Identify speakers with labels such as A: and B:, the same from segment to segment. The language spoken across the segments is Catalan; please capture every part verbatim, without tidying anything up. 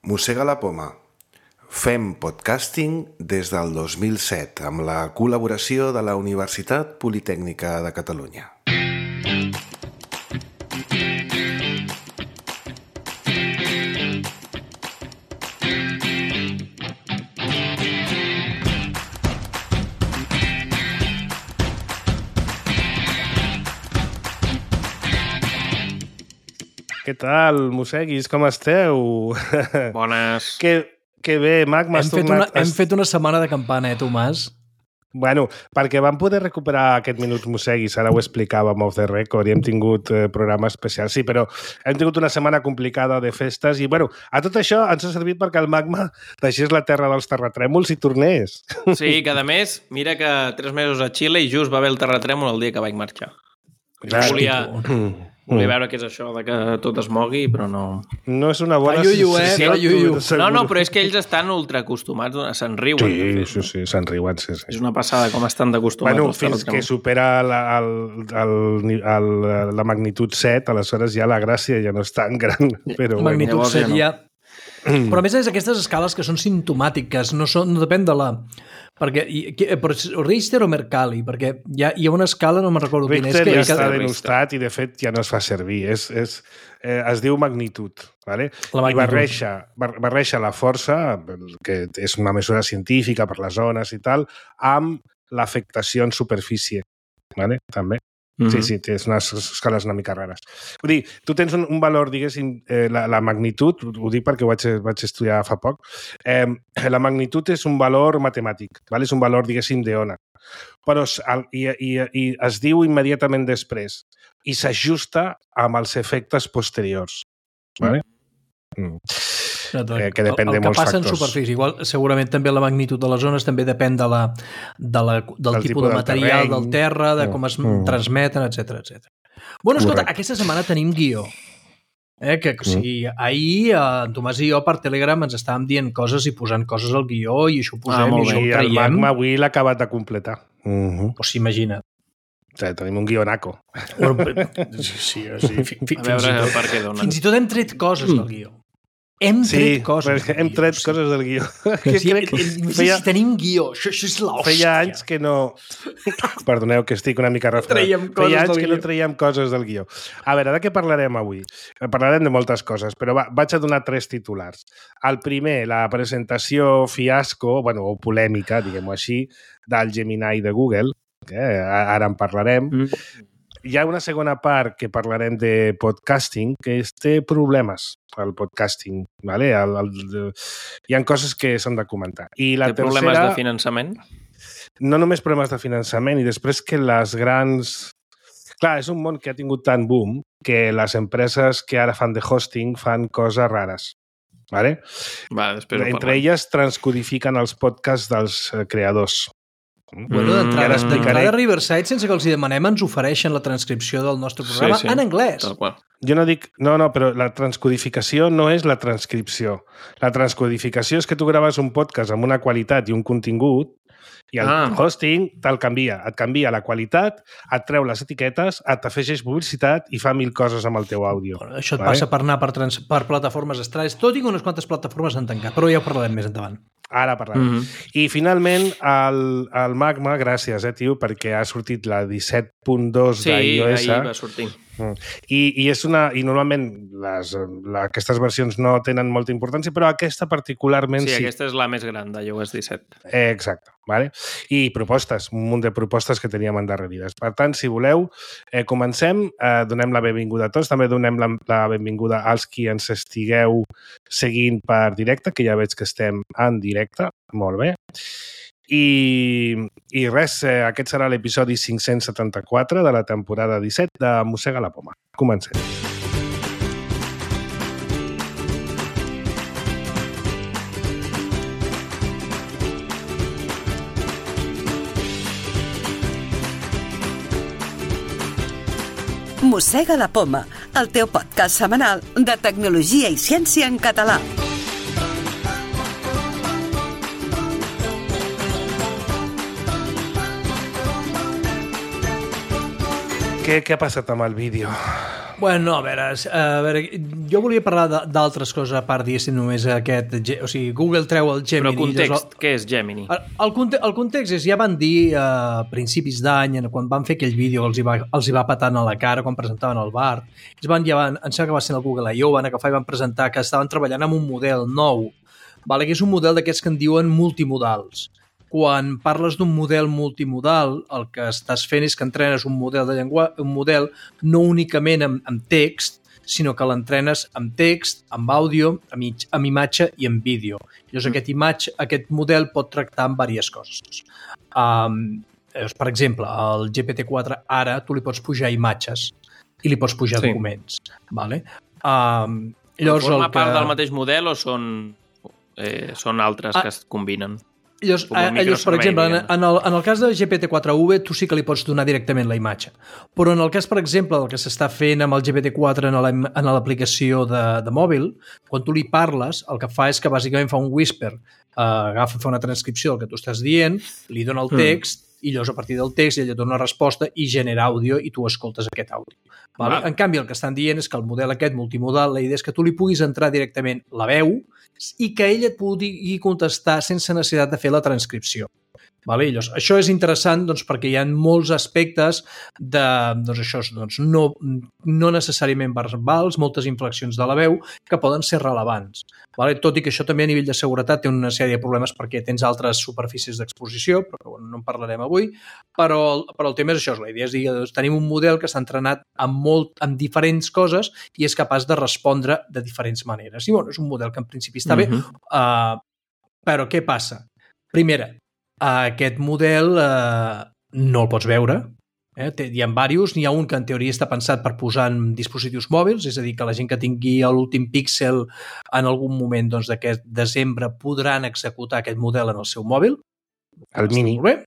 A: Mossega la poma. Fem podcasting des del dos mil set amb la col·laboració de la Universitat Politècnica de Catalunya.
B: Què tal, mosseguis? Com esteu?
C: Bones.
B: Que, que bé, Mac, m'has
D: hem, fet
B: tornat...
D: una, hem fet una setmana de campana, eh, Tomàs?
B: Bueno, perquè vam poder recuperar aquest minut mosseguis, ara ho explicàvem off the record i hem tingut eh, programa especial. Sí, però hem tingut una setmana complicada de festes i, bueno, a tot això ens ha servit perquè el Magma deixés la terra dels terratrèmols i tornés.
C: Sí, que a més, mira que tres mesos a Xile i just va haver el terratrèmol el dia que vaig marxar.
B: Clar,
C: volia...
B: Mm.
C: Volia veure què és això de que tot es mogui, però no...
B: No és una bona...
D: Fa iuiu, eh?
B: sensació,
D: Fa iuiu.
C: No, no, però és que ells estan ultra acostumats, se'n riuen.
B: Sí, sí, sí, se'n riuen, sí, sí.
C: És una passada com estan d'acostumats.
B: Bueno, fins que supera la, el, el, el, la magnitud set, aleshores ja la gràcia ja no és tan gran. Però
D: Magnitud
B: bueno.
D: set ja... Però a més és aquestes escales que són simptomàtiques, no, són, no depèn de la... Perquè, però Richter o Mercalli, perquè hi ha, hi ha una escala, no me'n recordo quina és.
B: Richter
D: que,
B: ja està
D: que...
B: denostat i de fet ja no es fa servir. És, és, eh, es diu magnitud. ¿vale?
D: La magnitud.
B: I barreja, barreja la força, que és una mesura científica per les zones i tal, amb l'afectació en superfície. ¿vale? També. Mm-hmm. Sí, sí, tens unes escales una mica rares. Vull dir, tu tens un, un valor, diguéssim, eh, la, la magnitud, ho dic perquè ho vaig, vaig estudiar fa poc, eh, la magnitud és un valor matemàtic, ¿vale? És un valor, diguéssim, d'ona. Però i, i, i es diu immediatament després i s'ajusta amb els efectes posteriors. ¿vale? Mm. Eh, que depèn
D: el, el
B: de molts
D: que passa
B: factors.
D: en superfície, igual, segurament també la magnitud de les zones també depèn de la, de la, del, del tipus de material, del, del terra, de com es mm. transmeten, etcètera, etcètera. Bueno, escolta, Correcte. Aquesta setmana tenim guió. Eh, que, o sigui, mm. ahir en Tomàs i jo per Telegram ens estàvem dient coses i posant coses al guió i això ho posem ah, i això ho traiem.
B: I el Magma avui l'ha acabat de completar.
D: Mm-hmm. O sigui, imagina't.
B: O sigui, tenim un guionaco.
D: Sí, sí, sí. F
C: a veure el per què dona.
D: Fins i tot hem tret coses del guió. Hem tret
B: sí,
D: coses.
B: Hem tret guió, coses del guió.
D: Que sí, crec que feia, si tenim guió, això, això és l'hòstia.
B: Feia anys que no... Perdoneu, que estic una mica refredat. Feia anys que no traiem coses del guió. A veure, de què parlarem avui? Parlarem de moltes coses, però va, vaig a donar tres titulars. El primer, la presentació fiasco, bueno, o polèmica, diguem-ho així, del Gemini de Google, que ara en parlarem. Mm. Hi ha una segona part que parlarem de podcasting que té problemes, el podcasting. ¿vale? El, el, hi ha coses que s'han de comentar. I la
C: té
B: tercera,
C: problemes de finançament?
B: No només problemes de finançament, i després que les grans... Clar, és un món que ha tingut tant boom que les empreses que ara fan de hosting fan coses rares. ¿vale?
C: Va, després
B: Entre elles transcodifiquen els podcasts dels creadors.
D: Bueno, d'entrada mm, Riverside, sense que els demanem, ens ofereixen la transcripció del nostre programa sí, sí. en anglès.
B: Jo no dic... No, no, però la transcodificació no és la transcripció. La transcodificació és que tu graves un podcast amb una qualitat i un contingut i el ah. hosting te'l canvia. Et canvia la qualitat, et treu les etiquetes, et afegeix publicitat i fa mil coses amb el teu àudio.
D: Bueno, això et vale? passa per anar per, trans, per plataformes estralles. Tot i que unes quantes plataformes han tancat, però ja ho parlarem més endavant.
B: Ara parlarem. Mm -hmm. I finalment el, el Magma, gràcies, eh, tio, perquè ha sortit la disset punt dos
C: sí,
B: d'iOS.
C: Sí, ahir va sortir.
B: I, i, és una, i normalment les, la, aquestes versions no tenen molta importància, però aquesta particularment sí.
C: Sí, aquesta és la més gran d'iOS disset.
B: Eh, exacte. Vale? I propostes, un munt de propostes que teníem endarrerides. Per tant, si voleu, eh, comencem, eh, donem la benvinguda a tots, també donem la, la benvinguda als qui ens estigueu seguint per directe, que ja veig que estem en directe, molt bé. I, i res, eh, aquest serà l'episodi cinc-cents setanta-quatre de la temporada disset de Mossega la poma. Comencem.
E: Mossega la poma, el teu podcast setmanal de tecnologia i ciència en català.
B: Què, què ha passat amb el vídeo?
D: Bueno, no, a veure, a veure, jo volia parlar d'altres coses a part, diguéssim, només aquest... O sigui, Google treu el Gemini...
C: Però context, el, què és Gemini?
D: El, el, conte, el context és, ja van dir a principis d'any, quan van fer aquell vídeo els hi, va, els hi va patant a la cara quan presentaven el Bard, es van, ja van, em sembla que va ser el Google I O, van agafar i van presentar que estaven treballant amb un model nou, vale? Que és un model d'aquests que en diuen multimodals. Quan parles d'un model multimodal, el que estàs fent és que entrenes un model de llenguatge, un model no únicament amb, amb text, sinó que l'entrenes amb text, amb àudio, amb, amb imatge i amb vídeo. Llavors, aquest, imatge, aquest model pot tractar amb diverses coses. Um, per exemple, al G P T quatre ara tu li pots pujar imatges i li pots pujar sí. documents. Vale? Um, llavors,
C: forma
D: que...
C: part del mateix model o són, eh, són altres ah, que es combinen?
D: Llavors, llavors, per exemple, en, en, el, en el cas de G P T quatre U tu sí que li pots donar directament la imatge. Però en el cas, per exemple, del que s'està fent amb el G P T quatre en l'aplicació de, de mòbil, quan tu li parles, el que fa és que bàsicament fa un whisper, uh, agafa, fa una transcripció del que tu estàs dient, li dona el text, mm. i llavors a partir del text ella dona una resposta i genera àudio i tu escoltes aquest àudio. Vale? Ah. En canvi, el que estan dient és que el model aquest multimodal, la idea és que tu li puguis entrar directament la veu i que ella et pugui contestar sense necessitat de fer la transcripció. Vale? Llavors, això és interessant doncs, perquè hi ha molts aspectes de, doncs, això, doncs, no, no necessàriament verbals, moltes inflexions de la veu que poden ser rellevants. Vale? Tot i que això també a nivell de seguretat té una sèrie de problemes perquè tens altres superfícies d'exposició, però bueno, no en parlarem avui, però, però el tema és això, la idea és dir, doncs, tenim un model que s'ha entrenat amb, molt, amb diferents coses i és capaç de respondre de diferents maneres. I bueno, és un model que en principi està bé, uh-huh. uh, però què passa? Primera, aquest model eh, no el pots veure. Eh? Hi ha diversos, n'hi ha un que en teoria està pensat per posar en dispositius mòbils, és a dir, que la gent que tingui l'últim píxel en algun moment doncs, d'aquest desembre podran executar aquest model en el seu mòbil.
B: El mini.
D: Molt bé.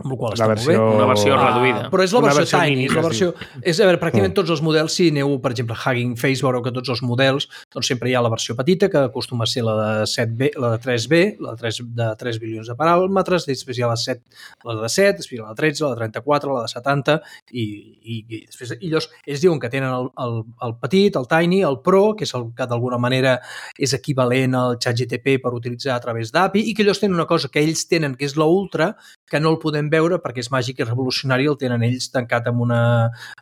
D: Amb la qual
B: la versió...
C: Una versió reduïda.
D: Uh, però és la versió, versió tiny.
B: Mini,
D: és la versió... És, a veure, pràcticament tots els models, si aneu, per exemple, Hugging Face, veureu que tots els models, doncs sempre hi ha la versió petita, que acostuma a ser la de set B, la de tres B, la de tres, de tres bilions de paràmetres, després hi ha la, set, la de set, després hi ha la de tretze, la de trenta-quatre, la de setanta, i, i, i després i llavors ells diuen que tenen el, el, el petit, el tiny, el pro, que és el que d'alguna manera és equivalent al ChatGPT per utilitzar a través d'A P I, i que ells tenen una cosa que ells tenen, que és l'ultra, que no el podem veure perquè és màgic i revolucionari, el tenen ells tancat en una,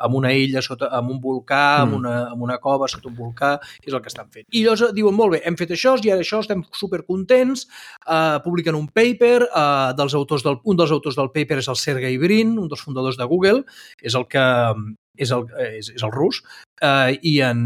D: en una illa, sota, en un volcà, mm. en, una, en una cova sota un volcà, és el que estan fent. I llavors diuen, molt bé, hem fet això, i ara això, estem supercontents, uh, publiquen un paper, uh, dels autors del, un dels autors del paper és el Sergey Brin, un dels fundadors de Google, és el que... és el, és, és el rus, eh, i en,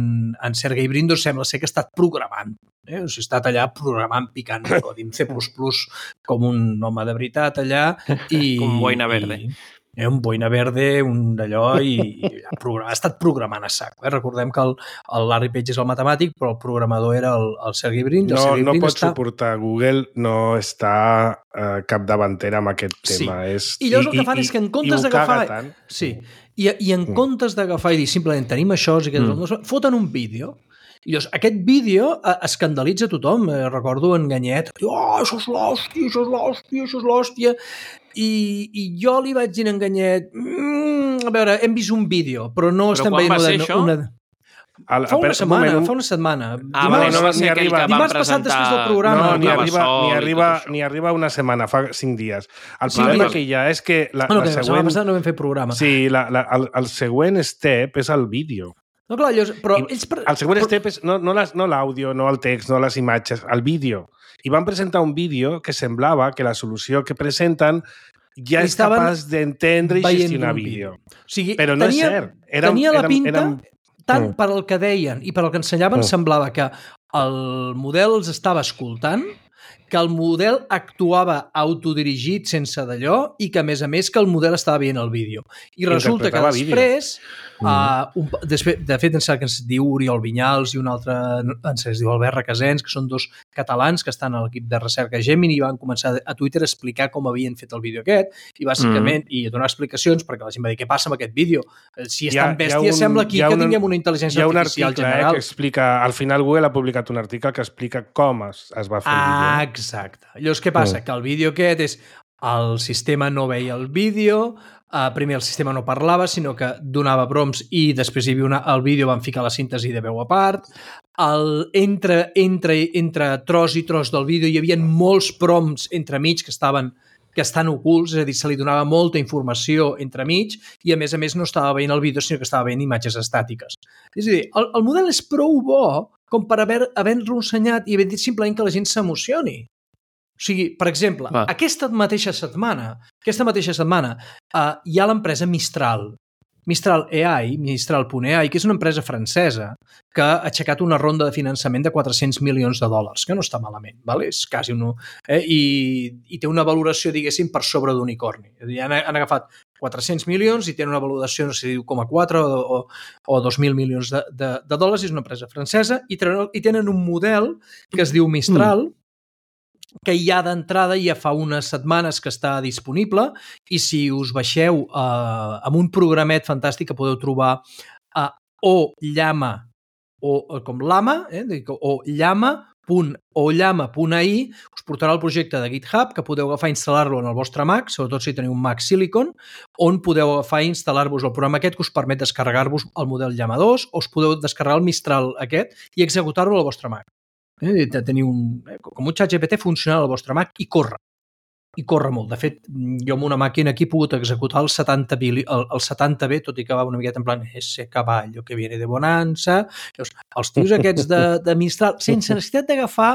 D: en Sergey Brin doncs, sembla ser que ha estat programant. Eh? O sigui, ha estat allà programant, picant codi en C plus plus com un home de veritat allà. I,
C: com boina verde.
D: I, eh, un boina verde, un d'allò, i, i ha, ha estat programant a sac. Eh? Recordem que el, el Larry Page és el matemàtic, però el programador era el, el Sergey Brin.
B: No,
D: Sergey
B: no
D: Brin
B: pot
D: està...
B: suportar. Google no està eh, capdavantera amb aquest tema.
D: Sí.
B: És...
D: I llavors el que fan
B: I,
D: és que en comptes d'agafar...
B: tant.
D: Sí. I, i en comptes d'agafar i dir simplement tenim això, i que mm. foten un vídeo, i llavors aquest vídeo eh, escandalitza tothom. Eh, recordo en Ganyet, oh, això és l'hòstia, això és l'hòstia, això és l'hòstia, i, i jo li vaig dir en Ganyet, mm, a veure, hem vist un vídeo, però no però estem veient una...
C: Això?
D: una...
B: El,
D: fa una setmana, un... fa una setmana.
C: Ah, dimarts, no, no, ni arriba.
D: Dimarts passat després del programa.
B: No, ni arriba, ni, arriba, ni arriba una setmana, fa cinc dies. El sí, problema que hi ha és que la,
D: no, no,
B: la
D: que
B: següent...
D: passat no vam fer programa.
B: Sí, la, la, el, el següent step és el vídeo.
D: No, clar, llavors, però...
B: I,
D: ells...
B: El següent
D: però...
B: step és no, no, les, no l'àudio, no el text, no les imatges, el vídeo. I van presentar un vídeo que semblava que la solució que presenten ja és capaç d'entendre i gestionar vídeo.
D: O sigui,
B: però no
D: tenia,
B: és cert. Érem,
D: tenia la
B: érem,
D: pinta...
B: érem...
D: tant per al que deien i per al que ensenyaven, mm. semblava que el model els estava escoltant, que el model actuava autodirigit sense d'allò i que, a més a més, que el model estava veient el vídeo. I resulta que després, mm. uh, un, després de fet, ens, que ens diu Oriol Vinyals i un altre, ens diu Albert Requesens, que són dos catalans que estan a l'equip de recerca Gemini i van començar a Twitter a explicar com havien fet el vídeo aquest i, bàsicament, mm. i a donar explicacions perquè la gent va dir, què passa amb aquest vídeo? Si és tan bèstia, un, sembla aquí que una, tinguem una intel·ligència artificial
B: article,
D: general.
B: Eh, que explica, al final Google ha publicat un article que explica com es, es va fer el vídeo.
D: Ah, exacte. Llavors, què passa? Mm. Que el vídeo aquest és... El sistema no veia el vídeo, Uh, primer el sistema no parlava, sinó que donava prompts i després hi havia una, el vídeo van ficar la síntesi de veu a part. El, entre, entre, entre tros i tros del vídeo hi havia molts prompts entremig que estaven que estan ocults, és a dir, se li donava molta informació entremig i, a més a més, no estava veient el vídeo, sinó que estava veient imatges estàtiques. És a dir, el, el model és prou bo com per haver, haver-lo ensenyat i haver dit simplement que la gent s'emocioni. O sigui, per exemple, ah. aquesta mateixa setmana, aquesta mateixa setmana uh, hi ha l'empresa Mistral, Mistral A I, Mistral punt A I, que és una empresa francesa que ha aixecat una ronda de finançament de quatre-cents milions de dòlars, que no està malament, ¿vale? És quasi un... Eh? I, I té una valoració, diguéssim, per sobre d'unicorni. És a dir, han, han agafat quatre-cents milions i tenen una valoració, no sé si diu com a quatre o, o, o dos mil milions de, de, de dòlars, és una empresa francesa, i tenen, i tenen un model que es diu Mistral, mm. que ja d'entrada ja fa unes setmanes que està disponible i si us baixeu eh, amb un programet fantàstic que podeu trobar a o llama o com lama, eh, o llama punt o llama punt a i us portarà el projecte de GitHub que podeu agafar i instal·lar-lo en el vostre Mac, sobretot si teniu un Mac Silicon, on podeu agafar i instal·lar-vos el programa aquest que us permet descarregar-vos el model Llama dos o us podeu descarregar el Mistral aquest i executar-lo al vostre Mac. Eh, tenir un, eh, com un ChatGPT funcional al vostre Mac i corre. I corre molt. De fet, jo amb una màquina aquí he pogut executar el setanta B, el, el setanta B, tot i que va una miqueta en plan ese caballo que viene de bonanza. Els tios aquests de, de Mistral, sense necessitat d'agafar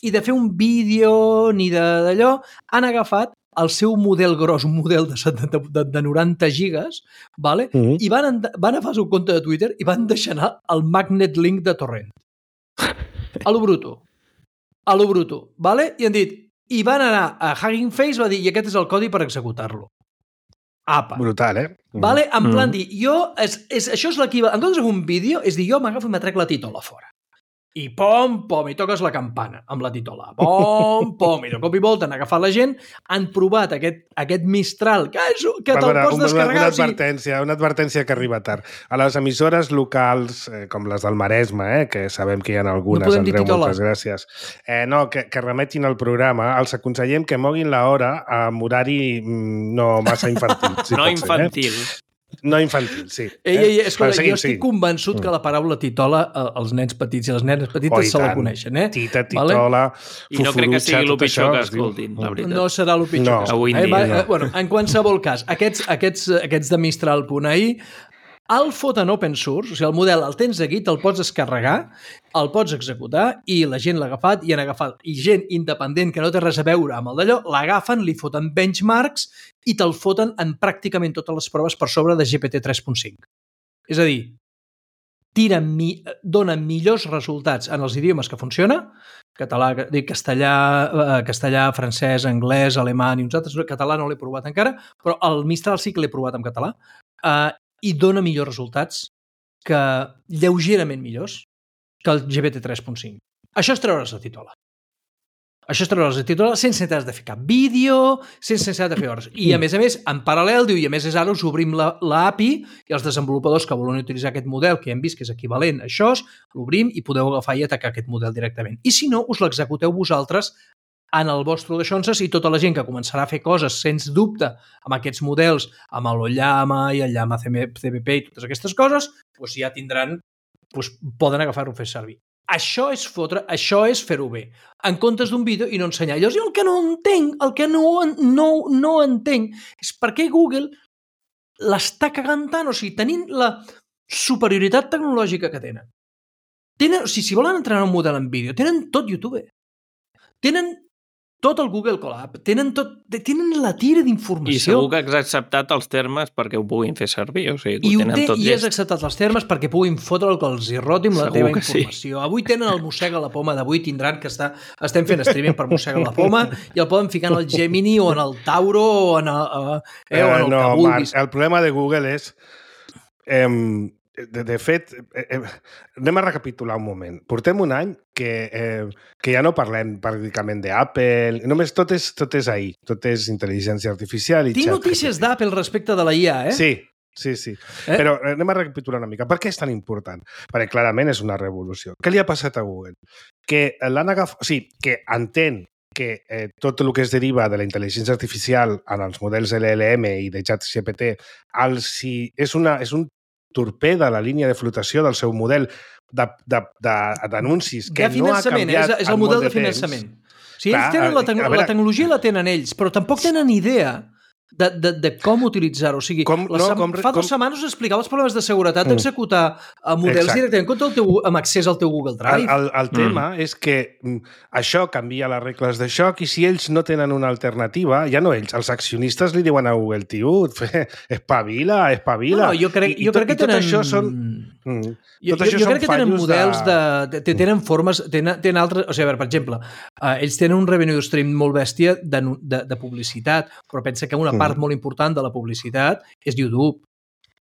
D: i de fer un vídeo ni d'allò, han agafat el seu model gros, un model de, setanta, de, de noranta gigas, vale? Mm-hmm. I van, van agafar el seu compte de Twitter i van deixar anar el magnet link de torrent. A lo bruto. A lo bruto. Vale? I han dit, i van anar a Hugging Face, va dir, i aquest és el codi per executar-lo. Apa.
B: Brutal, eh?
D: Vale? En plan mm. dir, jo, és, és, això és l'equivalent, en comptes d'un vídeo, és dir, jo m'agafo i m'atrec la titola fora. I pom, pom, i toques la campana amb la titola. Pom, pom, i de cop i volta han agafat la gent, han provat aquest, aquest Mistral, que, és, que te'l pots descarregar.
B: Una, una advertència, una advertència que arriba tard. A les emissores locals, eh, com les del Maresme, eh, que sabem que hi ha algunes, no Andreu, moltes gràcies, eh, no, que, que remetin el programa, els aconsellem que moguin l'hora amb horari no massa infantil. Si
C: no infantil.
B: Ser, eh? No infantil, sí.
D: Ei, ei, escolta, seguim, jo estic sí. convençut que la paraula titola els nens petits i les nenes petites oh, se la coneixen, eh?
B: Tita, titola, vale?
C: I no crec que sigui el pitjor que escoltin, la veritat.
D: No serà el pitjor
B: no.
D: que escoltin.
C: Eh?
D: Va, no. Bueno, en qualsevol cas, aquests, aquests, aquests de Mistral punt a i el foten open source, o sigui, el model el tens aquí, te'l pots descarregar, el pots executar i la gent l'ha agafat i han agafat, i gent independent que no té res a veure amb el d'allò, l'agafen, li foten benchmarks i te'l foten en pràcticament totes les proves per sobre de G P T tres punt cinc. És a dir, tira mi, dona millors resultats en els idiomes que funciona, català, dic, castellà, eh, castellà, francès, anglès, alemany i uns altres, català no l'he provat encara, però el Mistral sí que l'he provat en català, eh, i dona millors resultats, que lleugerament millors, que el G P T tres punt cinc. Això és treure's la titola. Això és treure's la titola sense necessitat de fer cap vídeo, sense necessitat de fer hores. I a més a més, en paral·lel, diu, i a més és ara us obrim l'A P I i els desenvolupadors que volen utilitzar aquest model, que hem vist que és equivalent a això, l'obrim i podeu agafar i atacar aquest model directament. I si no, us l'executeu vosaltres en el vostre Deixonses i tota la gent que començarà a fer coses, sens dubte, amb aquests models, amb l'Ollama i el Llama C P P i totes aquestes coses, doncs ja tindran, doncs poden agafar-ho a fer servir. Això és fotre, això és fer-ho bé. En comptes d'un vídeo i no ensenyar. Llavors, jo el que no entenc, el que no, no, no entenc, és per què Google l'està cagant tant, o sigui, tenint la superioritat tecnològica que tenen. Tenen, o sigui, si volen entrenar un model en vídeo, tenen tot YouTube. Tenen tot el Google Colab, tenen, tot, tenen la tira d'informació.
C: I segur que has acceptat els termes perquè ho puguin fer servir, o sigui, que
D: I
C: ho tenen
D: té,
C: tot
D: I
C: llest.
D: has acceptat els termes perquè puguin fotre el que els hi roti amb la
C: Segur
D: teva
C: que
D: informació.
C: Sí.
D: Avui tenen el mossega la poma, d'avui tindran que està, estem fent streaming per mossega la poma i el poden ficar en el Gemini o en el Tauro o en el, eh, o en el
B: no,
D: que vulguis.
B: Marc, el problema de Google és... Eh, De, de fet, eh, eh, anem a recapitular un moment. Portem un any que, eh, que ja no parlem pràcticament d'Apple, només tot és, tot és ahir, tot és intel·ligència artificial. I
D: Tinc
B: xat,
D: notícies d'Apple respecte de la I A, eh?
B: Sí, sí, sí. Eh? Però anem a recapitular una mica. Per què és tan important? Perquè clarament és una revolució. Què li ha passat a Google? Que l'han agafat... O sigui, que entén que eh, tot el que es deriva de la intel·ligència artificial en els models L L M i de ChatGPT els, si és, una, és un torpeda la línia de flotació del seu model d'anuncis que
D: de
B: no ha canviat
D: és, és el model de, de finançament. O sigui, ells tenen la, te veure, la tecnologia la tenen ells, però tampoc tenen idea de, de, de com utilitzar-ho. O sigui, com, no, com, fa dues com... setmanes us explicava els problemes de seguretat d'executar mm. models Exacte. directament contra el teu, amb accés al teu Google Drive.
B: El, el, el tema mm. és que això canvia les regles de joc i si ells no tenen una alternativa, ja no ells, els accionistes li diuen a Google, tio, espavila, espavila.
D: No, no, jo crec,
B: I,
D: jo
B: i,
D: crec que
B: i tot
D: tenen...
B: això són... Mm.
D: Jo, jo, jo crec que tenen models de... de, de tenen formes, tenen, tenen altres... O sigui, a veure, per exemple, uh, ells tenen un revenue stream molt bèstia de, de, de publicitat, però pensa que una mm. part molt important de la publicitat és YouTube.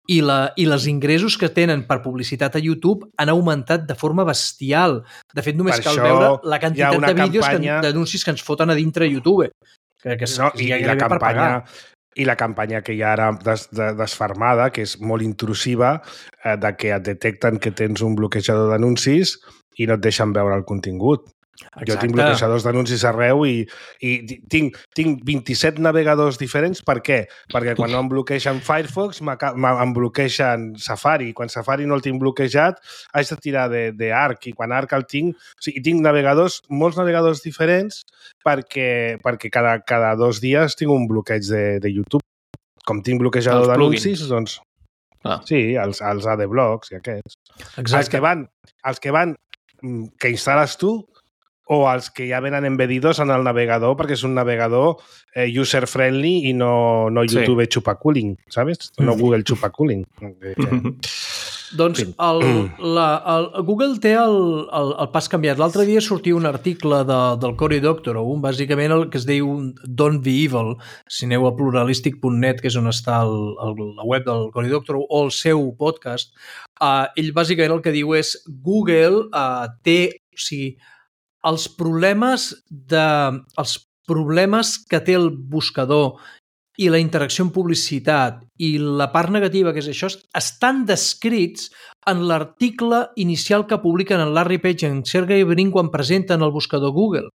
D: I, la, I les ingressos que tenen per publicitat a YouTube han augmentat de forma bestial. De fet, només per cal veure la quantitat de vídeos, campanya... d'anuncis que ens foten a dintre YouTube. Que, que,
B: no, que i, i la campanya... I la campanya que hi ha ara des, de, desfermada, que és molt intrusiva, eh, de que et detecten que tens un bloquejador d'anuncis i no et deixen veure el contingut. Exacte. Jo tinc bloquejadors d'anuncis arreu i, i tinc, tinc vint-i-set navegadors diferents. Per què? Perquè quan no em bloquegen Firefox, em bloquegen Safari. Quan Safari no el tinc bloquejat, haig de tirar d'Arc. I quan Arc el tinc... O sigui, tinc navegadors, molts navegadors diferents perquè, perquè cada, cada dos dies tinc un bloqueig de, de YouTube. Com tinc bloquejador d'anuncis, doncs... Ah. Sí, els, els adblocks i aquests. Exacte. Els que van, els que van, que instal·les tu, o els que ja venen embedidos en el navegador perquè és un navegador eh, user-friendly i no, no YouTube sí. chupaculing, ¿sabes? No Google chupaculing.
D: Doncs el, la, el, Google té el, el, el pas canviat. L'altre dia sortia un article de, del Cory Doctorow, bàsicament el que es diu Don't Be Evil. Si aneu a pluralistic punt net, que és on està el, el, la web del Cory Doctorow, o el seu podcast, uh, ell bàsicament el que diu és Google uh, té... O sigui, els problemes, de, els problemes que té el buscador i la interacció amb publicitat i la part negativa que és això estan descrits en l'article inicial que publiquen en Larry Page i en Sergey Brin quan presenten el buscador Google.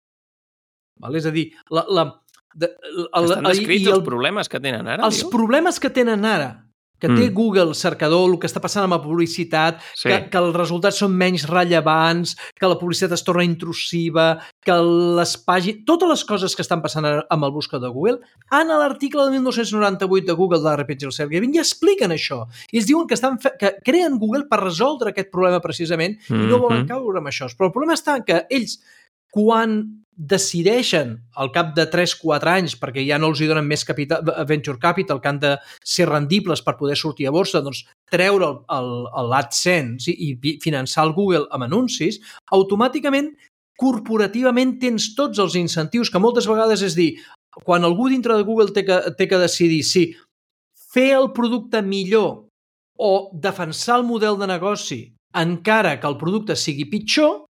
D: Val? És a dir, la, la,
C: de, el, estan descrits el, els problemes que tenen ara?
D: Els
C: diu?
D: problemes que tenen ara, que té mm. Google cercador, el que està passant amb la publicitat, sí. que, que els resultats són menys rellevants, que la publicitat es torna intrusiva, que les pàgines... Totes les coses que estan passant amb el buscador de Google, en l'article de mil nou-cents noranta-vuit de Google de la Repetge el Sergey Brin ja expliquen això. I es diuen que, estan fe... que creen Google per resoldre aquest problema precisament mm-hmm. i no volen caure amb això. Però el problema està que ells, quan decideixen al cap de tres a quatre anys, perquè ja no els hi donen més capital, venture capital, que han de ser rendibles per poder sortir a borsa, doncs treure l'AdSense i, i finançar el Google amb anuncis, automàticament, corporativament, tens tots els incentius que moltes vegades és dir, quan algú dintre de Google té que, té que decidir si fer el producte millor o defensar el model de negoci encara que el producte sigui pitjor,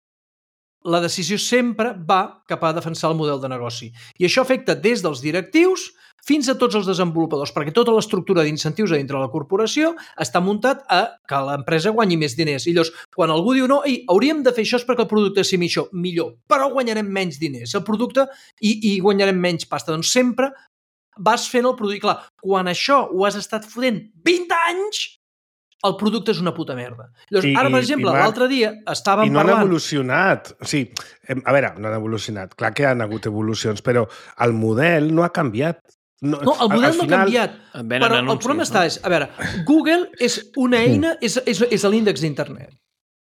D: la decisió sempre va cap a defensar el model de negoci. I això afecta des dels directius fins a tots els desenvolupadors, perquè tota l'estructura d'incentius a dintre de la corporació està muntat a que l'empresa guanyi més diners. I llavors, quan algú diu no, ei, hauríem de fer això perquè el producte sigui millor, millor, però guanyarem menys diners el producte i, i guanyarem menys pasta. Doncs sempre vas fent el producte. Clar, quan això ho has estat fotent vint anys, el producte és una puta merda. Llavors, I, ara, per exemple, l'altre dia estàvem parlant...
B: I no parlant... han evolucionat. O sigui, a veure, no han evolucionat. Clar que han hagut evolucions, però el model no ha canviat.
D: No, no el model no final... ha canviat. Però anuncis, el problema no? està és... A veure, Google és una eina... Mm. És, és, és l'índex d'internet.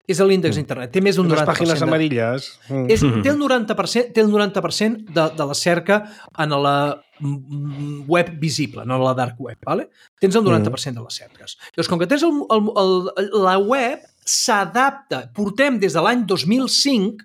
D: És l'índex mm. d'internet. Té més d'un noranta per cent.
B: Les pàgines amarilles.
D: Mm. És, té el noranta per cent, té el noranta per cent de, de la cerca en la web visible, no en la dark web. Vale? Tens el noranta per cent de les cerques. Llavors, com que tens el, el, el, la web s'adapta. Portem des de l'any dos mil cinc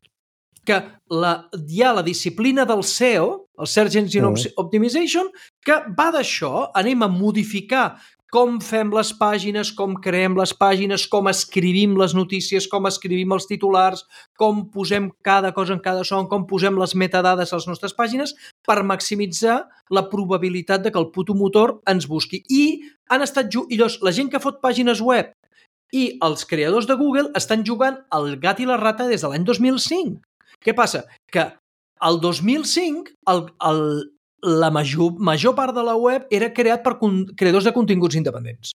D: que la, hi ha la disciplina del S E O, el Search Engine mm. Optimization, que va d'això. Anem a modificar com fem les pàgines, com creem les pàgines, com escrivim les notícies, com escrivim els titulars, com posem cada cosa en cada son, com posem les metadades a les nostres pàgines per maximitzar la probabilitat de que el puto motor ens busqui. I han estat i llavors, la gent que fot pàgines web i els creadors de Google estan jugant al gat i la rata des de l'any dos mil cinc. Què passa? Que el dos mil cinc el, el, la major, major part de la web era creat per con, creadors de continguts independents.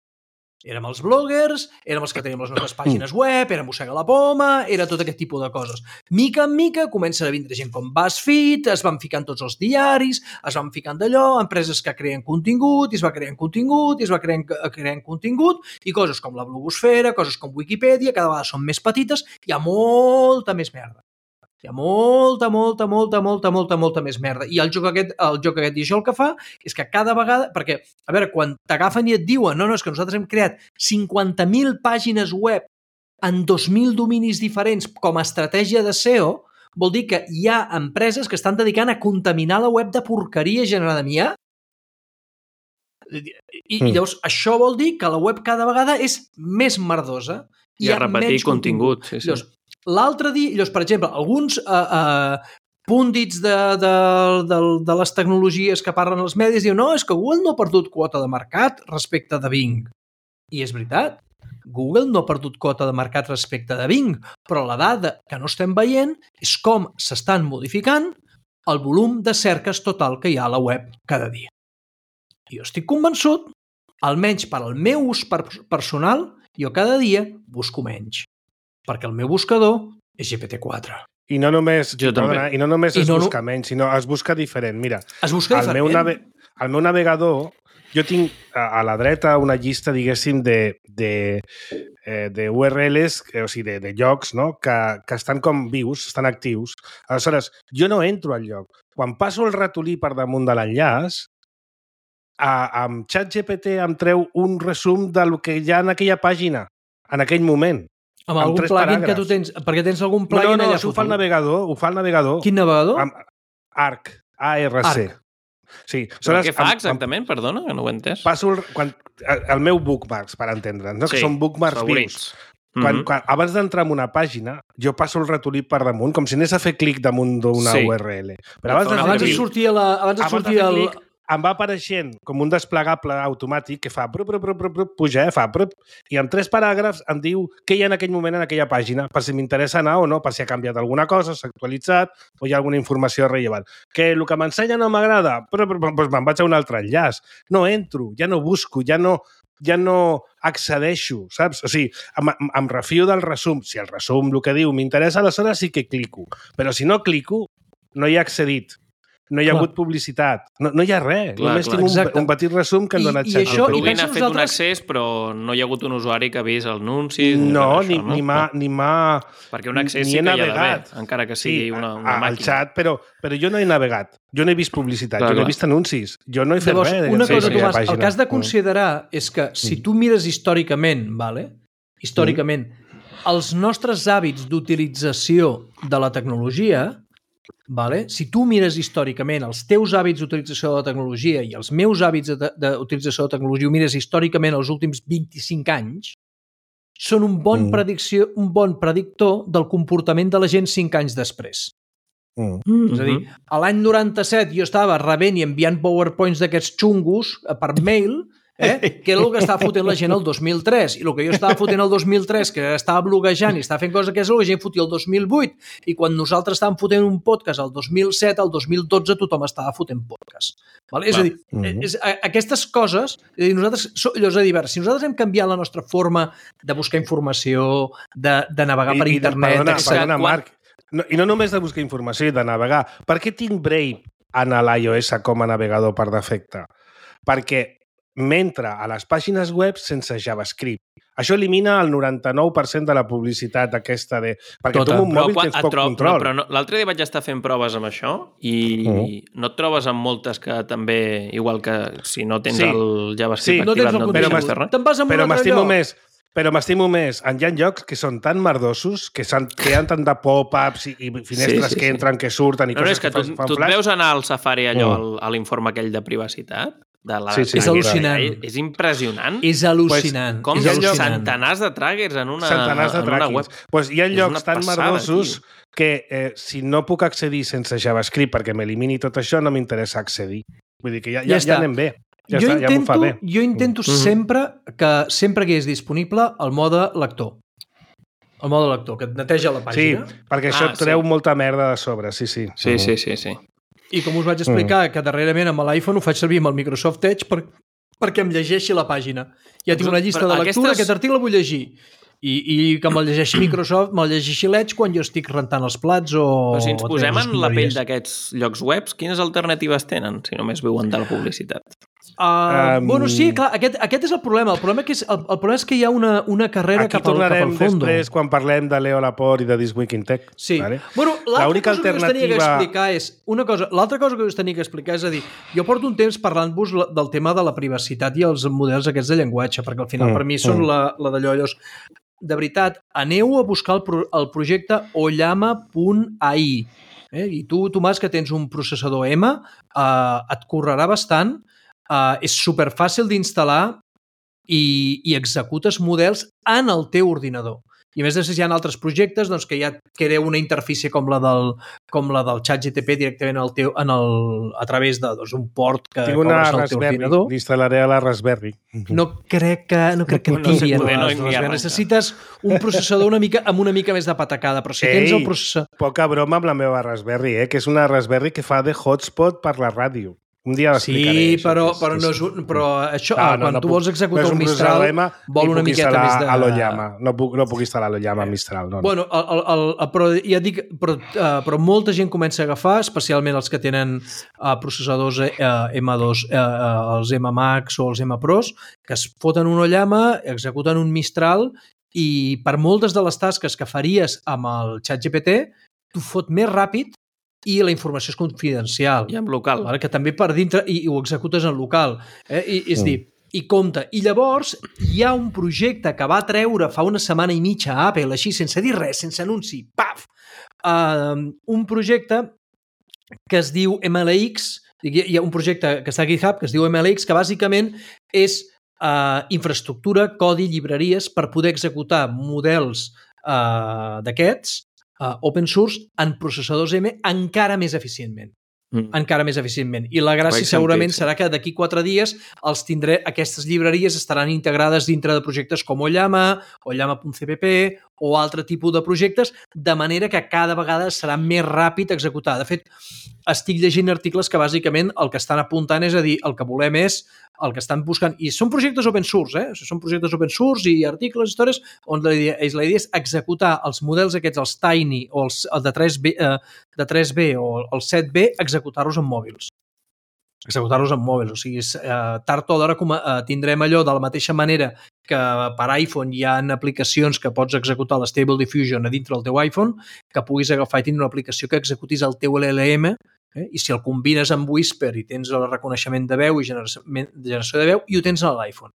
D: Érem els bloggers, érem els que teníem les nostres pàgines web, era Mossega la Poma, era tot aquest tipus de coses. Mica en mica comencen a vindre gent com BuzzFeed, es van ficant tots els diaris, es van ficant d'allò, empreses que creen contingut, i es va creant contingut, i es va creant, creant contingut, i coses com la blogosfera, coses com Wikipedia, cada vegada són més petites, hi ha molta més merda. Hi ha molta, molta, molta, molta, molta, molta més merda. I el joc aquest, el joc aquest i això el que fa és que cada vegada... Perquè, a veure, quan t'agafen i et diuen no, no, és que nosaltres hem creat cinquanta mil pàgines web en dos mil dominis diferents com a estratègia de S E O, vol dir que hi ha empreses que estan dedicant a contaminar la web de porqueria generada amb I A. I, i mm. llavors, això vol dir que la web cada vegada és més merdosa.
C: I a repetir contingut. contingut. Sí, sí.
D: Llavors, l'altre dia, llavors, per exemple, alguns eh, eh, púndits de, de, de, de les tecnologies que parlen als medis diuen no, és que Google no ha perdut quota de mercat respecte de Bing. I és veritat, Google no ha perdut quota de mercat respecte de Bing, però la dada que no estem veient és com s'estan modificant el volum de cerques total que hi ha a la web cada dia. I jo estic convençut, almenys per al meu ús personal, jo cada dia busco menys. Perquè el meu buscador és G P T quatre.
B: I no només, perdona, i no només I es no, busca menys, sinó es busca diferent. Mira,
D: es busca
B: el
D: diferent.
B: Meu nave, el meu navegador, jo tinc a, a la dreta una llista, diguéssim, de, de, eh, de U R Ls, o sigui, de, de llocs, no? que, que estan com vius, estan actius. Aleshores, jo no entro al lloc. Quan passo el ratolí per damunt de l'enllaç, amb ChatGPT em treu un resum del que hi ha en aquella pàgina, en aquell moment.
D: Amb, amb algun plugin que tu tens, perquè tens algun plugin
B: no, no,
D: allà
B: no, ho fa el navegador, ho fa el navegador.
D: Quin navegador?
B: Amb Arc, A R C.
D: Arc.
B: Sí.
C: Però què fa exactament? Amb, Perdona, que no ho he entès.
B: Passo el, quan, el meu bookmarks, per entendre'ns, no?
C: Sí,
B: que són bookmarks
C: favorits.
B: vius. Quan, mm-hmm. quan, abans d'entrar en una pàgina, jo passo el ratolí per damunt, com si anés a fer clic damunt d'una sí. U R L. Però abans,
D: abans de, de sortir, la, abans de abans sortir de el...
B: Clic, em va apareixent com un desplegable automàtic que fa brup, brup, brup, brup, brup, puja, eh, fa brup, i en tres paràgrafs em diu què hi ha en aquell moment en aquella pàgina, per si m'interessa anar o no, per si ha canviat alguna cosa, s'ha actualitzat o hi ha alguna informació rellevant. Que el que m'ensenya no m'agrada, però, però, però me'n vaig a un altre enllaç. No entro, ja no busco, ja no, ja no accedeixo, saps? O sigui, em, em refio del resum. Si el resum, el que diu, m'interessa, aleshores sí que clico. Però si no clico, no hi ha accedit. No hi ha clar. hagut publicitat, no, no hi ha res. Clar, Només clar. tinc un, un petit resum que em dona xat.
C: El plugin ha fet un accés, però no hi ha hagut un usuari que ha vist els anuncis.
B: No, ni, no? ni m'ha... Ni
C: Perquè un accés sí que hi ha d'haver, encara que sigui sí, una, una màquina.
B: Al xat, però, però jo no he navegat. Jo no he vist publicitat, clar, jo no he vist anuncis. Jo no he fet
D: Llavors,
B: res.
D: Una cosa, Tomàs, el que has de considerar és que si tu mires històricament, vale? històricament, mm. els nostres hàbits d'utilització de la tecnologia... Vale? Si tu mires històricament els teus hàbits d'utilització de la tecnologia i els meus hàbits d'utilització de la tecnologia, ho mires històricament els últims vint-i-cinc anys, són un bon, mm. predicció, un bon predictor del comportament de la gent cinc anys després. Mm. Mm-hmm. És a dir, a l'any noranta-set jo estava rebent i enviant powerpoints d'aquests xungos per mail, eh? que era el que estava fotent la gent el dos mil tres, i el que jo estava fotent el dos mil tres, que estava bloguejant i estava fent coses que és el que la gent fotia el dos mil vuit, i quan nosaltres estàvem fotent un podcast el dos mil set, el dos mil dotze tothom estava fotent podcast. Vale? És a dir, mm-hmm. és, a, aquestes coses, és a dir, nosaltres, és a dir, si nosaltres hem canviat la nostra forma de buscar informació, de, de navegar I, per
B: i
D: internet...
B: De, perdona, perdona, Marc, no, i no només de buscar informació i de navegar. Per què tinc Brave en l'iOS com a navegador per defecte? Perquè m'entra a les pàgines web sense JavaScript. Això elimina el noranta-nou per cent de la publicitat aquesta de... Perquè Tota. tu amb un mòbil tens poc trob, control.
C: No, però no, l'altre dia vaig estar fent proves amb això i mm. no et trobes amb moltes que també, igual que si no tens sí. el JavaScript
D: sí, no
C: activat,
D: tens el
C: no et deixes res.
D: Te'n vas amb
B: però
D: un altre lloc.
B: Més, però m'estimo més. Hi ha llocs que són tan merdosos, que, que hi ha tant de pop-ups i, i finestres sí, sí, que entren, sí. que surten i
C: no,
B: coses
C: no, que, que tu, fan tu et veus anar al Safari allò, mm. a l'informe aquell de privacitat? De la...
D: sí, sí, és al·lucinant.
C: És impressionant.
D: És al·lucinant.
C: Pues, com
D: és
C: hi ha centenars de trackers en una,
B: centenars de
C: en una web.
B: Pues hi ha llocs tan merdosos que eh, si no puc accedir sense JavaScript perquè m'elimini tot això, no m'interessa accedir. Vull dir que ja, ja, ja, ja anem bé. Ja
D: jo,
B: està,
D: intento,
B: ja m'ho fa bé.
D: jo intento mm-hmm. sempre que sempre que és disponible el mode lector. El mode lector, que et neteja la pàgina.
B: Sí, perquè això
C: Ah,
B: et treu
C: sí.
B: molta merda de sobre, sí, sí.
C: Sí, sí, sí, sí.
D: I com us vaig explicar, que darrerament amb l'iPhone ho faig servir amb el Microsoft Edge per, perquè em llegeixi la pàgina. Ja tinc una llista
C: Però
D: de lectura,
C: aquestes-
D: aquest article el vull llegir. I, i que me'l llegeixi Microsoft, me'l llegeixi l'Edge quan jo estic rentant els plats o...
C: Però si ens
D: o
C: posem
D: tenint
C: en la pell
D: escombraries.
C: d'aquests llocs webs, quines alternatives tenen si només viuen de la publicitat?
D: Uh,
B: Um,
D: bueno, sí, clar, aquest, aquest és el problema. El problema, que és, el, el problema és que hi ha una, una carrera
B: Aquí
D: cap al, cap
B: tornarem
D: al fondo.
B: després quan parlem de Leo Laporte i de This Week in Tech.
D: Sí.
B: Vale?
D: Bueno, l'altra
B: L'única
D: cosa que us tenia que
B: alternativa-
D: explicar és... Una cosa, l'altra cosa que us tenia que explicar és a dir, jo porto un temps parlant-vos la- del tema de la privacitat i els models aquests de llenguatge, perquè al final
B: Mm,
D: per mi són
B: mm.
D: la, la d'allò, llavors, de veritat, aneu a buscar el, pro, el projecte oyama punt a i. Eh? I tu, Tomàs, que tens un processador M, eh, et correrà bastant, eh, és superfàcil d'instal·lar i, i executes models en el teu ordinador. I a més, després hi ha altres projectes doncs, que ja crea una interfície com la del, com la del ChatGPT directament al teu, en el, a través de doncs, un port que,
B: Tinc
D: que
B: una
D: obres al teu
B: Raspberry,
D: ordinador.
B: l'instal·laré a la Raspberry.
D: No crec que, no crec que
C: No sé
D: tiri en
C: poder, no
D: les
C: ni
D: Raspberry.
C: arrenca.
D: Necessites un processador una mica, amb una mica més de patacada, però si tens
B: Ei,
D: el processador...
B: Poca broma amb la meva Raspberry, eh? Que és una Raspberry que fa de hotspot per la ràdio. Un dia l'explicaré.
D: Sí,
B: això,
D: però,
B: que és-
D: però,
B: que
D: no
B: és-
D: és un, però això,
B: Ah,
D: ah,
B: no,
D: quan
B: no
D: tu
B: puc-
D: vols executar
B: no és
D: un
B: un
D: Mistral,
B: processador M,
D: vol
B: ni
D: una
B: puc
D: miqueta
B: instal·lar
D: més de...
B: a l'Oyama. No puc, no puc instal·lar a l'Oyama Mistral. No, no.
D: Bueno, el, el, el, el, però ja et dic, però, uh, però molta gent comença a agafar, especialment els que tenen uh, processadors uh, M dos, uh, uh, els M Max o els M Pros, que es foten un Oyama, executen un Mistral i per moltes de les tasques que faries amb el ChatGPT, tu fot més ràpid i la informació és confidencial.
C: I amb local.
D: Vale? Que també per dintre, i, i ho executes en local. Eh? I, és mm. dir, i compte. I llavors hi ha un projecte que va treure fa una setmana i mitja a Apple, així, sense dir res, sense anunci, paf! Uh, un projecte que es diu M L X, hi ha un projecte que està a GitHub que es diu M L X, que bàsicament és uh, infraestructura, codi, llibreries per poder executar models uh, d'aquests Uh, open source en processadors M encara més eficientment. Mm. Encara més eficientment. I la gràcia
C: Vaig
D: segurament
C: sentit, sí.
D: serà que d'aquí quatre dies els tindré, aquestes llibreries estaran integrades dintre de projectes com Oyama, oyama punt c p p o altre tipus de projectes, de manera que cada vegada serà més ràpid executar. De fet, estic llegint articles que bàsicament el que estan apuntant és a dir, el que volem és el que estan buscant, i són projectes open source, eh? O sigui, són projectes open source i articles, històries, on la idea, la idea és executar els models aquests, els Tiny o els, el de tres B, eh, de tres B o el set B, executar-los en mòbils. Executar-los en mòbils. O sigui, eh, tard o d'hora eh, tindrem allò de la mateixa manera que per iPhone hi ha aplicacions que pots executar l'Stable Diffusion a dintre del teu iPhone, que puguis agafar i tindre una aplicació que executis el teu L L M. Eh? I si el combines amb Whisper i tens el reconeixement de veu i generació, generació de veu, i ho tens a l'iPhone.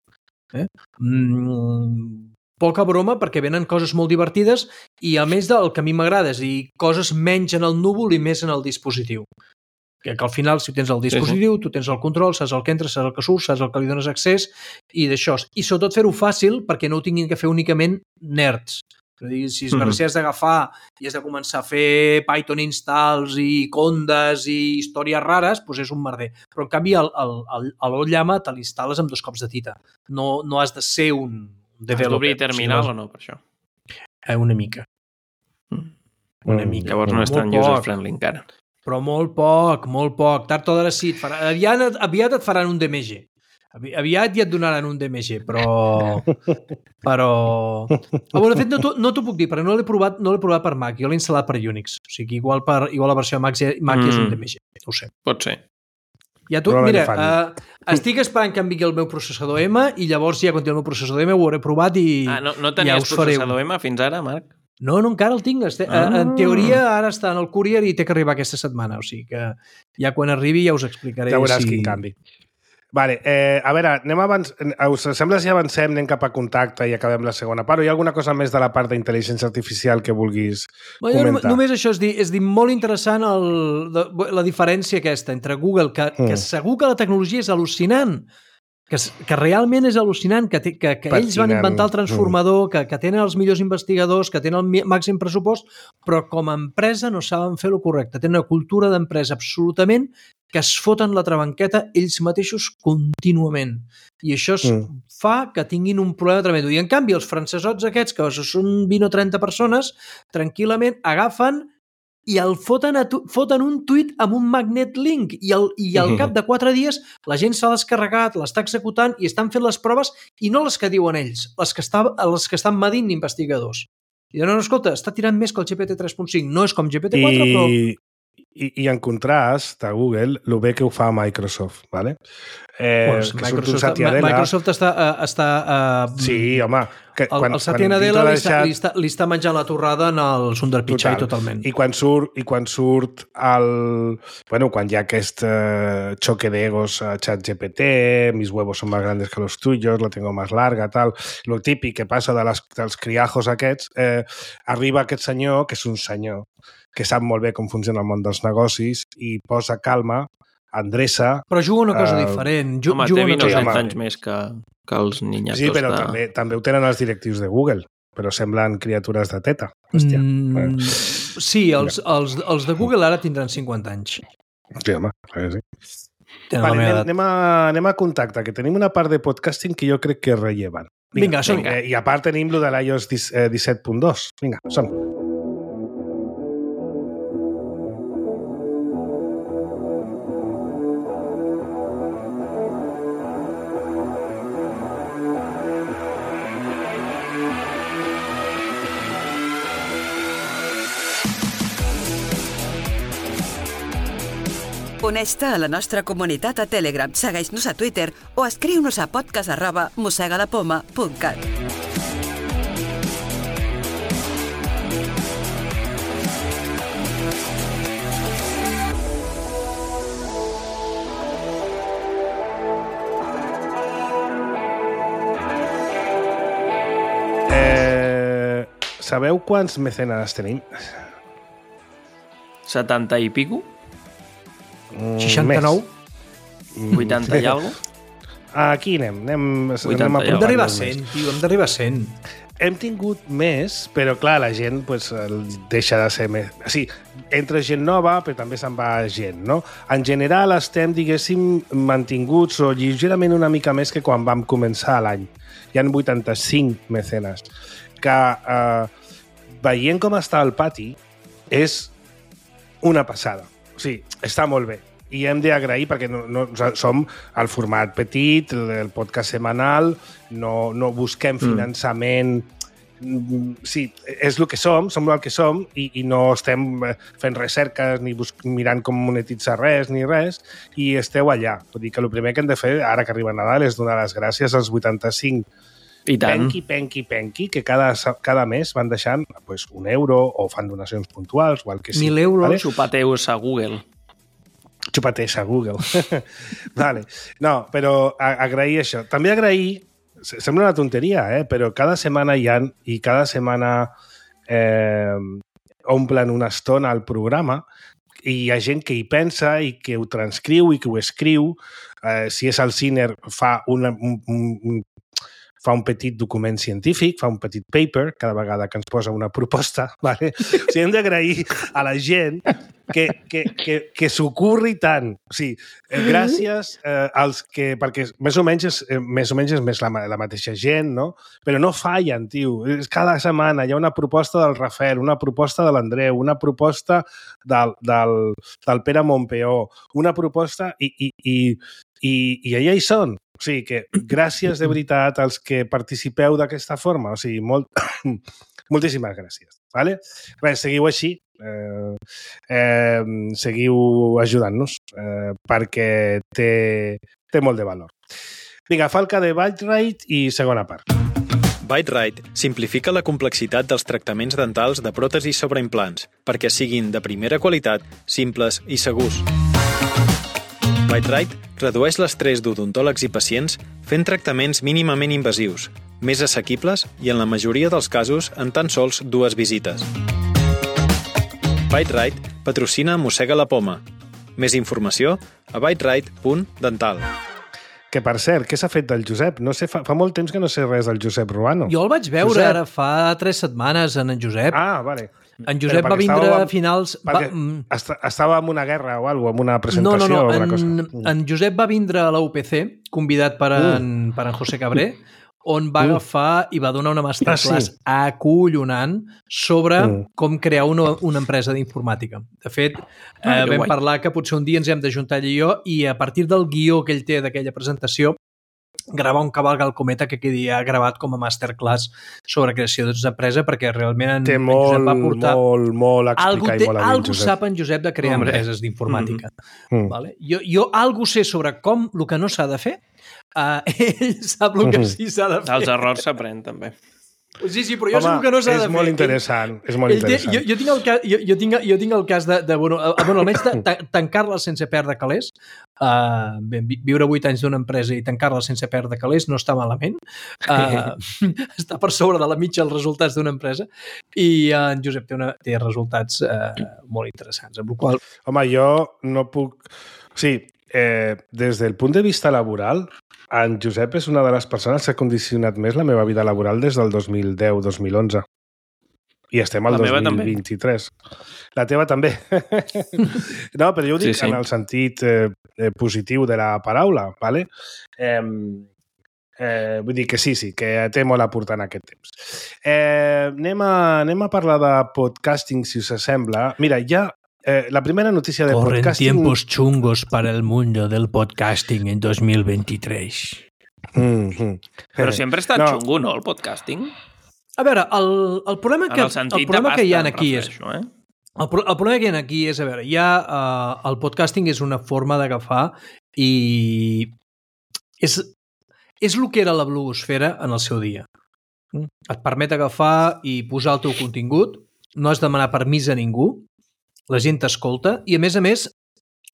D: Eh? Mm, poca broma, perquè venen coses molt divertides i a més del que a mi m'agrada és dir, coses menys en el núvol i més en el dispositiu. Que, que al final, si tens el dispositiu, sí, sí. tu tens el control, saps el que entra, saps el que surt, saps el que li dones accés i d'això. I sobretot fer-ho fàcil perquè no ho tinguin que fer únicament nerds. Si es mm-hmm. has d'agafar i has de començar a fer Python installs i condes i històries rares, doncs és un merder. Però en canvi l'Oyama te l'instal·les amb dos cops de tita. No, no has de ser un developer.
C: Has d'obrir terminal o no, per això?
D: Eh, una mica.
C: Mm.
D: Una mica.
C: Llavors no és tan user-friendly encara.
D: Però molt poc, molt poc. Tard o d'hora sí. Et farà... aviat, aviat et faran un D M G. Aviat ja et donaran un D M G, però... però... Oh, bueno, de fet, no, no t'ho puc dir, perquè no l'he provat, no l'he provat per Mac, jo l'he instal·lat per Unix. O sigui, igual, per, igual la versió de Mac, Mac mm. és un D M G, no ho sé.
C: Pot ser.
D: Ja tu, mira, uh, estic esperant que em vingui el meu processador M i llavors ja quan tingui el meu processador M ho hauré provat i
C: ah, no, no tenies
D: ja us faré
C: processador M fins ara, Marc?
D: No, no, encara el tinc. Ah. En teoria ara està en el courier i té que arribar aquesta setmana, o sigui que ja quan arribi ja us explicaré.
B: Ja veuràs
D: si...
B: quin canvi. Vale, eh, a veure, anem abans... Us sembla si avancem, anem cap a contacte i acabem la segona part, o hi ha alguna cosa més de la part d'intel·ligència artificial que vulguis bueno, comentar?
D: Només això és dir, és dir molt interessant el, la diferència aquesta entre Google, que, mm. que segur que la tecnologia és al·lucinant, que, que realment és al·lucinant, que, te, que, que ells van inventar el transformador, mm. que, que tenen els millors investigadors, que tenen el màxim pressupost, però com a empresa no saben fer-ho correcte. Tenen una cultura d'empresa absolutament que es foten la trabanqueta ells mateixos contínuament. I això es mm. fa que tinguin un problema tremendo. I en canvi, els francesots aquests, que són vint o trenta persones, tranquil·lament agafen i el foten, a tu, foten un tuit amb un magnet link i, el, i al cap de quatre dies la gent s'ha descarregat, l'està executant i estan fent les proves i no les que diuen ells, les que, està, les que estan medint investigadors. I diuen, no, escolta, està tirant més que el G P T tres punt cinc. No és com G P T quatre, I... però...
B: I, I en contrast, a Google, el bé que ho fa Microsoft, ¿vale? Eh,
D: pues,
B: que
D: Microsoft, Adela... Microsoft està... Uh, està uh,
B: sí, home. Que,
D: el, quan, el Satya Nadella li, deixat... li, està, li està menjant la torrada en el Sundar Pichai Total. Totalment.
B: I quan surt, i quan surt el... Bueno, quan hi ha aquest uh, choque d'egos a ChatGPT, mis huevos son más grandes que los tuyos, la tengo más larga, tal... Lo típic que passa de les, dels criajos aquests, eh, arriba aquest senyor, que és un senyor, que sap molt bé com funciona el món dels negocis i posa calma, endreça...
D: Però juga una cosa uh, diferent. Ju
C: home, té vint o trenta anys més que, que els niñatos.
B: Sí, però de... també, també ho tenen els directius de Google, però semblen criatures de teta. Hòstia. Mm,
D: sí, els, els, els de Google ara tindran cinquanta anys.
B: Sí, home, clar que sí. Vale, anem, anem, a, anem a contacte, que tenim una part de podcasting que jo crec que és rellevant.
D: Vinga, Vinga som.
B: Eh, I a part tenim lo de l'i o ess disset punt dos. Vinga, som.
E: Uneix-te a la nostra comunitat a Telegram, segueix-nos a Twitter o escriu-nos a podcast arroba mossegalapoma punt cat.
B: Eh, sabeu quants mecenes tenim?
C: setanta i pico?
D: seixanta-nou?
C: vuitanta i alguna cosa?
B: Aquí anem. anem,
C: anem
D: a hem d'arribar a cent, tio, hem d'arribar a cent.
B: Hem tingut més, però clar, la gent pues, deixa de ser més... O sigui, entra gent nova, però també se'n va gent, no? En general estem, diguéssim, mantinguts o lleugerament una mica més que quan vam començar l'any. Hi ha vuitanta-cinc mecenes. Que eh, veient com està el pati, és una passada. O sigui, està molt bé. I hem d'agrair, perquè no, no, som el format petit, el podcast setmanal, no, no busquem finançament... Mm. Sí, és el que som, som el que som, i, i no estem fent recerques ni bus mirant com monetitzar res ni res, i esteu allà. Vull dir que el primer que hem de fer, ara que arriba Nadal, és donar les gràcies als vuitanta-cinc
C: I tant.
B: penqui, penqui, penqui, que cada, cada mes van deixant pues, un euro o fan donacions puntuals o el que sigui.
D: Mil euros.
B: Vale?
C: Xupateus a Google.
B: Xupateus a Google. Vale. No, però a, agrair això. També agrair, sembla una tonteria, eh? Però cada setmana hi ha, i cada setmana eh, omplen una estona al programa, i hi ha gent que hi pensa i que ho transcriu i que ho escriu. Eh, si és el Ciner, fa una, un, un, fa un petit document científic, fa un petit paper cada vegada que ens posa una proposta. Vale? O sigui, hem d'agrair a la gent que, que, que, que s'ocorri tant. O sigui, eh, gràcies eh, als que... Perquè més o menys és, eh, més, o menys és més la, la mateixa gent, no? Però no fallen, tio. Cada setmana hi ha una proposta del Rafael, una proposta de l'Andreu, una proposta del, del, del Pere Montpeó, una proposta i, i, i, i, i allà hi són. O sigui que gràcies de veritat als que participeu d'aquesta forma. O sigui, molt, moltíssimes gràcies. Vale? Res, seguiu així. Eh, eh, seguiu ajudant-nos eh, perquè té, té molt de valor. Vinga, falca de Byte-Rite i segona part.
F: Byte-Rite simplifica la complexitat dels tractaments dentals de pròtesis sobre implants perquè siguin de primera qualitat, simples i segurs. Byte-Rite redueix l'estrès d'odontòlegs i pacients fent tractaments mínimament invasius, més assequibles i, en la majoria dels casos, en tan sols dues visites. Byte-Rite patrocina Mossega la Poma. Més informació a byterite punt dental.
B: Que, per cert, què s'ha fet del Josep? No sé, fa, fa molt temps que no sé res del Josep Ruano.
D: Jo el vaig veure
B: Josep.
D: ara fa tres setmanes en en Josep.
B: Ah, vale.
D: En Josep va vindre
B: estava,
D: a finals... Va,
B: est estava en una guerra o alguna cosa, en una presentació
D: no, no, no.
B: o alguna
D: en,
B: cosa.
D: En Josep va vindre a la U P C, convidat per en, uh. per en José Cabré, on va uh. agafar i va donar una masterclass ah, sí. acollonant sobre uh. com crear una, una empresa d'informàtica. De fet, ah, eh, vam guai. parlar que potser un dia ens hem d'ajuntar ell i jo i a partir del guió que ell té d'aquella presentació gravar un cavalc al cometa que quedi gravat com a masterclass sobre creació d'una empresa, perquè realment en,
B: té
D: en
B: molt,
D: Josep va portar...
B: molt, molt explicar
D: té,
B: i molt a
D: algú sap en Josep de crear Hombre. empreses d'informàtica. Mm. Vale? Jo, jo algú sé sobre com el que no s'ha de fer, uh, ell sap el que sí s'ha de fer.
C: Els errors s'aprèn, també.
D: Sí, sí, però jo Home, sé el que no s'ha de fer.
B: És molt interessant, ell, és molt interessant.
D: Té, jo, jo, tinc el cas, jo, jo, tinc, jo tinc el cas de, de bueno, bueno, almenys de, de, tancar-la sense perdre calés. Uh, bé, viure vuit anys d'una empresa i tancar-la sense perdre calés no està malament. Uh, està per sobre de la mitja els resultats d'una empresa i uh, en Josep té, una, té resultats uh, molt interessants. Amb el qual...
B: Home, jo no puc... Sí, eh, des del punt de vista laboral, en Josep és una de les persones que ha condicionat més la meva vida laboral des del dos mil deu dos mil onze. I estem al dos mil vint-i-tres. La teva també. No, però jo ho dic sí, sí. en el sentit eh, positiu de la paraula, ¿vale? Eh, eh, vull dir que sí, sí, que té molt a portar en aquest temps. Eh, anem, a, anem a parlar de podcasting, si us sembla. Mira, ja Eh, la primera noticia de
D: Corren
B: podcasting...
D: Corren tiempos chungos para el mundo del podcasting en dos mil veintitrés.
B: Mm-hmm.
C: Però sempre ha estat no. xungo, no, el podcasting?
D: A veure, el, el problema, que, el el problema que hi ha aquí és...
C: Eh?
D: El, el problema que hi ha aquí és, a veure, ja uh, el podcasting és una forma d'agafar i és, és el que era la blogosfera en el seu dia. Et permet agafar i posar el teu contingut, no has de demanar permís a ningú, la gent t'escolta i, a més a més,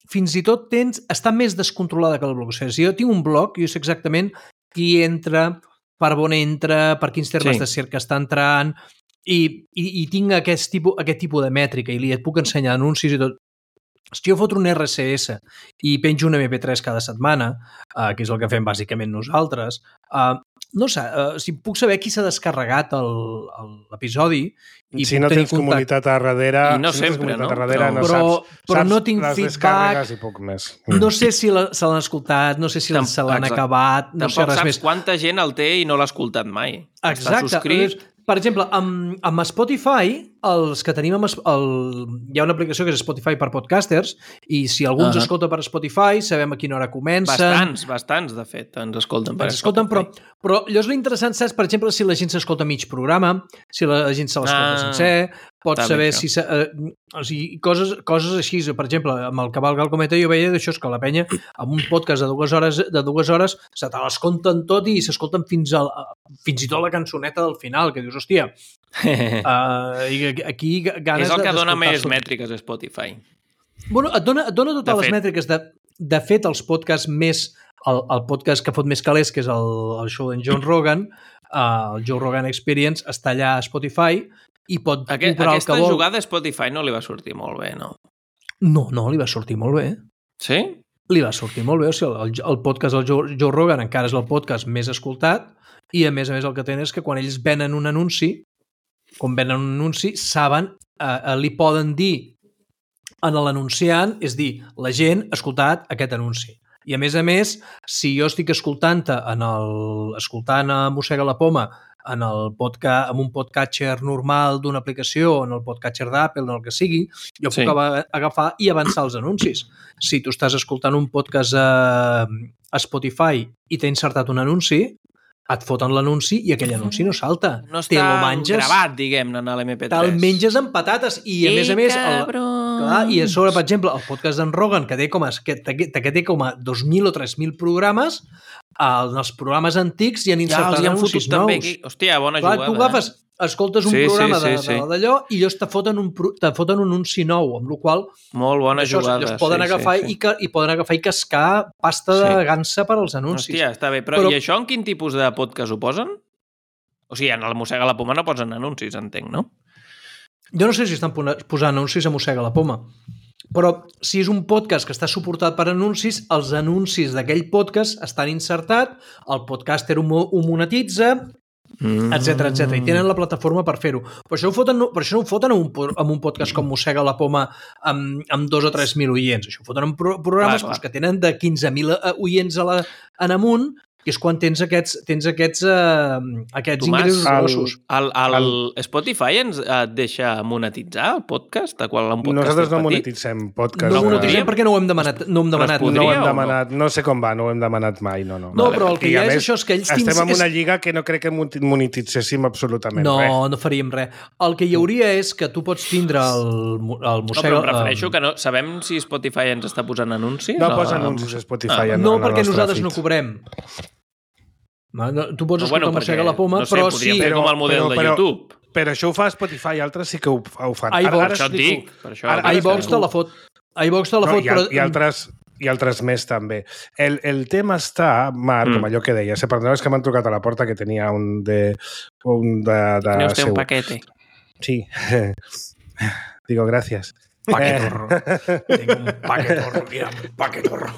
D: fins i tot tens, està més descontrolada que la blogosfera. Si jo tinc un blog, jo sé exactament qui entra, per on entra, per quins termes sí. de cerca està entrant, i, i, i tinc aquest tipus, aquest tipus de mètrica i li et puc ensenyar anuncis i tot. Si jo foto un erre esse esse i penjo un eme pe tres cada setmana, uh, que és el que fem bàsicament nosaltres, uh, no sé, uh, si puc saber qui s'ha descarregat l'episodi i
B: si no tens contacte. Comunitat a darrere...
C: I no si sempre, no?
B: Darrere, no
D: però,
B: saps,
D: però
B: saps
D: no tinc feedback,
B: i poc més.
D: No sé si la, se l'han escoltat, no sé si Tamp se l'han acabat, no
C: Tampoc
D: sé res
C: saps
D: més.
C: quanta gent el té i no l'ha escoltat mai.
D: Exacte.
C: Està subscrit.
D: Per exemple, amb, amb Spotify, els que tenim amb el, hi ha una aplicació que és Spotify per podcasters i si algú ens uh -huh. escolta per Spotify sabem a quina hora comencen.
C: Bastants, bastants, de fet, ens escolten per
D: ens escolten, però, però allò és l'interessant, saps? Per exemple, si la gent s'escolta mig programa, si la gent se l'escolta ah, sencer, pots saber si... Eh, o sigui, coses, coses així. Per exemple, amb el Cavalc al Cometa jo veia d'això, que la penya, amb un podcast de dues hores, de dues hores se te l'escolten tot i s'escolten fins, al, fins i tot la cançoneta del final, que dius, hòstia, uh, i aquí ganes
C: és el que
D: de,
C: dona més mètriques a Spotify.
D: Bueno, et dona, et dona totes de les fet. mètriques. De, de fet, els podcasts més... El, el podcast que fot més calés, que és el, el show d'en John Rogan, uh, el Joe Rogan Experience, està allà a Spotify i pot
C: Aquest,
D: comprar el que vol.
C: Aquesta jugada a Spotify no li va sortir molt bé, no?
D: No, no, li va sortir molt bé.
C: Sí?
D: Li va sortir molt bé. O sigui, el, el podcast del Joe, Joe Rogan encara és el podcast més escoltat i, a més a més, el que tenen és que quan ells venen un anunci, quan venen un anunci, saben, eh, eh, li poden dir a l'anunciant, és dir, la gent ha escoltat aquest anunci. I, a més a més, si jo estic escoltant en el, escoltant a Mossega la Poma en, el podcast, en un podcatcher normal d'una aplicació, en el podcatcher d'Apple, en el que sigui, jo sí. puc agafar i avançar els anuncis. Si tu estàs escoltant un podcast a, a Spotify i t'ha insertat un anunci, et foten l'anunci i aquell anunci no salta.
C: No està menges, gravat, diguem-ne, en l'eme pe tres.
D: Te'l menges amb patates i, a més a més... El, clar, i a sobre, per exemple, el podcast d'en Rogan, que té com a, que, que té com a dos mil o tres mil programes, en els programes antics hi han insertat ja, anuncis nous. També.
C: Hòstia, bona
D: clar,
C: jugada.
D: Tu agafes, escoltes un
C: sí,
D: programa
C: sí, sí,
D: d'allò sí. i ells te foten un, te foten un anunci nou, amb la qual
C: molt bona
D: això,
C: jugada.
D: Ells poden,
C: sí,
D: agafar
C: sí, sí.
D: I, que, i poden agafar i cascar pasta de sí. gansa per als anuncis.
C: Hòstia, està bé. Però, però i això en quin tipus de podcast ho posen? O sigui, en el Mossega la Poma no posen anuncis, entenc, no?
D: Jo no sé si estan posant anuncis a Mossega la Poma. Però si és un podcast que està suportat per anuncis, els anuncis d'aquell podcast estan insertats, el podcaster ho monetitza, mm. etcètera, etcètera. I tenen la plataforma per fer-ho. Per això, ho foten, per això no ho foten en un, en un podcast com Mossega la Poma amb, amb dos o tres mil oients. Això ho foten en pro, programes clar, clar. que tenen de quinze mil oients a la, en amunt, que és quan tens aquests, tens aquests, uh, aquests
C: Tomàs,
D: ingressos grossos.
C: El, el, el, el Spotify ens et deixa monetitzar el podcast? De qual un podcast
B: Nosaltres no monetitzem podcast.
D: No monetitzem perquè no ho hem demanat. No, hem demanat.
B: No, ho hem demanat no? no sé com va, no ho hem demanat mai. No, no.
D: no però el que hi ha és
B: més,
D: això, és que ells...
B: Estem
D: tins,
B: en una
D: és...
B: lliga que no crec que monetitzéssim absolutament
D: no,
B: res.
D: No, no faríem res. El que hi hauria és que tu pots tindre el, el Mossega...
C: No, però em refereixo que no... Sabem si Spotify ens està posant anuncis?
B: No
C: o...
B: posa anuncis a Spotify.
D: Ah,
B: en,
D: no,
B: en
D: perquè nosaltres
B: feed.
D: no cobrem. Tu pots
C: no,
D: escoltar
C: bueno,
D: Mossega la Poma,
C: no sé,
D: però
C: podria
D: sí...
C: fer com el model
B: però,
C: de
B: però,
C: YouTube.
B: Però això ho fa Spotify, altres sí que ho, ho fan.
D: iVox,
B: ara, ara
C: això et dic. Per això,
D: ara, iVox te la fot. iVox te la
B: no,
D: fot,
B: i,
D: però...
B: I altres, i altres més també. El, el tema està, Marc, mm. com allò que deia, se perdoneu, és que m'han trucat a la porta que tenia un de... Un de, de
C: Tenia usted
B: seu.
C: un paquete.
B: Sí. Digo, gracias.
D: Paquetorro. Eh... Tengo un paquetorro, mira, un paquetorro.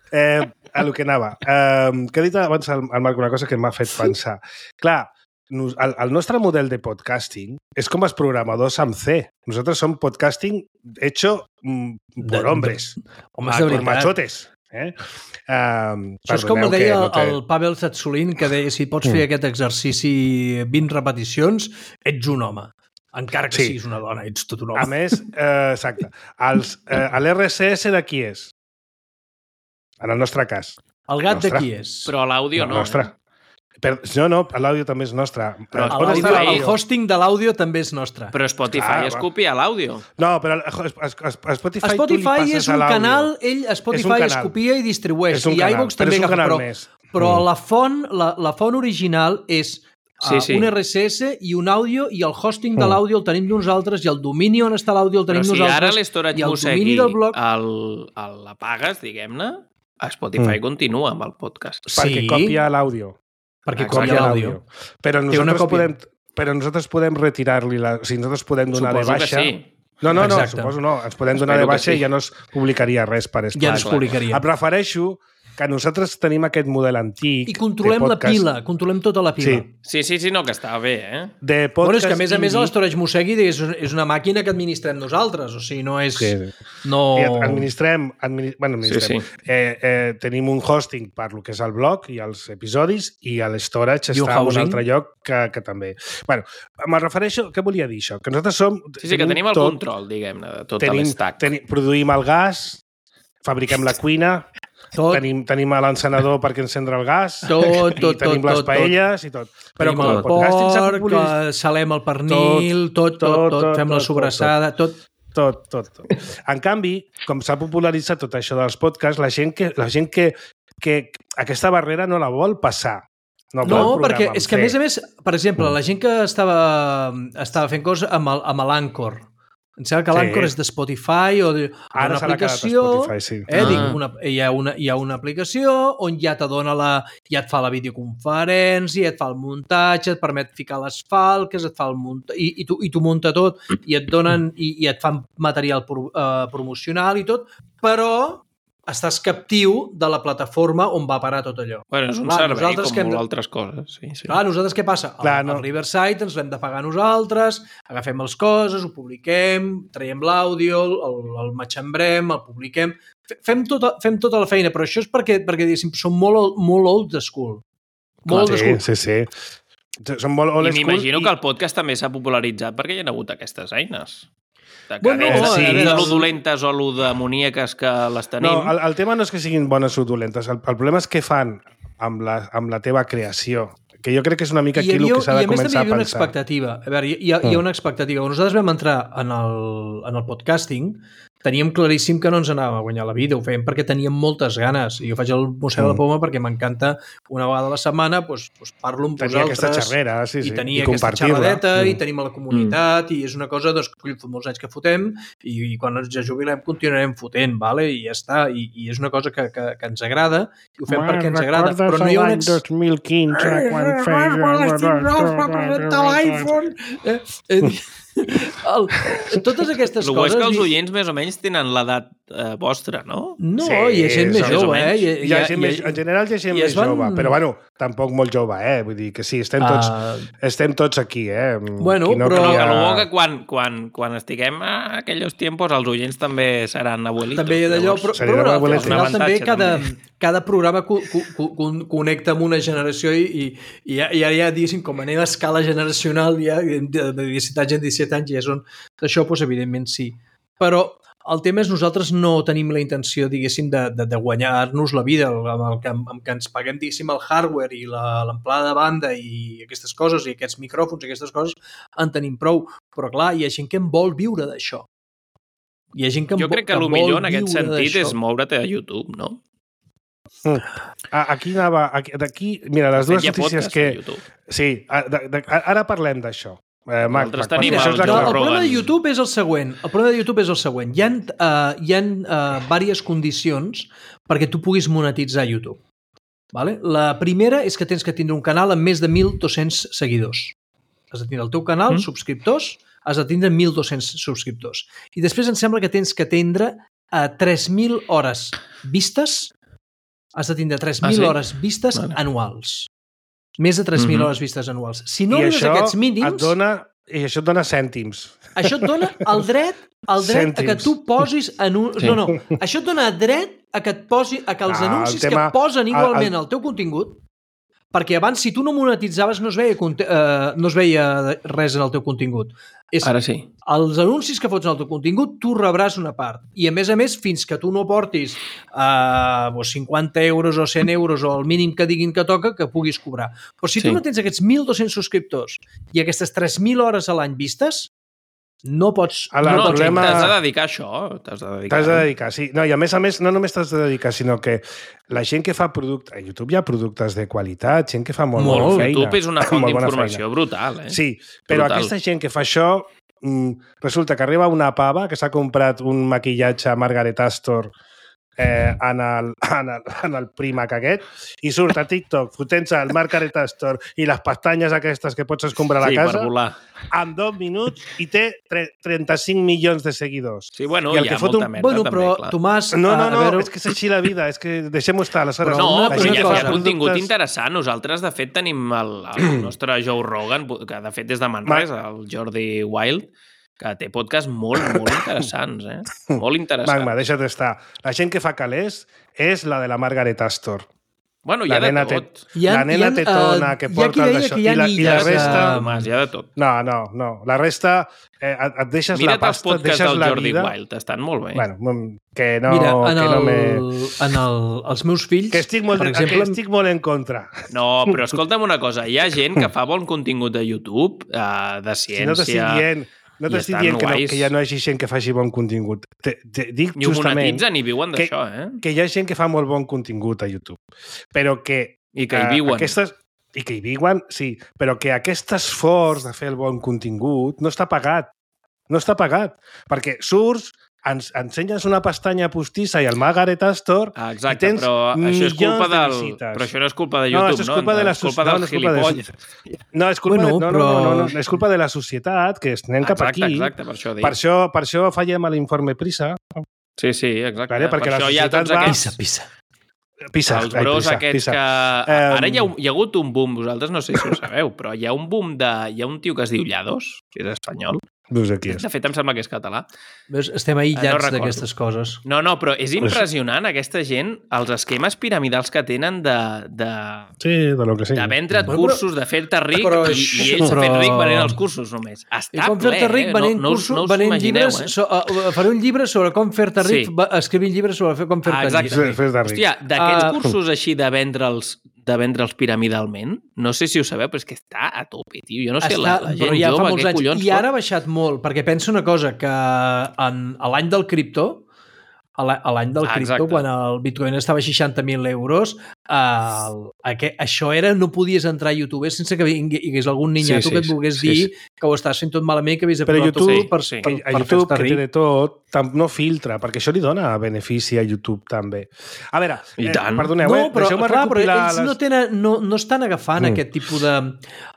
B: Eh, a lo que anava. Eh, que he dit abans al, al Marc una cosa que m'ha fet pensar. Clar, nos, el, el nostre model de podcasting és com els programadors amb C. Nosaltres som podcasting hecho mm, por
D: de,
B: hombres.
D: De, homes de
B: por machotes. Eh? Um,
D: Això és com ho deia
B: no té...
D: el Pavel Zatsulin, que deia, si pots fer mm. aquest exercici vint repeticions, ets un home. Encara que sí. siguis una dona, ets tot un home.
B: A més, eh, exacte, els, eh, l'R S S de qui és? En el nostre cas.
D: El gat de qui és?
C: Però l'àudio no.
B: no nostre. Per, no, no, l'àudio també és nostre.
D: Però el hosting de l'àudio també és nostre.
C: Però Spotify ah, es copia l'àudio.
B: No, però a Spotify,
D: Spotify és un canal, ell a Spotify es copia i distribueix. I iVox també agafa. Però, però mm. la, font, la, la font original és sí, sí. Uh, un R S S i un àudio, i el hosting de l'àudio el tenim nosaltres, i el domini on està l'àudio el tenim
C: però si
D: nosaltres.
C: Però si ara l'Storage Mossegui blog... l'apagues, diguem-ne, a Spotify mm. continua amb el podcast.
B: Sí. Perquè copia l'àudio.
D: Perquè copia l'àudio.
B: Però nosaltres podem, però nosaltres podem retirar-li la... O sigui, nosaltres podem donar
C: Suposo
B: de baixa...
C: Sí.
B: No, no, no,
D: exacte.
B: Suposo no. Ens podem donar
C: Espero
B: de baixa
C: sí.
B: i ja no es publicaria res per Spotify.
D: Ja no es publicaria.
B: Em refereixo que nosaltres tenim aquest model antic.
D: I controlem la pila, controlem tota la pila.
B: Sí,
C: sí, sí, sí no, que està bé, eh?
B: De podcast
D: bueno, és que a més a més
B: indie...
D: l'Storage Mossegui és, és una màquina que administrem nosaltres, o sigui, no és...
B: Sí.
D: No...
B: I administrem, administ... bueno, administrem.
C: Sí, sí.
B: Eh, eh, tenim un hosting per lo que és el blog i els episodis, i l'Storage està en un altre lloc que, que també. Bueno, me'n refereixo... Què volia dir això? Que nosaltres som...
C: Sí, sí, tenim que tenim el tot, control, diguem-ne, de tot
B: tenim,
C: l'estack.
B: Tenim, produïm el gas, fabriquem la cuina... Tot. Tenim, tenim l'encenedor perquè encendre el gas,
D: tot, tot,
B: i tenim
D: tot,
B: les paelles
D: tot.
B: i tot. Però
D: tenim el porc, salem el pernil, tot, tot, tot, tot, tot fem tot, la sobrassada, tot.
B: Tot, tot, tot. En canvi, com s'ha popularitzat tot això dels podcasts, la gent que, la gent que, que aquesta barrera no la vol passar. No,
D: no perquè és que a més a més, per exemple, la gent que estava, estava fent coses amb l'Anchor, em sembla que l'Anchor sí. és de Spotify o d'una aplicació.
B: Spotify, sí.
D: eh, ah. dic, una, hi, ha una, hi ha una aplicació on ja te dona la, ja et fa la videoconferència, et fa el muntatge, et permet ficar les falques, et fa el munt... I, i, tu, i tu munta tot, i et donen i, i et fan material pro, uh, promocional i tot, però estàs captiu de la plataforma on va parar tot allò.
C: Bueno, és un clar, servei com molt de... altres coses. Sí, sí.
D: Clar, nosaltres què passa?
B: Clar,
D: el,
B: no.
D: el Riverside ens l'hem de pagar nosaltres, agafem les coses, ho publiquem, traiem l'àudio, el, el matxembrem, el publiquem... Fem tota, fem tota la feina, però això és perquè, perquè diguéssim, som molt, molt old school. Molt
B: old school. Sí, sí, sí. Som molt old
C: I m'imagino i... que el podcast també s'ha popularitzat perquè hi ha hagut aquestes eines. De que bueno, no, sí, de lo dolentes o lo demoníaques que les tenim.
B: No, el, el tema no és que siguin bones o dolentes. El, el problema és què fan amb la, amb la teva creació. Que jo crec que és una mica aquí el que s'ha de començar a pensar. I a més també hi havia
D: una expectativa. A veure, hi ha, hi ha una expectativa. Quan nosaltres vam entrar en el, en el podcasting, teníem claríssim que no ens anàvem a guanyar la vida, ho fèiem perquè teníem moltes ganes, i jo faig el Mossega mm. la Poma perquè m'encanta una vegada a la setmana doncs, doncs parlo amb
B: tenia
D: vosaltres
B: aquesta xerrera, sí, sí.
D: i tenia
B: I
D: aquesta xerradeta
B: mm.
D: i tenim a la comunitat mm. i és una cosa doncs, que fa molts anys que fotem i, i quan ens jubilem continuarem fotent, vale? I ja està, i, i és una cosa que, que, que ens agrada i ho fem bueno, perquè ens agrada, però no hi ha un ex...
B: dos mil quinze quan feia...
D: l'iPhone eh, eh, El, totes aquestes
C: el
D: coses...
C: El que els oients més o menys tenen l'edat eh, vostra, no?
D: No, sí, hi ha gent més jove, eh? Hi ha,
B: hi ha gent més, en general hi ha gent més van... jove, però bueno, tampoc molt jove, eh? Vull dir que sí, estem tots, uh... estem tots aquí, eh?
D: Bueno,
C: no
D: però...
C: Que lo bo que quan, quan, quan estiguem a aquells tiempos els oients també seran abuelitos.
D: També hi ha d'allò, però, però, però al final també cada, cada programa co co co connecta amb una generació i, i, i ja, ja, ja diguéssim, com anem a escala generacional, ja, de, de disset anys en disset anys ja són... Això, doncs, evidentment, sí. Però el tema és nosaltres no tenim la intenció, diguéssim, de, de, de guanyar-nos la vida amb el que, amb que ens paguem, diguéssim, el hardware i l'amplada de banda i aquestes coses, i aquests micròfons i aquestes coses, en tenim prou. Però, clar, hi ha gent que en vol viure d'això. Hi ha gent que en
C: jo crec que, que el millor en aquest sentit és moure't a YouTube, no?
B: Mm. Aquí anava... D'aquí, mira, les dues notícies que... Sí, de, de, ara parlem d'això. Eh, Mac, Mac,
C: tenim el,
D: el, el problema de YouTube és el següent. El problema de YouTube és el següent. Hi ha, uh, hi ha uh, diverses condicions perquè tu puguis monetitzar YouTube. Vale? La primera és que tens que tindre un canal amb més de mil dos-cents seguidors. Has de tindre el teu canal, mm. subscriptors, has de tindre mil dos-cents subscriptors. I després em sembla que tens que tindre uh, tres mil hores vistes. Has de tindre tres mil ah, sí? hores vistes vale. anuals. Més de tres mil mm -hmm. hores vistes anuals. Si no arribes a aquests mínims...
B: Et dona, I això et dona cèntims.
D: Això et dona el dret, el dret a que tu posis... Anun... Sí. No, no. Això et dona dret a que et posi, a que els ah, anuncis tema, que posen igualment al el... teu contingut, perquè abans, si tu no monetitzaves, no es veia, uh, no es veia res en el teu contingut. És,
C: Ara sí.
D: Els anuncis que fots en el teu contingut, tu rebràs una part. I, a més a més, fins que tu no portis uh, cinquanta euros o cent euros o el mínim que diguin que toca, que puguis cobrar. Però si sí. tu no tens aquests mil dos-cents subscriptors i aquestes tres mil hores a l'any vistes, no pots...
C: No, no, problema... t'has de dedicar a això. T'has de dedicar.
B: T'has de dedicar, sí. No, i a més a més, no només t'has de dedicar, sinó que la gent que fa productes... A YouTube hi ha productes de qualitat, gent que fa molt, molt, molt feina.
C: YouTube és una font d'informació brutal, eh?
B: Sí, però brutal. Aquesta gent que fa això, resulta que arriba una pava que s'ha comprat un maquillatge a Margaret Astor eh, en, el, en, el, en el Primac aquest i surt a TikTok fotent-se el Margaret Astor i les pestanyes aquestes que pots escombrar a la
C: sí,
B: casa
C: en
B: dos minuts i té trenta-cinc milions de seguidors.
C: Sí, bueno, hi ha molta un... merda
D: bueno,
C: també,
D: però,
C: clar.
D: Tomàs...
B: No, no, no, veure... és que és així la vida, és que deixem-ho estar, aleshores.
C: No, però hi ha, hi ha contingut productes... interessant. Nosaltres, de fet, tenim el, el nostre Joe Rogan, que de fet és de Manresa, el Jordi Wild, que té podcasts molt, molt interessants, eh? Molt interessants.
B: Magma, deixa't estar. La gent que fa calés és la de la Margaret Astor.
C: Bueno, hi ha de tot.
B: Te, la nena tetona uh, que porta el d'això. I, la, I la resta...
C: Uh, hi ha de tot.
B: No, no, no. La resta, eh, et deixes
C: Mira't
B: la pasta, et deixes
C: del
B: la
C: Jordi
B: vida...
C: Wild, estan molt bé.
B: Bueno, que no...
D: Mira, en,
B: que
D: el,
B: no me...
D: en el, els meus fills,
B: que estic molt,
D: per exemple...
B: Que estic molt en contra.
C: No, però escolta'm una cosa. Hi ha gent que fa bon contingut de YouTube, uh, de ciència...
B: Si no t'estic dient... No t'estic dient que, no, que ja no hi hagi gent que faci bon contingut. Te, te dic
C: ni ho
B: justament...
C: monetitzen ni viuen d'això, eh?
B: Que hi ha gent que fa molt bon contingut a YouTube. Però que...
C: I que hi viuen.
B: Uh, aquestes, I que hi viuen, sí. Però que aquest esforç de fer el bon contingut no està pagat. No està pagat. Perquè surts, ens ensenyes una pestanya postissa i el Margaret Astor
C: ah, exacte,
B: i tens
C: però això és culpa
B: de
C: del...
B: visites.
C: Però això no és culpa de YouTube, no?
B: No, és culpa
C: no?
B: de la
C: és culpa del
B: no,
C: gilipolles.
B: No, és culpa,
D: bueno,
B: de, no,
D: però...
B: no, no, no, és culpa de la societat, que anem cap
C: exacte,
B: aquí.
C: Exacte, per això dic.
B: Per això, per això fallem a l'informe PISA.
C: Sí, sí, exacte.
B: Vale? Perquè
C: per
B: la
C: això hi ha tots
B: va...
C: aquests...
D: Pisa, pisa.
B: Pisa,
C: els bros
B: pisa,
C: aquests
B: pisa.
C: que... Ara hi ha, hi ha hagut un boom, vosaltres no sé si ho sabeu, però hi ha un boom de... Hi ha un tio que es diu Llados, que és espanyol.
B: No sé qui és.
C: De fet, em sembla que és català.
D: Veus, estem aïllats no d'aquestes coses.
C: No, no, però és impressionant, aquesta gent, els esquemes piramidals que tenen de... de
B: sí, de lo que sigui.
C: De vendre't bueno, cursos, de fer-te ric,
D: però,
C: i, i ells s'ha fet ric venent els cursos només. Està
D: I com fer-te ric venent
C: no,
D: cursos,
C: no, no
D: venent
C: imagineu,
D: llibres...
C: Eh?
D: So, uh, faré un llibre sobre com fer-te ric, sí. escrivint llibres sobre com fer-te
C: ah,
D: ric.
B: Fer
C: Hòstia, d'aquests uh, cursos així de vendre'ls de vendre'ls piramidalment, no sé si ho sabeu, però és que està a tope, tio. Jo no sé, està, la, la gent ja jove, què collons...
D: I ara ha baixat molt, perquè penso una cosa, que en, a l'any del criptó a l'any del cripto, quan el Bitcoin estava a seixanta mil euros, el, aquest, això era, no podies entrar a YouTube sense que hi hagués algun niñato sí, sí, que et volgués sí, dir sí. que ho estàs fent tot malament, que havies de
B: posar tot
D: sí,
B: per,
D: sí.
B: per, per, per YouTube, que té de tot, no filtra, perquè això li dona benefici a YouTube també. A veure,
C: I tant.
B: Eh, perdoneu,
D: no,
B: eh,
D: però,
B: deixeu-me
D: clar, però ells
B: les...
D: no, tenen, no, no estan agafant mm. aquest tipus de...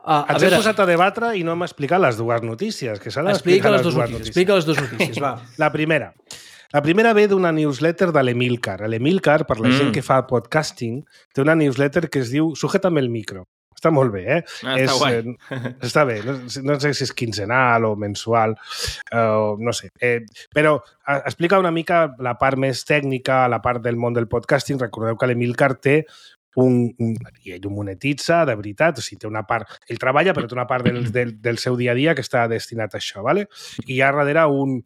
D: Uh,
B: Ens hem posat a debatre i no hem explicat les dues notícies, que s'ha d'explicar les, les dues notícies.
D: Explica les dues notícies, va.
B: La primera. La primera ve d'una newsletter de l'Emilcar. L'Emilcar, per la mm. gent que fa podcasting, té una newsletter que es diu Sujétame el micro. Està molt bé, eh?
C: Ah,
B: és,
C: està guai.
B: Eh, està bé. No, no sé si és quinzenal o mensual, uh, no sé. Eh, però uh, explica una mica la part més tècnica, la part del món del podcasting. Recordeu que l'Emilcar té un, un, i ell ho monetitza, de veritat, o sigui, té una part... Ell treballa, però té una part del, del, del seu dia a dia que està destinat a això, ¿vale? I hi ha darrere un...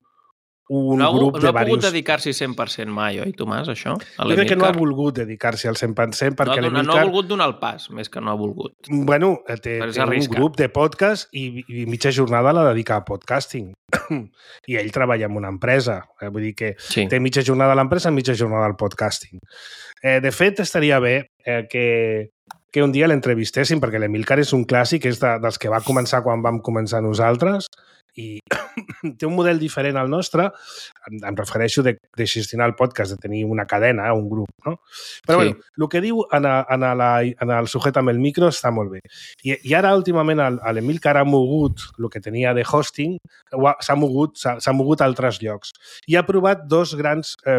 B: un
C: no ha,
B: grup
C: no
B: de
C: ha pogut
B: varios...
C: dedicar-s'hi cent per cent mai, oi, Tomàs, això?
B: Jo crec que no ha volgut dedicar-s'hi al cent per cent perquè
C: no,
B: l'Emilcar...
C: No ha volgut donar el pas, més que no ha volgut.
B: Bueno, té, té un grup de podcast i, i mitja jornada la dedica a podcasting. I ell treballa en una empresa. Eh? Vull dir que sí. té mitja jornada a l'empresa i mitja jornada al podcasting. Eh, de fet, estaria bé eh, que, que un dia l'entrevistéssim, perquè l'Emilcar és un clàssic, és de, dels que va començar quan vam començar nosaltres, i té un model diferent al nostre, em, em refereixo de, de gestionar el podcast, de tenir una cadena, un grup, no? Però sí. bueno, el que diu en, a, en, a la, en el Sujétame el micro està molt bé. I, i ara, últimament, l'Emilcar ha mogut el que tenia de hosting, s'ha mogut, s'ha mogut a altres llocs. I ha provat dos grans eh,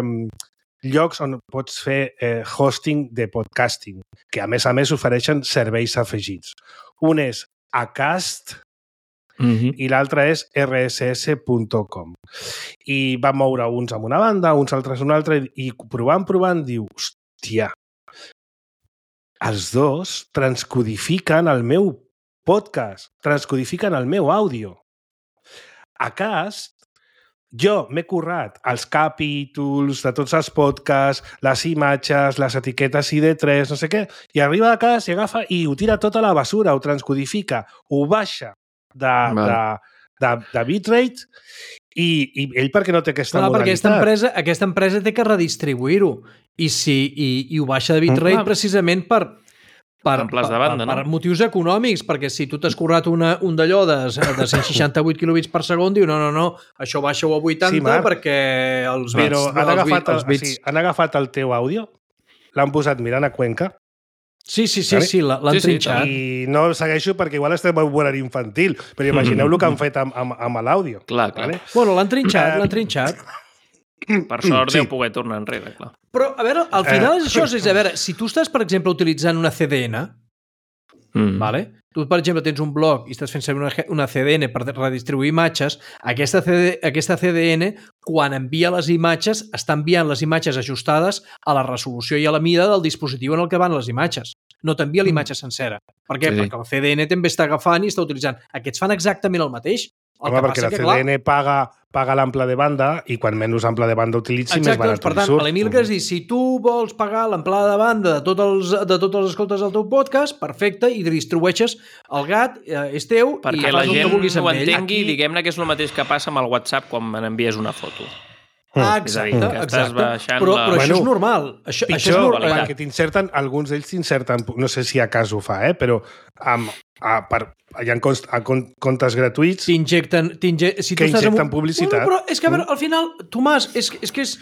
B: llocs on pots fer eh, hosting de podcasting, que a més a més ofereixen serveis afegits. Un és Acast,
C: Mm-hmm.
B: i l'altre és erre esse esse punt com. I van moure uns amb una banda, uns altres amb una altra, i provant, provant, diu, hòstia, els dos transcodifiquen el meu podcast, transcodifiquen el meu àudio. Acast, jo m'he currat els capítols de tots els podcasts, les imatges, les etiquetes I D tres, no sé què, i arriba a casa i agafa i ho tira tot a la basura, ho transcodifica, ho baixa de, de, de, de bitrate i, i ell perquè no té aquesta
D: Clar,
B: modalitat.
D: Perquè aquesta empresa, aquesta empresa té que redistribuir-ho i, si, i, i ho baixa de bitrate mm. precisament per, per, per,
C: de banda,
D: per,
C: no?
D: per motius econòmics, perquè si tu t'has currat una, un d'allò de, de cent seixanta-vuit quilobits per segon, diu no, no, no, això baixa-ho a vuitanta sí, perquè els bits...
B: Però han,
D: els
B: agafat,
D: bits, els bits...
B: sí, han agafat el teu àudio, l'han posat mirant a Cuenca.
D: Sí, sí, sí, sí l'han sí, trinxat.
B: Sí, I no segueixo perquè igual estem en horari infantil, però imagineu el que han fet amb, amb, amb l'àudio.
C: Clar, clar.
B: Vale?
D: Bueno, l'han trinxat, uh, l'han trinxat.
C: Per sort
B: sí.
C: deu poder tornar enrere, clar.
D: Però, a veure, al final és això, és a veure, si tu estàs, per exemple, utilitzant una C D N, mm. vale? Tu, per exemple, tens un blog i estàs fent servir una, una C D N per redistribuir imatges, aquesta C D, aquesta C D N, quan envia les imatges, està enviant les imatges ajustades a la resolució i a la mida del dispositiu en el que van les imatges. No t'envia l'imatge sencera. Per què? Sí. Perquè el C D N també està agafant i està utilitzant. Aquests fan exactament el mateix. El
B: Home, perquè la C D N clar... paga, paga l'ample de banda i quan menys ample de banda utilitzi,
D: exacte,
B: més barat
D: doncs, per tant,
B: surt.
D: l'Emilcar es diu, si tu vols pagar l'amplada de banda de tots els, de tots els escoltes del teu podcast, perfecte, i distribueixes el gat, eh, és teu,
C: perquè
D: i
C: la gent
D: ho
C: entengui,
D: Aquí...
C: diguem-ne que és el mateix que passa amb el WhatsApp quan me n'envies una foto.
D: Ah, exacte,
C: dir,
D: exacte. Però, però la... això és normal. Això,
B: pitjor,
D: això és normal.
B: Perquè t'inserten, alguns d'ells t'inserten, no sé si a cas ho fa, eh, però amb, a, per, hi ha const, a comptes gratuïts
D: t'injecten, si
B: que injecten
D: un...
B: publicitat.
D: Bueno, però és que, a veure, al final, Tomàs, és, és que és,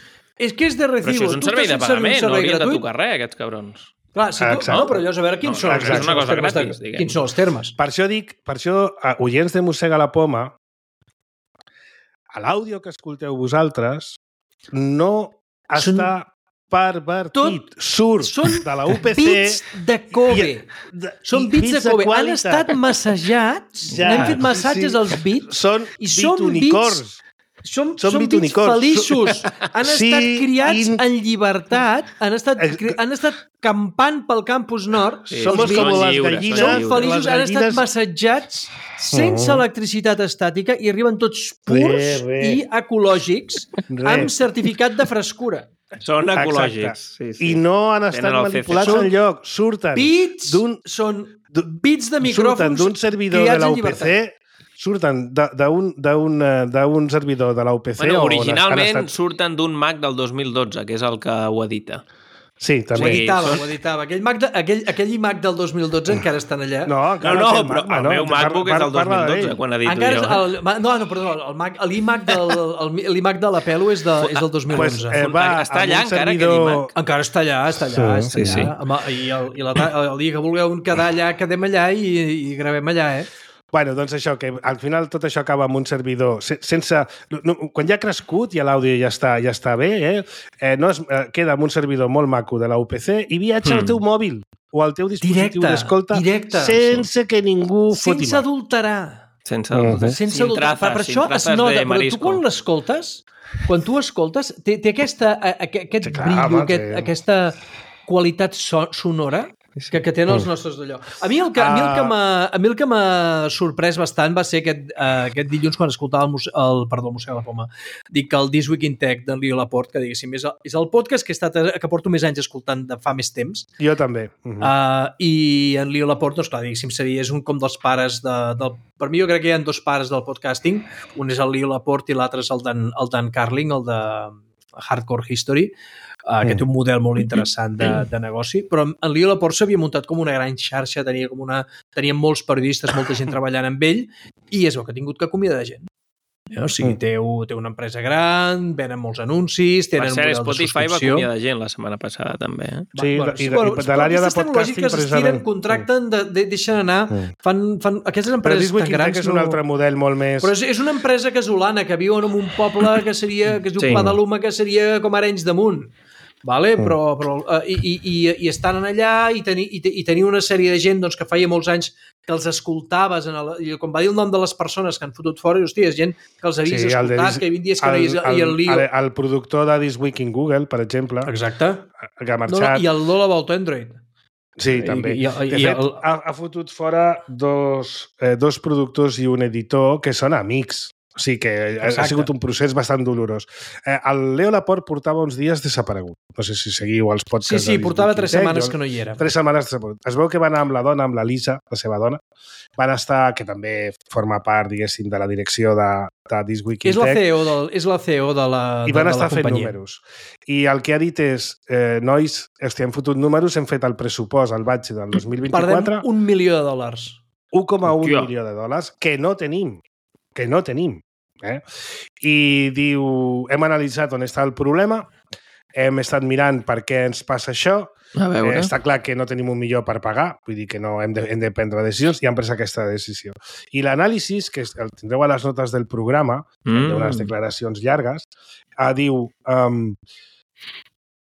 D: és que és de recibo.
C: Però això és un servei de pagament, no haurien de tocar res, aquests cabrons.
D: Clar, si tu, no, però llavors a veure quins, no, són,
C: exacte,
D: quins, són, els termes gratis, de, quins són els termes.
B: Per això dic, per això, a oients de Mossega la Poma, a l'àudio que escolteu vosaltres, no són està pervertit. Tot surt
D: són
B: de la U P C.
D: Bits de Kobe. I, de, són bits de Kobe. Han estat massatjats, ja, hem fet massatges sí. als bits.
B: Són bitunicorns.
D: Som, som bits feliços. Han sí, estat criats in... en llibertat, han estat, han estat campant pel campus nord.
B: Sí, som com les gallines.
D: Són feliços, han estat massatjats sense uh-huh. electricitat estàtica i arriben tots purs re, re. i ecològics re. amb certificat de frescura.
C: Són ecològics. Sí, sí.
B: I no han estat manipulats enlloc. Surten
D: bits,
B: d'un...
D: són bits de micròfons
B: surten d'un servidor de la U P C, surten d'un servidor de la U P C...
C: Bueno, originalment estat... surten d'un Mac del dos mil dotze, que és el que ho edita.
B: Sí, també.
D: Ho editava, ho editava. Aquell, Mac de, aquell, aquell iMac del dos mil dotze encara estan allà.
C: No, no, no però el no, meu MacBook és del dos mil dotze, quan edito
D: encara
C: jo.
D: El, no, no, perdó, l'iMac del, del Pelo és, de, és del dos mil onze.
B: Pues, eh, va,
C: està allà encara,
B: servidor...
C: aquell iMac?
D: Encara està allà, està allà.
C: Sí,
D: està
C: sí,
D: allà. Sí. I, el, i la, el dia que vulgueu quedar allà, quedem allà i, i gravem allà, eh?
B: Bueno, doncs això, que al final tot això acaba amb un servidor sense... No, quan ja ha crescut, ja l'àudio ja està, ja està bé, eh? eh no es, eh, queda amb un servidor molt maco de la U P C i viatja mm. al teu mòbil o al teu dispositiu d'escolta sense que ningú foti
D: sense adulterar.
C: Sense adulterar.
D: Sense adulterar. Per, per això es nota, però tu quan l'escoltes, quan tu escoltes, té, té aquesta, aquest sí, clar, brillo, home, aquest, sí. aquesta qualitat so, sonora que, que tenen els nostres d'allò. A mi el que, uh... a mi el que m'ha sorprès bastant va ser aquest, uh, aquest dilluns quan escoltava el, el, perdó, el Museu de la Poma. Dic que el This Week in Tech d'en Leo Laporte, que diguéssim, és el, és el podcast que, he estat, que porto més anys escoltant de fa més temps.
B: Jo també. Uh -huh.
D: uh, I en Leo Laporte, doncs clar, diguéssim, seria, és un com dels pares de, del... Per mi jo crec que hi ha dos pares del podcasting. Un és el Leo Laporte i l'altre és el Dan, el Dan Carlin, el de Hardcore History, Uh, que té un model molt interessant de, de negoci, però en Leo Laporte s'havia muntat com una gran xarxa, tenia, com una, tenia molts periodistes, molta gent treballant amb ell, i és el que ha tingut que acomiadar gent. O sigui, té, té una empresa gran, venen molts anuncis, tenen un model de subscripció.
C: Spotify va acomiadar gent la setmana passada, també. Eh?
B: Sí, bueno, i de, bueno, de l'àrea de podcasting,
D: precisament. Contracten, de, de, deixen anar, fan, fan aquestes empreses tan grans.
B: Però és un altre model molt més...
D: Però és, és una empresa casolana que viu en un poble que seria, que es diu sí. Padaluma, que seria com Arenys de Munt. Vale? Mm. Però, però, uh, i, i, i estan allà i, teni, i, i tenia una sèrie de gent doncs, que feia molts anys que els escoltaves, en el, i com va dir el nom de les persones que han fotut fora, i, hòstia, és gent que els havies sí, escoltat, dis, que hi havia dies que el, no hi, i el lío.
B: El, el productor de This Week in Google, per exemple,
D: exacte.
B: Que ha marxat... No, no,
D: i el Lola Volta Android.
B: Sí, també.
D: I, i,
B: de
D: i,
B: fet,
D: el...
B: ha, ha fotut fora dos, eh, dos productors i un editor que són amics. O sigui que exacte. Ha sigut un procés bastant dolorós. Eh, el Leo Laporte portava uns dies desaparegut. No sé si seguiu els podcasts.
D: Sí, sí, portava tres setmanes que no hi era.
B: Tres setmanes desaparegut. Es veu que va anar amb la dona, amb la Lisa, la seva dona. Van estar, que també forma part, diguéssim, de la direcció de, de This Week in
D: és
B: Tech.
D: La C E O del, és la C E O de la companyia.
B: I van estar fent números. I el que ha dit és, eh, nois, hòstia, hem fotut números, hem fet el pressupost al batge del dos mil vint-i-quatre.
D: Perdem un milió de dòlars.
B: un coma un milió de dòlars, que no tenim. Que no tenim. Eh? I diu, hem analitzat on està el problema, hem estat mirant per què ens passa això, eh, està clar que no tenim un milió per pagar, vull dir que no hem de, hem de prendre decisions i hem pres aquesta decisió. I l'anàlisi, que el tindreu a les notes del programa, mm. hi ha unes declaracions llargues, eh, diu um,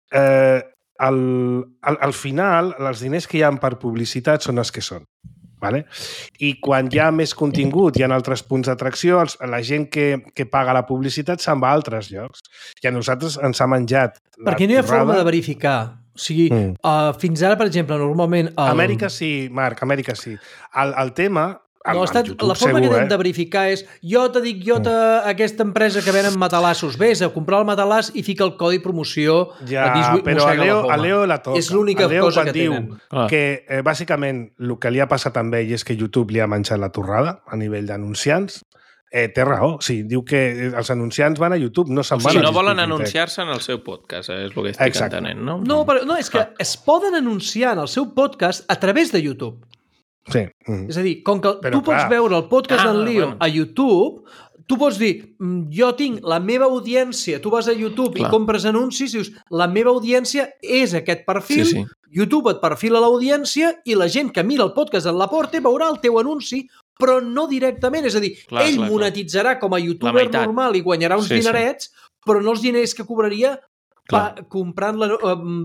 B: eh, al, al, al final els diners que hi ha per publicitat són els que són. Vale? I quan hi ha més contingut, hi ha altres punts d'atracció, la gent que, que paga la publicitat se'n va a altres llocs. I a nosaltres ens ha menjat la
D: perquè no hi ha forma de verificar. O sigui, mm. uh, fins ara, per exemple, normalment... El...
B: Amèrica sí, Marc, Amèrica sí. El, el tema...
D: No, estat, YouTube, la forma segur, que hem eh? de verificar és jo te dic, jo te, mm. aquesta empresa que venen matalassos, vés a comprar el matalàs i fica el codi promoció
B: ja,
D: a Disney,
B: però a Leo, a Leo la toca.
D: És l'única cosa que
B: diu
D: tenen.
B: Que eh, bàsicament el que li ha passat amb ell és que YouTube li ha menjat la torrada a nivell d'anunciants. Eh, té raó, sí, diu que els anunciants van a YouTube, no se'n
C: o sigui,
B: van a
C: no volen anunciar-se en el seu podcast, és el que estic Exacte. entenent, no?
D: No, però, no, és que ah. es poden anunciar en el seu podcast a través de YouTube.
B: Sí. Mm.
D: És a dir, com que
B: però,
D: tu pots
B: clar.
D: veure el podcast ah, d'en Leo
C: bueno.
D: a YouTube, tu pots dir, jo tinc la meva audiència, tu vas a YouTube clar. I compres anuncis i dius, la meva audiència és aquest perfil,
C: sí, sí.
D: YouTube et perfila l'audiència i la gent que mira el podcast d'en Laporte veurà el teu anunci, però no directament. És a dir, clar, ell clar, monetitzarà clar. Com a youtuber normal i guanyarà uns sí, dinerets, sí. però no els diners que cobraria pa, comprant la,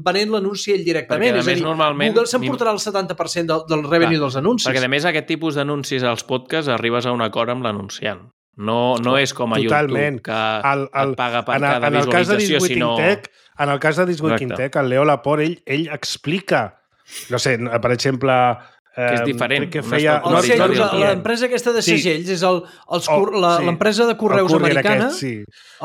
D: venent l'anunci ell directament.
C: Perquè,
D: és a dir,
C: normalment,
D: Google s'emportarà el setanta per cent del, del revenue clar, dels anuncis.
C: Perquè, a més, aquest tipus d'anuncis als podcasts arribes a un acord amb l'anunciant. No, no és com a
B: Totalment.
C: YouTube, que
B: el, el,
C: et paga per
B: en el,
C: cada
B: en el
C: visualització, sinó...
B: Tech, en el cas de This Week in Tech, el Leo Laporte, ell, ell explica, no sé, per exemple,
C: Que és diferent.
B: Que feia...
D: No, sí, l'empresa aquesta de segells sí. és el, els, oh, l'empresa sí. de correus americana. Aquest, sí.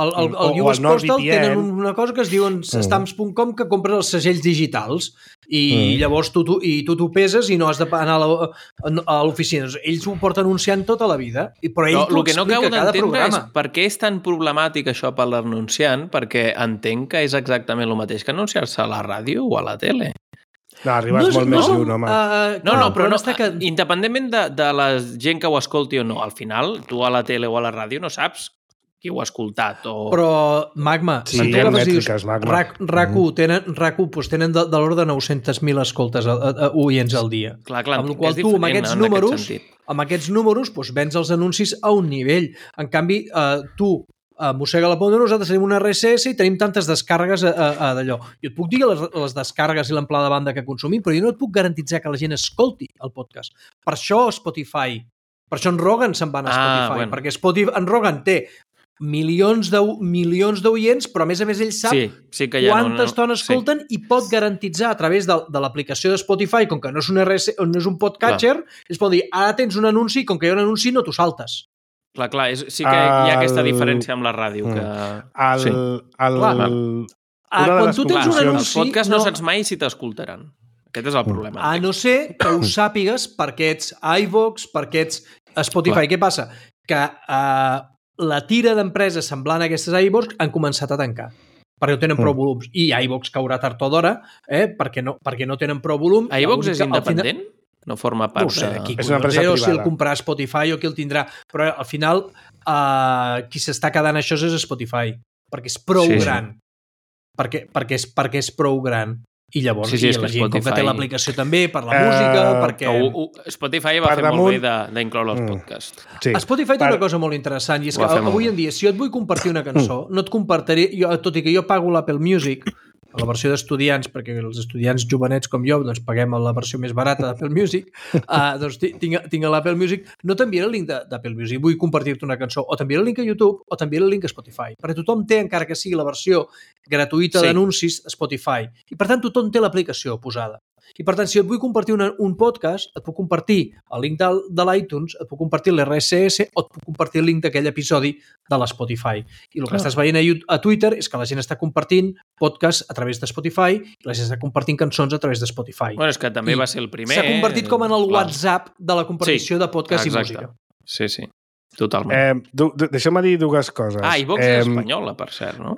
D: El, el, el U S Postal tenen una cosa que es diuen mm. stamps punt com que compres els segells digitals i mm. llavors tu, tu, i tu t'ho peses i no has d'anar a l'oficina. Ells ho porten anunciant tota la vida, però ell t'ho explica no cada programa.
C: És per què és tan problemàtic això per l'anunciant, perquè entenc que és exactament el mateix que anunciar-se a la ràdio o a la tele.
B: No, arribes no, molt no, més lluny, home.
C: Uh, no, no, però no, que... independentment de, de la gent que ho escolti o no, al final, tu a la tele o a la ràdio no saps qui ho ha escoltat. O...
D: Però, Magma,
B: sí, si tu mètriques, Magma.
D: RAC u tenen, RAC u, doncs tenen de, de l'ordre de nou-centes mil escoltes a, a, a, oients al dia.
C: Clar, clar,
D: amb la qual tu, amb aquests números, amb aquests números, doncs, vens els anuncis a un nivell. En canvi, uh, tu, a Mossega la Ponda, nosaltres tenim una R S S i tenim tantes descàrregues a, a, a d'allò. Jo et puc dir les, les descàrregues i l'amplada de banda que consumim, però jo no et puc garantitzar que la gent escolti el podcast. Per això Spotify, per això en Rogan se'n va a Spotify, ah, bueno. perquè Spotify, en Rogan té milions de milions d'oients, però a més a més ell sap
C: sí, sí que ja
D: quanta
C: no, no.
D: estona escolten sí. i pot garantitzar a través de, de l'aplicació de Spotify, com que no és un, R S, no és un podcatcher, es pot dir, ara tens un anunci, com que hi ha un anunci no t'ho saltes.
C: Clar, clar, és, sí que el... hi ha aquesta diferència amb la ràdio. Que...
B: El,
C: sí.
B: el,
D: clar,
B: el,
D: ah, quan tu tens un anunci...
C: Els podcasts no, no saps mai si t'escoltaran. Aquest és el problema.
D: A no ser que ho sàpigues perquè ets iVox, perquè ets Spotify. Clar. Què passa? Que uh, la tira d'empreses semblant a aquestes iVox han començat a tancar perquè no tenen prou volums. I iVox caurà tard o d'hora eh, perquè, no, perquè no tenen prou volum.
C: iVox és independent? Final... No forma part
D: no sé,
C: de...
D: Qui és una empresa privada. O si el comprarà Spotify o qui el tindrà. Però al final uh, qui s'està quedant això és Spotify, perquè és prou sí, gran. Sí. Perquè, perquè, és, perquè és prou gran. I llavors
C: sí, sí,
D: i la gent
C: Spotify...
D: com que té l'aplicació també per la música, uh, perquè...
C: Uh, uh, Spotify va per fer damunt... molt bé d'incloure els podcasts.
D: Sí. Spotify té per... una cosa molt interessant i és que avui en dia, si jo et vull compartir una cançó, no et compartiré... Jo, tot i que jo pago l'Apple Music, la versió d'estudiants, perquè els estudiants jovenets com jo doncs paguem la versió més barata d'Apple Music, uh, doncs tinc, tinc l'Apple Music, no t'enviaré el link d'Apple Music, vull compartir-te una cançó, o t'enviaré el link a YouTube o t'enviaré el link a Spotify, perquè tothom té, encara que sigui la versió gratuïta sí. d'anuncis, a Spotify, i per tant tothom té l'aplicació posada. I per tant, si et vull compartir una, un podcast, et puc compartir el link de, de l'iTunes, et puc compartir l'R S S o et puc compartir el link d'aquell episodi de l'Spotify. I el que ah. estàs veient a, a Twitter és que la gent està compartint podcasts a través de Spotify i la gent està compartint cançons a través de Spotify.
C: Bueno, és que també I va ser el primer.
D: S'ha convertit com en el clar. WhatsApp de la compartició sí, de podcast exacte. I música.
C: Sí, sí. Totalment.
B: Eh, du, du, deixa'm dir dues coses.
C: Ah, i Vox eh, és espanyola, per cert, no?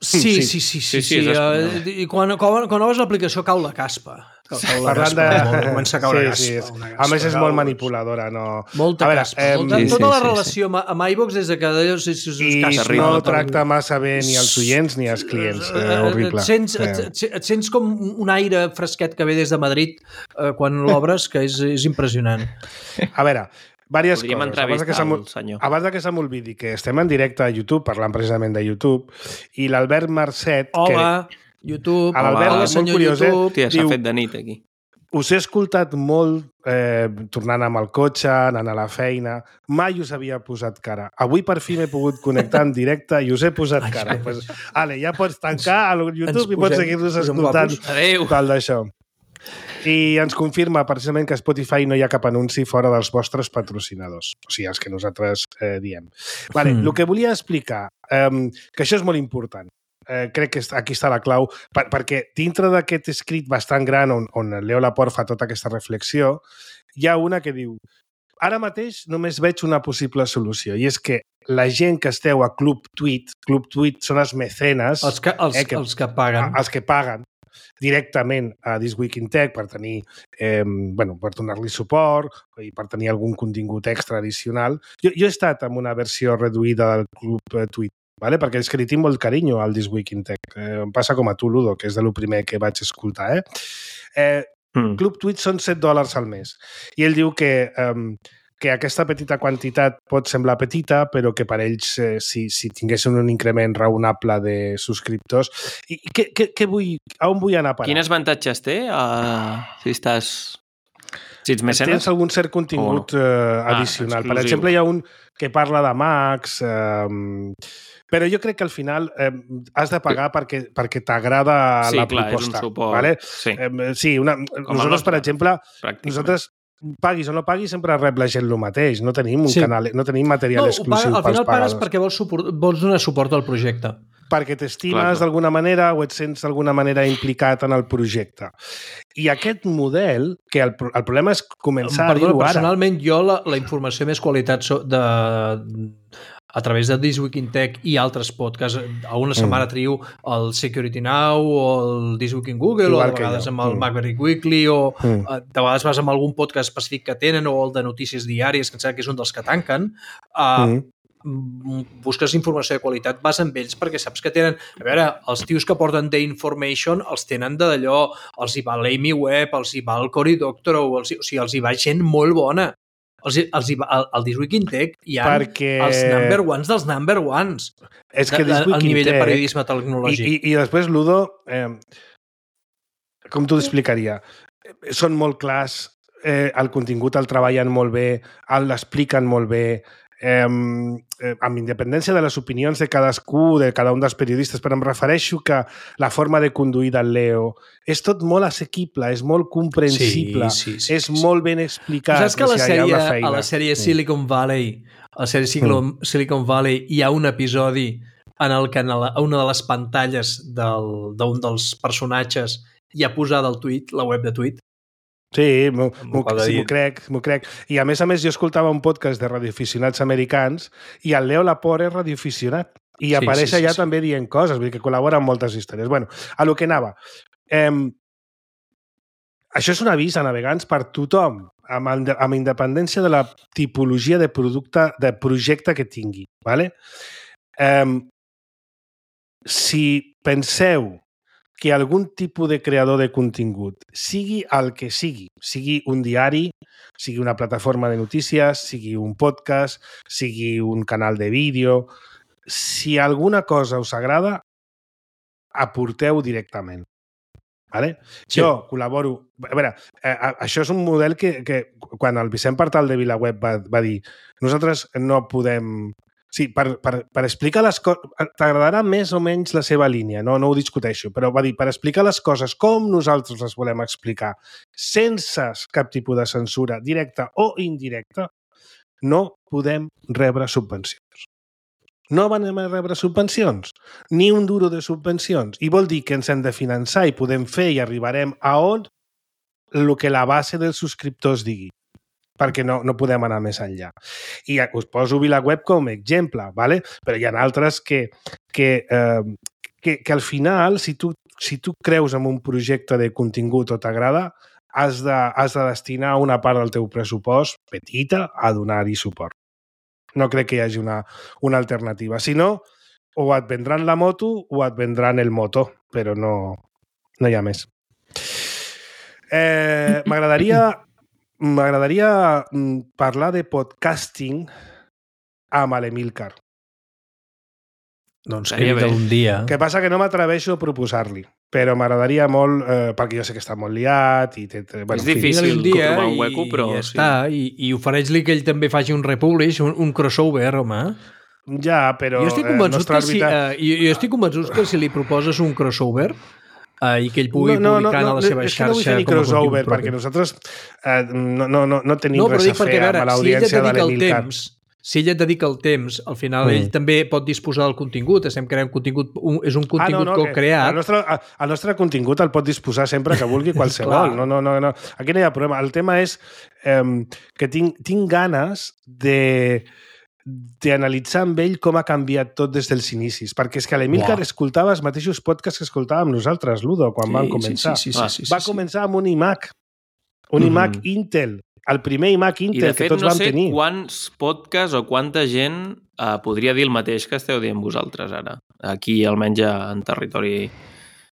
D: Sí, sí, sí. sí, sí, sí, sí uh, I quan, quan, quan obres l'aplicació cau la caspa. Cau, cau la
B: Parlant
D: caspa,
B: de...
D: comença a caure
B: sí,
D: caspa,
B: sí,
D: una
B: caspa. A més, és molt manipuladora, no...
D: Molta
B: veure,
D: caspa.
B: Eh,
D: molta,
B: sí,
D: tota
B: sí,
D: la
B: sí,
D: relació sí. amb iVox és de que és, és, és
B: I
D: caspa.
B: no tracta massa bé ni els oients ni els clients. Eh, horrible.
D: Et sents, et, et, et sents com un aire fresquet que ve des de Madrid eh, quan l'obres, que és, és impressionant.
B: A veure... Diverses
C: Podríem
B: coses. Abans que,
C: senyor.
B: abans que se m'olvidi que estem en directe a YouTube, parlant precisament de YouTube, i l'Albert Marcet...
D: Hola, que... YouTube.
B: L'Albert és molt curiós, eh?
C: Tia, s'ha fet de nit aquí.
B: Us he escoltat molt eh, tornant amb el cotxe, anant a la feina. Mai us havia posat cara. Avui per fi m'he pogut connectar en directe i us he posat cara. Pues, ale, ja pots tancar a YouTube i pots seguir-nos escoltant tal d'això. I ens confirma precisament que a Spotify no hi ha cap anunci fora dels vostres patrocinadors, o sigui, els que nosaltres eh, diem. Vale, mm. El que volia explicar, eh, que això és molt important, eh, crec que aquí està la clau, per, perquè dintre d'aquest escrit bastant gran on, on Leo Laporte fa tota aquesta reflexió, hi ha una que diu ara mateix només veig una possible solució, i és que la gent que esteu a Club Tweet, Club Tweet són els mecenes...
D: Els que, els, eh, que, els que paguen.
B: Els que paguen directament a This Week in Tech per tenir, eh, bueno, per donar-li suport i per tenir algun contingut extra addicional. Jo, jo he estat en una versió reduïda del Club eh, Tweet, vale? Perquè és que li tinc molt carinyo al This Week in Tech. Eh, em passa com a tu, Ludo, que és de lo primer que vaig escoltar. Eh? Eh, mm. Club Tweet són set dòlars al mes. I ell diu que... Eh, que aquesta petita quantitat pot semblar petita, però que per ells, eh, si, si tinguessin un increment raonable de subscriptors... I, i què, què, què vull, a on vull anar a parar?
C: Quins avantatges té uh, si estàs... Si ets mecenes?
B: Tens algun cert contingut no? eh, addicional. Ah, per exemple, hi ha un que parla de Macs... Eh, però jo crec que al final eh, has de pagar perquè, perquè t'agrada
C: sí,
B: la
C: clar,
B: proposta.
C: És un suport.
B: Vale?
C: Sí,
B: eh, sí una, nosaltres, per exemple, pràcticament. nosaltres paguis o no paguis, sempre rep la gent el mateix. No tenim un
D: Sí.
B: canal, no tenim material
D: No,
B: exclusiu
D: paga, al
B: pels
D: final pagues
B: pagadors.
D: perquè vols, suport, vols donar suport al projecte.
B: Perquè t'estimes
C: Clar, clar.
B: d'alguna manera o et sents d'alguna manera implicat en el projecte. I aquest model, que el, el problema és començar
D: Perdona,
B: a dir-ho ara.
D: personalment, jo la, la informació més qualitat so, de, a través de This Week in Tech i altres podcasts, a una setmana mm. trio el Security Now o el This Week in Google,
B: Igual
D: o de
B: que
D: vegades
B: jo.
D: amb el
B: Mm.
D: Maverick Weekly, o
B: Mm.
D: de vegades vas amb algun podcast específic que tenen, o el de notícies diàries, que em sembla que és un dels que tanquen. Uh, mm. busques informació de qualitat, vas amb ells perquè saps que tenen... A veure, els tios que porten The Information els tenen d'allò, els hi va l'Amy Webb, els hi va el Cory Doctorow, els hi, o sigui, els hi va gent molt bona. Els, hi- els hi va, al, al This Week in Tech hi ha
B: Perquè-
D: els number ones dels number ones.
B: És que
D: de,
B: This
D: de,
B: Week
D: al
B: in
D: nivell de
B: Tech-
D: periodisme
B: I,
D: tecnològic.
B: i, I després, Ludo, eh, com t'ho explicaria? Són molt clars, eh, el contingut el treballen molt bé, el l'expliquen molt bé, eh, eh, amb independència de les opinions de cadascú, de cada un dels periodistes, però em refereixo que la forma de conduir del Leo és tot molt assequible, és molt comprensible,
D: Sí, sí, sí,
B: és
D: sí, sí.
B: molt ben explicat.
D: Saps que a la,
B: o sigui, hi ha
D: sèrie,
B: una feina.
D: a la sèrie Silicon Valley, a la sèrie Silicon, Silicon Valley hi ha un episodi en el que en la, a una de les pantalles del- d'un dels personatges hi ha posada el tuit, la web de tuit.
B: Sí, m'ho m'ho-
D: acaba de
B: sí,
D: dir.
B: m'ho crec, m'ho crec. I a més a més jo escoltava un podcast de radioaficionats americans i el Leo Laporte és radioaficionat i
D: Sí,
B: apareix
D: sí, sí,
B: allà
D: sí.
B: també dient coses, vull dir que col·labora en moltes històries. Bueno, a lo que anava. Eh, això és un avís a navegants per tothom, amb, inde- amb independència de la tipologia de producte, de projecte que tingui. ¿Vale? Eh, si penseu que algun tipus de creador de contingut, sigui el que sigui, sigui un diari, sigui una plataforma de notícies, sigui un podcast, sigui un canal de vídeo, si alguna cosa us agrada, aporteu directament. Vale?
D: Sí.
B: Jo col·laboro... A veure, eh, a- això és un model que, que quan el Vicent Partal de VilaWeb va, va dir nosaltres no podem... Sí, per, per, per explicar les coses... T'agradarà més o menys la seva línia, no, no ho discuteixo, però va dir, per explicar les coses com nosaltres les volem explicar, sense cap tipus de censura, directa o indirecta, no podem rebre subvencions. No van a rebre subvencions, ni un duro de subvencions. I vol dir que ens hem de finançar i podem fer i arribarem a on el que la base dels subscriptors digui, perquè no, no podem anar més enllà. I us poso VilaWeb com a exemple, ¿vale? Però hi ha altres que, que, eh, que, que al final, si tu, si tu creus en un projecte de contingut o t'agrada, has de, has de destinar una part del teu pressupost, petita, a donar-hi suport. No crec que hi hagi una, una alternativa. Si no, o et vendran la moto o et vendran el moto, però no, no hi ha més. Eh, M'agradaria m'agradaria parlar de podcasting amb l'Emilcar.
D: Doncs
C: Estaria
D: que
C: bé.
D: un dia...
B: El que passa que no m'atreveixo a proposar-li, però m'agradaria molt, eh, perquè jo sé que està molt liat i té, té, bueno,
C: És
B: en fi.
C: difícil
D: un dia
C: trobar un
D: i,
C: hueco, però
D: i ja
C: sí.
D: està, i, i ofereix-li que ell també faci un republish, un, un crossover, home.
B: Ja, però
D: jo estic
B: eh,
D: convençut
B: nostra
D: que si,
B: òrbita...
D: uh, jo, jo estic convençut que si li proposes un crossover uh, i que ell pugui
B: no, no,
D: publicar
B: no,
D: a la seva
B: és que no vull
D: xarxa
B: fer ni
D: com a
B: crossover,
D: contingut
B: perquè
D: propi.
B: nosaltres eh, no, no, no, no tenim
D: No, però
B: res
D: dic
B: a fer
D: perquè, a
B: amb
D: veure, si ell et
B: l'audiència de
D: dedica el
B: l'Emilcar.
D: temps, si ell et dedica el temps, al final
B: Mm.
D: ell també pot disposar del contingut, estem creant contingut, un, és un contingut
B: ah, no, no,
D: que heu creat.
B: El nostre, el nostre contingut el pot disposar sempre que vulgui qualsevol.
D: Clar.
B: no, no, no, no. Aquí no hi ha problema. El tema és eh, que tinc, tinc ganes de d'analitzar amb ell com ha canviat tot des dels inicis, perquè és que l'Emilcar
D: Uau.
B: escoltava els mateixos podcasts que escoltàvem nosaltres, Ludo, quan
D: Sí,
B: vam
D: sí,
B: començar.
D: sí, sí, sí,
C: Va,
D: sí, sí,
B: Va
D: sí.
B: començar amb un iMac, un
D: Mhm.
B: iMac Intel, el primer iMac
C: I
B: Intel
C: de fet
B: que tots
C: no
B: vam
C: sé
B: tenir.
C: quants podcasts o quanta gent eh, podria dir el mateix que esteu dient vosaltres ara. Aquí, almenys en territori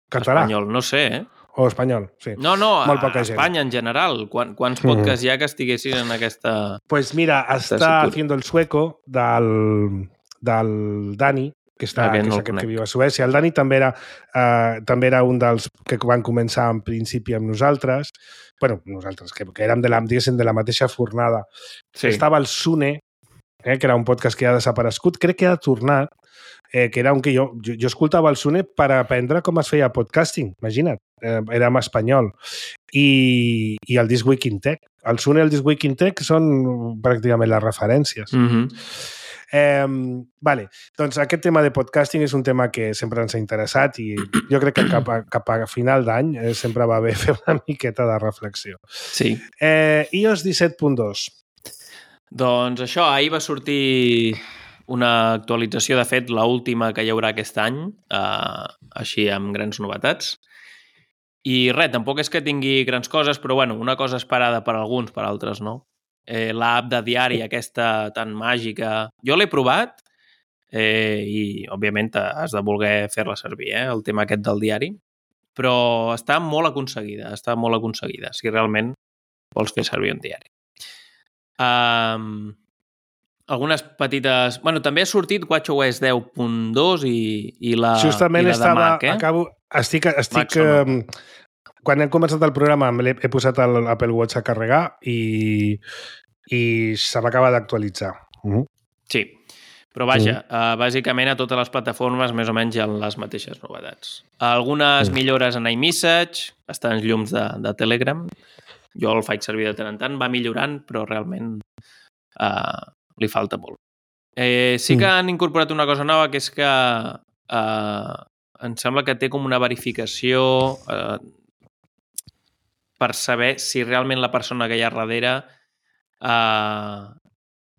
B: Català
C: espanyol. No sé, eh?
B: o espanyol, sí.
C: No, no, a,
B: Molt poca
C: a
B: gent.
C: Espanya en general. Quan, quants
B: Mhm.
C: podcasts hi ha que estiguessin en aquesta...
B: Pues mira,
C: Está
B: està
C: seguro.
B: haciendo el sueco del, del Dani, que, està,
C: Aquest
B: que
C: no
B: és
C: el
B: aquest
C: conec.
B: que viu a Suècia. El Dani també era, eh, també era un dels que van començar en principi amb nosaltres. bueno, nosaltres, que, que érem de la, diguéssim, de la mateixa fornada.
C: Sí.
B: Estava el Sune, eh, que era un podcast que ha desaparegut. Crec que ha tornat. eh, que era un que jo, jo, jo escoltava el Sune per aprendre com es feia podcasting, imagina't, eh, era en espanyol. I, i el This Week in Tech. El Sune i el This Week in Tech són pràcticament les referències.
C: Mm-hmm.
B: Eh, vale, doncs aquest tema de podcasting és un tema que sempre ens ha interessat i jo crec que cap a, cap a final d'any eh, sempre va bé fer una miqueta de reflexió.
C: Sí.
B: Eh, i o ess disset punt dos.
C: Doncs això, ahir va sortir una actualització, de fet, l'última que hi haurà aquest any, eh, així amb grans novetats. I res, tampoc és que tingui grans coses, però bueno, una cosa esperada per alguns, per altres no. Eh, l'app de diari, aquesta tan màgica, jo l'he provat eh, i, òbviament, has de voler fer-la servir, eh, el tema aquest del diari, però està molt aconseguida, està molt aconseguida, si realment vols fer servir un diari. Um, algunes petites... Bueno, també ha sortit watchOS deu punt dos i, i la,
B: Justament
C: i la
B: estava,
C: de Mac, eh?
B: acabo, estic... estic
C: Mac
B: eh, quan hem començat el programa he, he posat l'Apple Watch a carregar i, i se m'acaba d'actualitzar. Uh-huh.
C: Sí, però vaja,
B: uh-huh.
C: uh, bàsicament a totes les plataformes més o menys hi ha les mateixes novetats. Algunes uh-huh. millores en iMessage, bastants llums de, de Telegram. Jo el faig servir de tant en tant, va millorant, però realment uh, li falta molt. Eh, sí que han incorporat una cosa nova, que és que uh, em sembla que té com una verificació uh, per saber si realment la persona que hi ha darrere uh,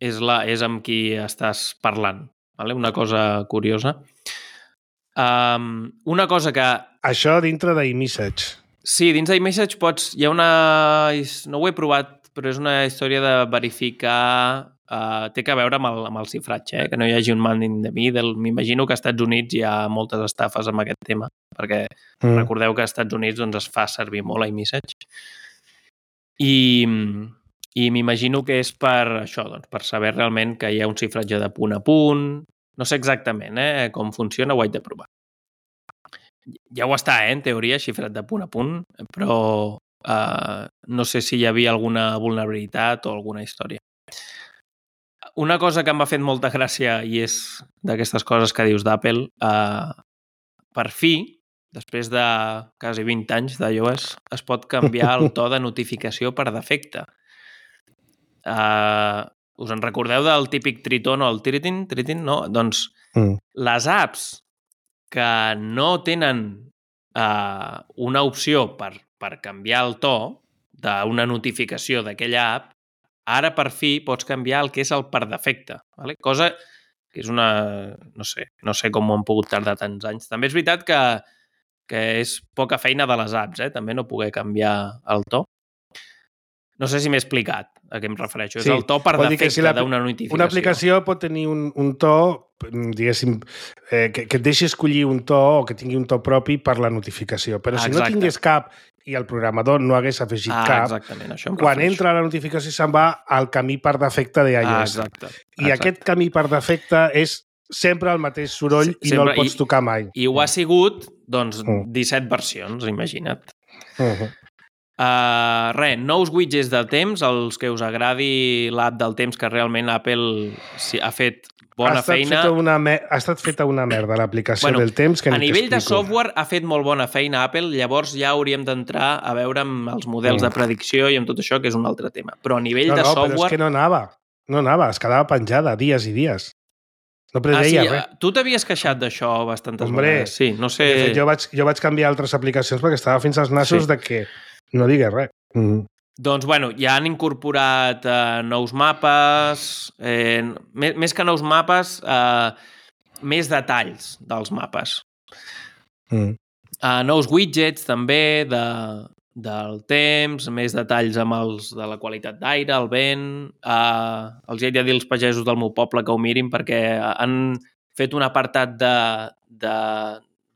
C: és, la, és amb qui estàs parlant. Vale? Una cosa curiosa. Um, una cosa que...
B: Això dintre d'iMessage.
C: Sí, dins d'iMessage pots... Hi ha una... No ho he provat, però és una història de verificar... Uh, té que veure amb el, amb el xifratge, eh? Que no hi hagi un man in the middle. M'imagino que als Estats Units hi ha moltes estafes amb aquest tema, perquè mm. recordeu que als Estats Units doncs, es fa servir molt iMessage. I, i m'imagino que és per això, doncs, per saber realment que hi ha un xifratge de punt a punt. No sé exactament eh, com funciona, ho haig de provar. Ja ho està, eh, en teoria, xifrat de punt a punt, però uh, no sé si hi havia alguna vulnerabilitat o alguna història. Una cosa que em va fet molta gràcia i és d'aquestes coses que dius d'Apple, uh, per fi, després de quasi vint anys d'iOS, es pot canviar el to de notificació per defecte. Uh, us en recordeu del típic tritón o el tritin? Tritin, no? Doncs mm. les apps que no tenen uh, una opció per, per canviar el to d'una notificació d'aquella app, ara per fi pots canviar el que és el per defecte. Vale? Cosa que és una... No sé, no sé com ho han pogut tardar tants anys. També és veritat que, que és poca feina de les apps, eh? També no poder canviar el to. No sé si m'he explicat a què em refereixo. Sí, és el to per defecte si d'una notificació.
B: Una aplicació pot tenir un, un to, diguéssim, eh, que, que et deixi escollir un to o que tingui un to propi per la notificació. Però si Exacte. no tingués cap i el programador no hagués afegit
C: ah,
B: cap,
C: exactament, això
B: quan entra la notificació se'n va al camí per defecte d'iOS.
C: Ah, exacte,
B: I exacte. aquest camí per defecte és sempre el mateix soroll sí, i no el pots
C: I,
B: tocar mai.
C: I ho ha sigut, doncs, disset versions, imagina't. Uh-huh. Uh, res, nous widgets del temps, els que us agradi l'app del temps, que realment Apple ha fet bona
B: ha
C: feina.
B: Una ha estat feta una merda l'aplicació bueno, del temps. Que
C: a nivell de software ha fet molt bona feina Apple, llavors ja hauríem d'entrar a veure amb els models mm. de predicció i amb tot això, que és un altre tema. Però a nivell
B: no,
C: de
B: no,
C: software...
B: No, però és que no anava. No anava, es quedava penjada dies i dies. No preveia
C: ah, sí,
B: res.
C: Tu t'havies queixat d'això bastantes
B: Hombre,
C: vegades. Sí, no sé...
B: fet, jo, vaig, jo vaig canviar altres aplicacions perquè estava fins als nassos sí. de que no digués res. Mm.
C: Doncs, bueno, ja han incorporat eh, nous mapes, eh, més, més que nous mapes, eh, més detalls dels mapes. Mm. Eh, nous widgets, també, de, del temps, més detalls amb els de la qualitat d'aire, el vent... Eh, els he de dir als pagesos del meu poble que ho mirin perquè han fet un apartat de, de,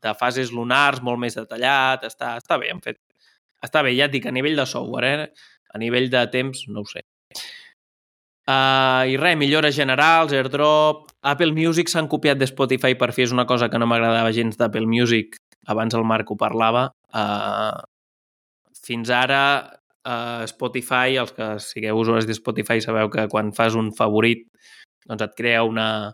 C: de fases lunars molt més detallat. Està, està bé, han fet Està bé, ja et dic, a nivell de software, eh? A nivell de temps, no ho sé. Uh, I res, millores generals, AirDrop... Apple Music s'han copiat de Spotify per fi, és una cosa que no m'agradava gens d'Apple Music. Abans el Marc ho parlava. Uh, fins ara, uh, Spotify, els que sigueu usuaris de Spotify, sabeu que quan fas un favorit doncs et crea una,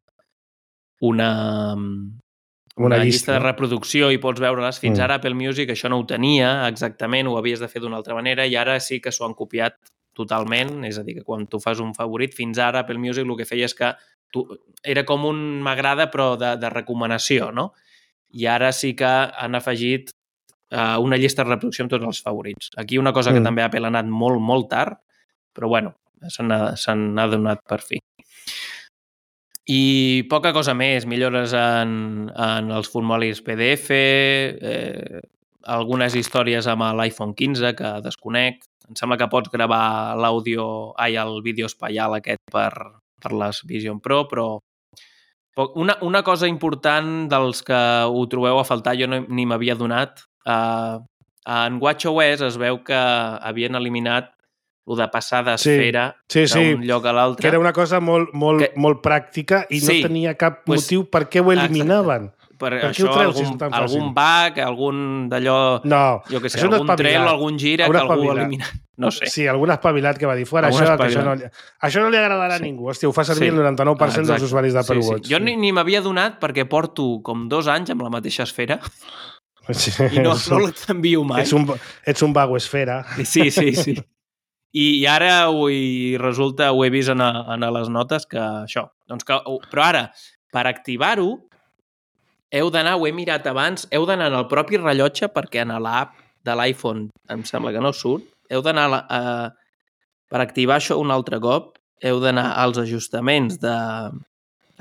C: una, una, una llista, llista de reproducció i pots veure-les. Fins mm. ara Apple Music això no ho tenia exactament, ho havies de fer d'una altra manera i ara sí que s'ho han copiat totalment. És a dir, que quan tu fas un favorit, fins ara Apple Music el que feia és que tu, era com un m'agrada però de, de recomanació, no? I ara sí que han afegit uh, una llista de reproducció amb tots els favorits. Aquí una cosa mm. que també Apple ha anat molt, molt tard, però bueno, se n'ha donat per fi. I poca cosa més, millores en, en els formularis P D F, eh, algunes històries amb l'iPhone quinze que desconec. Em sembla que pots gravar l'àudio, ai, el vídeo espaial aquest per, per les Vision Pro, però una, una cosa important dels que ho trobeu a faltar, jo no, ni m'havia donat, eh, en WatchOS es veu que havien eliminat el de passar d'esfera
B: sí, sí,
C: d'un
B: sí.
C: lloc a l'altre.
B: Que era una cosa molt, molt, que... molt pràctica i sí, no tenia cap pues, motiu per què ho eliminaven.
C: Exacte. Per, per això treus, algun, si algun bug, algun d'allò,
B: no,
C: jo què sé, algun trel, algun gira que algú ha eliminat. No sé.
B: Sí, algun espavilat que va dir fora, això, que això, no, això no li agradarà sí. a ningú. Hòstia, ho fa servir sí. el noranta-nou per cent ah, dels usuaris d'Apple sí, Watch.
C: Sí. Jo ni, ni m'havia donat perquè porto com dos anys amb la mateixa esfera sí. i no, no t'envio mai.
B: Ets un, ets un vago esfera.
C: Sí, sí, sí. I, i ara ho, i resulta, ho he vist en, a, en a les notes que això. Doncs que, però ara, per activar-ho, heu d'anar, ho he mirat abans, heu d'anar en el propi rellotge perquè en l'app de l'iPhone em sembla que no surt. Heu d'anar a, a, per activar això un altre cop, heu d'anar als ajustaments de,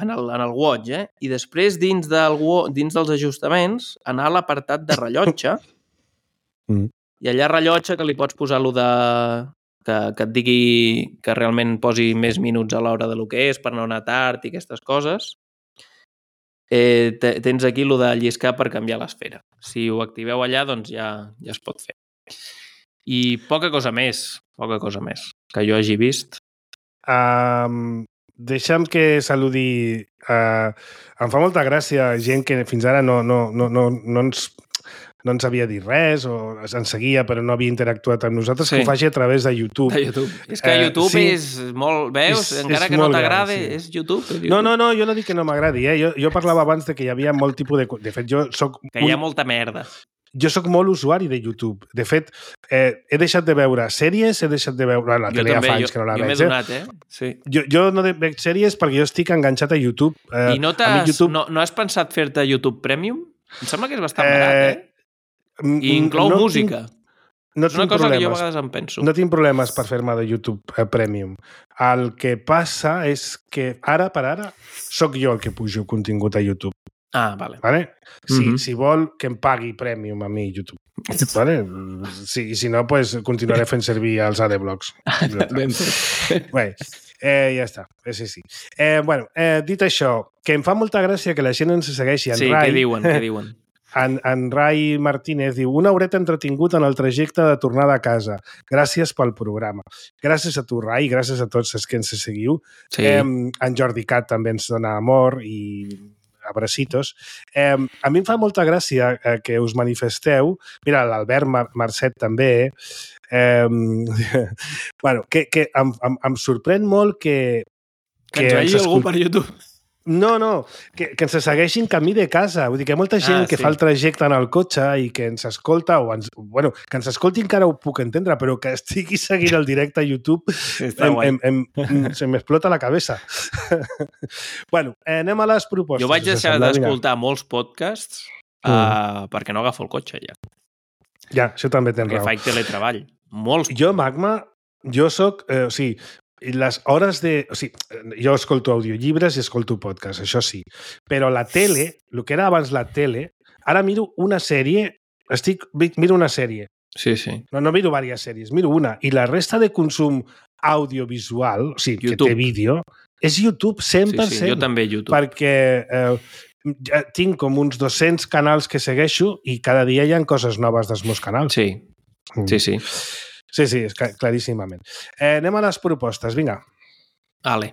C: en, el, en el Watch, eh? I després dins, del, dins dels ajustaments anar a l'apartat de rellotge mm. i allà rellotge que li pots posar lo de... Que, que et digui que realment posi més minuts a l'hora de lo que és per no anar tard i aquestes coses. Eh, te, tens aquí lo de lliscar per canviar l'esfera. Si ho activeu allà, doncs ja, ja es pot fer. I poca cosa més, poca cosa més que jo hagi vist.
B: Um, deixa'm que saludi... Uh, em fa molta gràcia gent que fins ara no, no, no, no, no ens... no ens havia dit res o ens seguia però no havia interactuat amb nosaltres, sí. que ho faci a través de YouTube.
C: De YouTube. És que YouTube eh, sí. és molt... Veus? És, Encara és que no t'agrada, sí. és YouTube, és YouTube.
B: No, no, no, jo no dic que no m'agradi. Eh? Jo, jo parlava abans de que hi havia molt tipus de... De fet, jo soc...
C: Que hi ha un... molta merda.
B: Jo sóc molt usuari de YouTube. De fet, eh, he deixat de veure sèries, he deixat de veure... La tele ja fa anys que no la
C: jo
B: veig.
C: Jo m'he donat, eh? Sí.
B: Jo, jo no veig sèries perquè jo estic enganxat a YouTube. Eh,
C: I no, YouTube... no, no has pensat fer-te YouTube Premium? Em sembla que és bastant eh... barat, eh? I inclou no música.
B: Tinc, no
C: és una cosa problemes. que jo a vegades em penso.
B: No tinc problemes per fer-me de YouTube eh, Premium. El que passa és que ara per ara sóc jo el que pujo contingut a YouTube.
C: Ah, vale.
B: vale? Si,
C: mm-hmm.
B: si vol que em pagui Premium a mi YouTube. Vale? Si, si no, pues continuaré fent servir els Adblocks. Bé, eh, ja està. Sí, sí. Eh, bueno, eh, dit això, que em fa molta gràcia que la gent ens segueixi en
C: sí,
B: Rai.
C: Sí, què diuen, què diuen?
B: En, en Rai Martínez diu una horeta entretingut en el trajecte de tornada a casa. Gràcies pel programa. Gràcies a tu, Rai, gràcies a tots els que ens seguiu.
C: Sí.
B: Eh, en Jordi Cat també ens dona amor i abracitos. Eh, a mi em fa molta gràcia eh, que us manifesteu. Mira, l'Albert Mar Marcet també. Eh, bueno, que, que em, em, em sorprèn molt que...
C: Que, que ens vegi algú per YouTube.
B: No, no, que, que ens segueixin camí de casa. Vull dir que hi ha molta gent ah, que sí. fa el trajecte en el cotxe i que ens escolta, o ens, bueno, que ens escolti encara ho puc entendre, però que estigui seguint el directe a YouTube em, em, em, se m'explota la cabeza. Bueno, anem a les propostes.
C: Jo vaig deixar d'escoltar molts podcasts uh, mm. perquè no agafo el cotxe ja.
B: Ja, això també tens raó.
C: Perquè faig teletreball. Molts.
B: Jo, Magma, jo soc... Eh, o sigui, les hores de... O sigui, jo escolto audiollibres i escolto podcast, això sí. Però la tele, el que era abans la tele, ara miro una sèrie, estic, miro una sèrie.
C: Sí, sí.
B: No, no miro diverses sèries, miro una. I la resta de consum audiovisual, o sigui, YouTube. Que té vídeo, és YouTube cent per cent.
C: Sí, sí, jo també YouTube.
B: Perquè eh, ja tinc com uns dos-cents canals que segueixo i cada dia hi ha coses noves dels meus canals.
C: Sí, mm. sí, sí.
B: Sí, sí, és claríssimament. Eh, anem a les propostes, vinga.
C: Vale.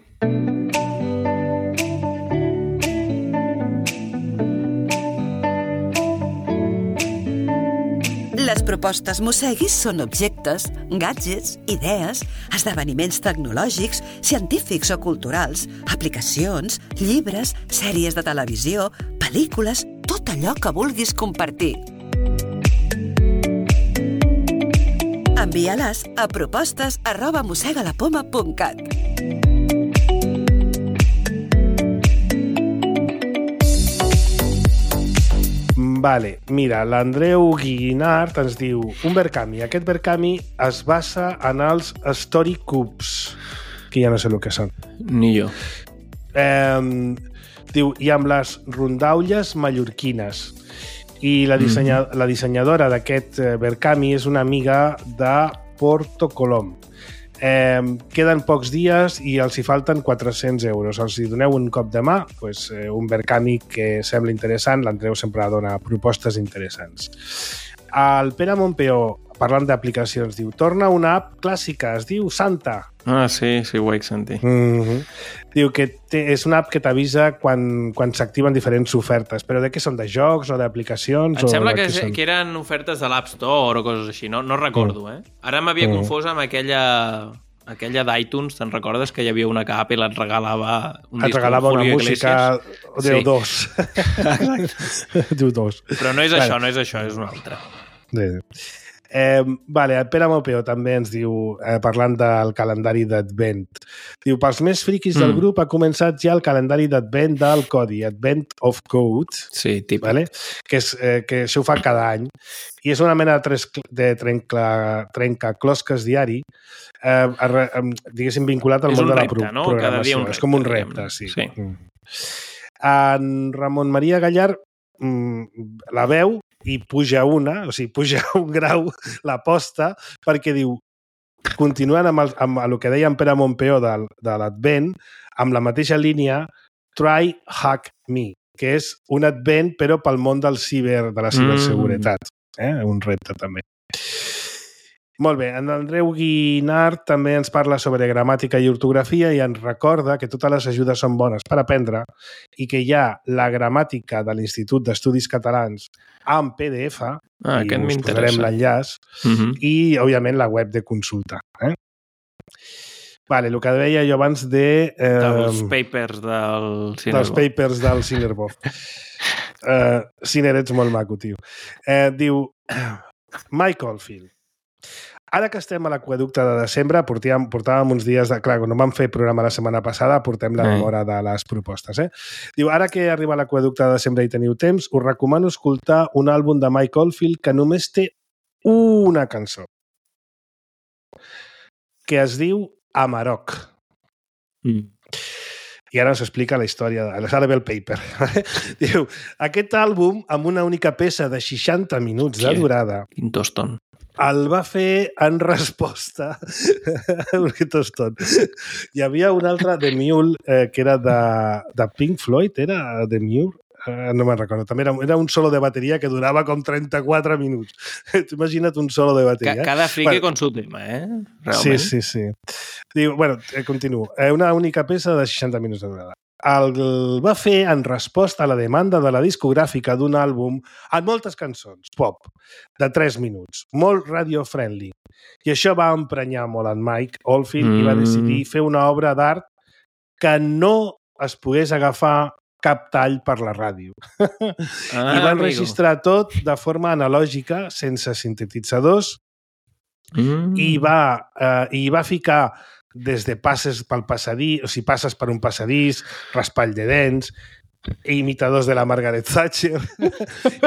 E: Les propostes Mosseguis són objectes, gadgets, idees, esdeveniments tecnològics, científics o culturals, aplicacions, llibres, sèries de televisió, pel·lícules, tot allò que vulguis compartir. Envia-les a propostes arroba mossegalapoma punt cat.
B: Vale, mira, l'Andreu Guinart ens diu un Verkami. Aquest Verkami es basa en els Story Cubes, que ja no sé el que són.
C: Ni jo.
B: Eh, diu, i amb les rondaulles mallorquines. I la, dissenya, mm. la dissenyadora d'aquest Verkami és una amiga de Porto Colom. Eh, queden pocs dies i els hi falten quatre-cents euros. Els hi doneu un cop de mà, pues, eh, un Verkami que sembla interessant. L'Andreu sempre dona propostes interessants. El Pere Montpeó, parlant d'aplicacions, diu, torna una app clàssica, es diu Santa.
C: Ah, sí, sí, ho vaig sentir.
B: Mm-hmm. Diu que té, és una app que t'avisa quan, quan s'activen diferents ofertes. Però de què són? De jocs o d'aplicacions?
C: Em sembla
B: o
C: que, que, que eren ofertes de l'App Store o coses així, no, no recordo, mm. eh? Ara m'havia mm. confós amb aquella, aquella d'iTunes, te'n recordes que hi havia una que Apple et regalava un
B: et
C: disc
B: regalava una música
C: sí.
B: diu dos. diu dos.
C: Però no és
B: vale.
C: això, no és això, és una altra.
B: Sí. Eh, vale, el Pere Mopeo també ens diu, eh, parlant del calendari d'Advent, diu, pels més friquis mm. del grup ha començat ja el calendari d'Advent del Codi, Advent of Code,
C: sí, típic.
B: Vale? Que, és, eh, que això ho fa cada any, i és una mena de, tres, de trenca, trencaclosques diari, eh, a, a, diguéssim, vinculat al món de la
C: repte,
B: pro,
C: no?
B: programació.
C: Repte,
B: és com un repte, sí.
C: sí.
B: Mm. En Ramon Maria Gallar mm, la veu i puja una, o sigui, puja un grau l'aposta, perquè diu, continuant amb el, amb el que deia en Pere Montpeó de, de l'Advent, amb la mateixa línia, Try Hack Me, que és un Advent però pel món del ciber, de la ciberseguretat. Mm. Eh? Un repte també. Molt bé, en Andreu Guinart també ens parla sobre gramàtica i ortografia i ens recorda que totes les ajudes són bones per aprendre i que hi ha la gramàtica de l'Institut d'Estudis Catalans en P D F,
C: ah,
B: i us posarem l'enllaç, uh-huh. i, òbviament, la web de consulta. Eh? Vale, el que deia jo abans de... Eh,
C: dels papers del Cinerbov.
B: Dels papers del Cinerbov. uh, Ciner, ets molt maco, tio. Eh, diu, Mike Oldfield, ara que estem a l'aqüeducte de desembre, portàvem, portàvem uns dies de... Clar, quan no vam fer programa la setmana passada, portem la memòria de les propostes. Eh? Diu, ara que arriba a l'aqüeducte de desembre i teniu temps, us recomano escoltar un àlbum de Mike Oldfield que només té una cançó, que es diu Amarok. Mm. I ara ens explica la història de l'Sarabel Paper. Diu, aquest àlbum, amb una única peça de seixanta minuts de durada...
C: Quin toston.
B: El va fer en resposta un toston. Hi havia un altre, The Mule, eh, que era de, de Pink Floyd, era The Mule? Eh, no me'n recordo. També era, era un solo de bateria que durava com trenta-quatre minuts. T'imagina't un solo de bateria.
C: Cada frique bueno, con su tema, eh?
B: Sí,
C: Realment.
B: sí, sí. Diu, bueno, eh, continuo. Eh, una única peça de seixanta minuts de durada. El va fer en resposta a la demanda de la discogràfica d'un àlbum amb moltes cançons, pop, de tres minuts, molt radio-friendly. I això va emprenyar molt en Mike Oldfield mm. i va decidir fer una obra d'art que no es pogués agafar cap tall per la ràdio. Ah, I va enregistrar amigo. tot de forma analògica, sense sintetitzadors, mm. i, va, eh, i va ficar des de passes pel passadís, o sigui, passes per un passadís, raspall de dents, imitadors de la Margaret Thatcher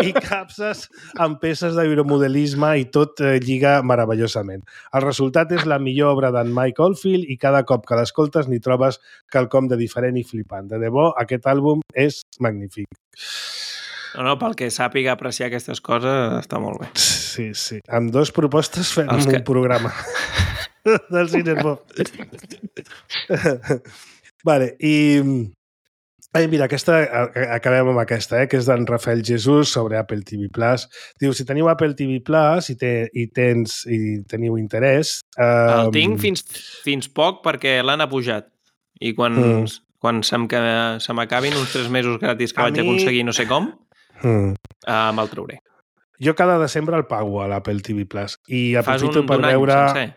B: i capses amb peces d'aeromodelisme i tot eh, lliga meravellosament. El resultat és la millor obra d'en Mike Oldfield i cada cop que l'escoltes n'hi trobes quelcom de diferent i flipant. De debò, aquest àlbum és magnífic.
C: No, no, pel que sàpiga apreciar aquestes coses està molt bé.
B: Sí, sí. Amb dues propostes fem que... un programa del Cinerbov. Vale, i... Ai, mira, aquesta, acabem amb aquesta, eh, que és d'en Rafael Jesús sobre Apple T V Plus. Diu, si teniu Apple T V Plus i, te, i, tens, i teniu interès...
C: Eh, El tinc fins, fins poc perquè l'han apujat. I quan, mm. quan se m'acabin uns tres mesos gratis que a vaig mi... aconseguir no sé com, mm. eh, me'l trauré.
B: jo cada desembre el pago a l'Apple T V Plus i aprofito
C: un,
B: per veure...
C: Sencer?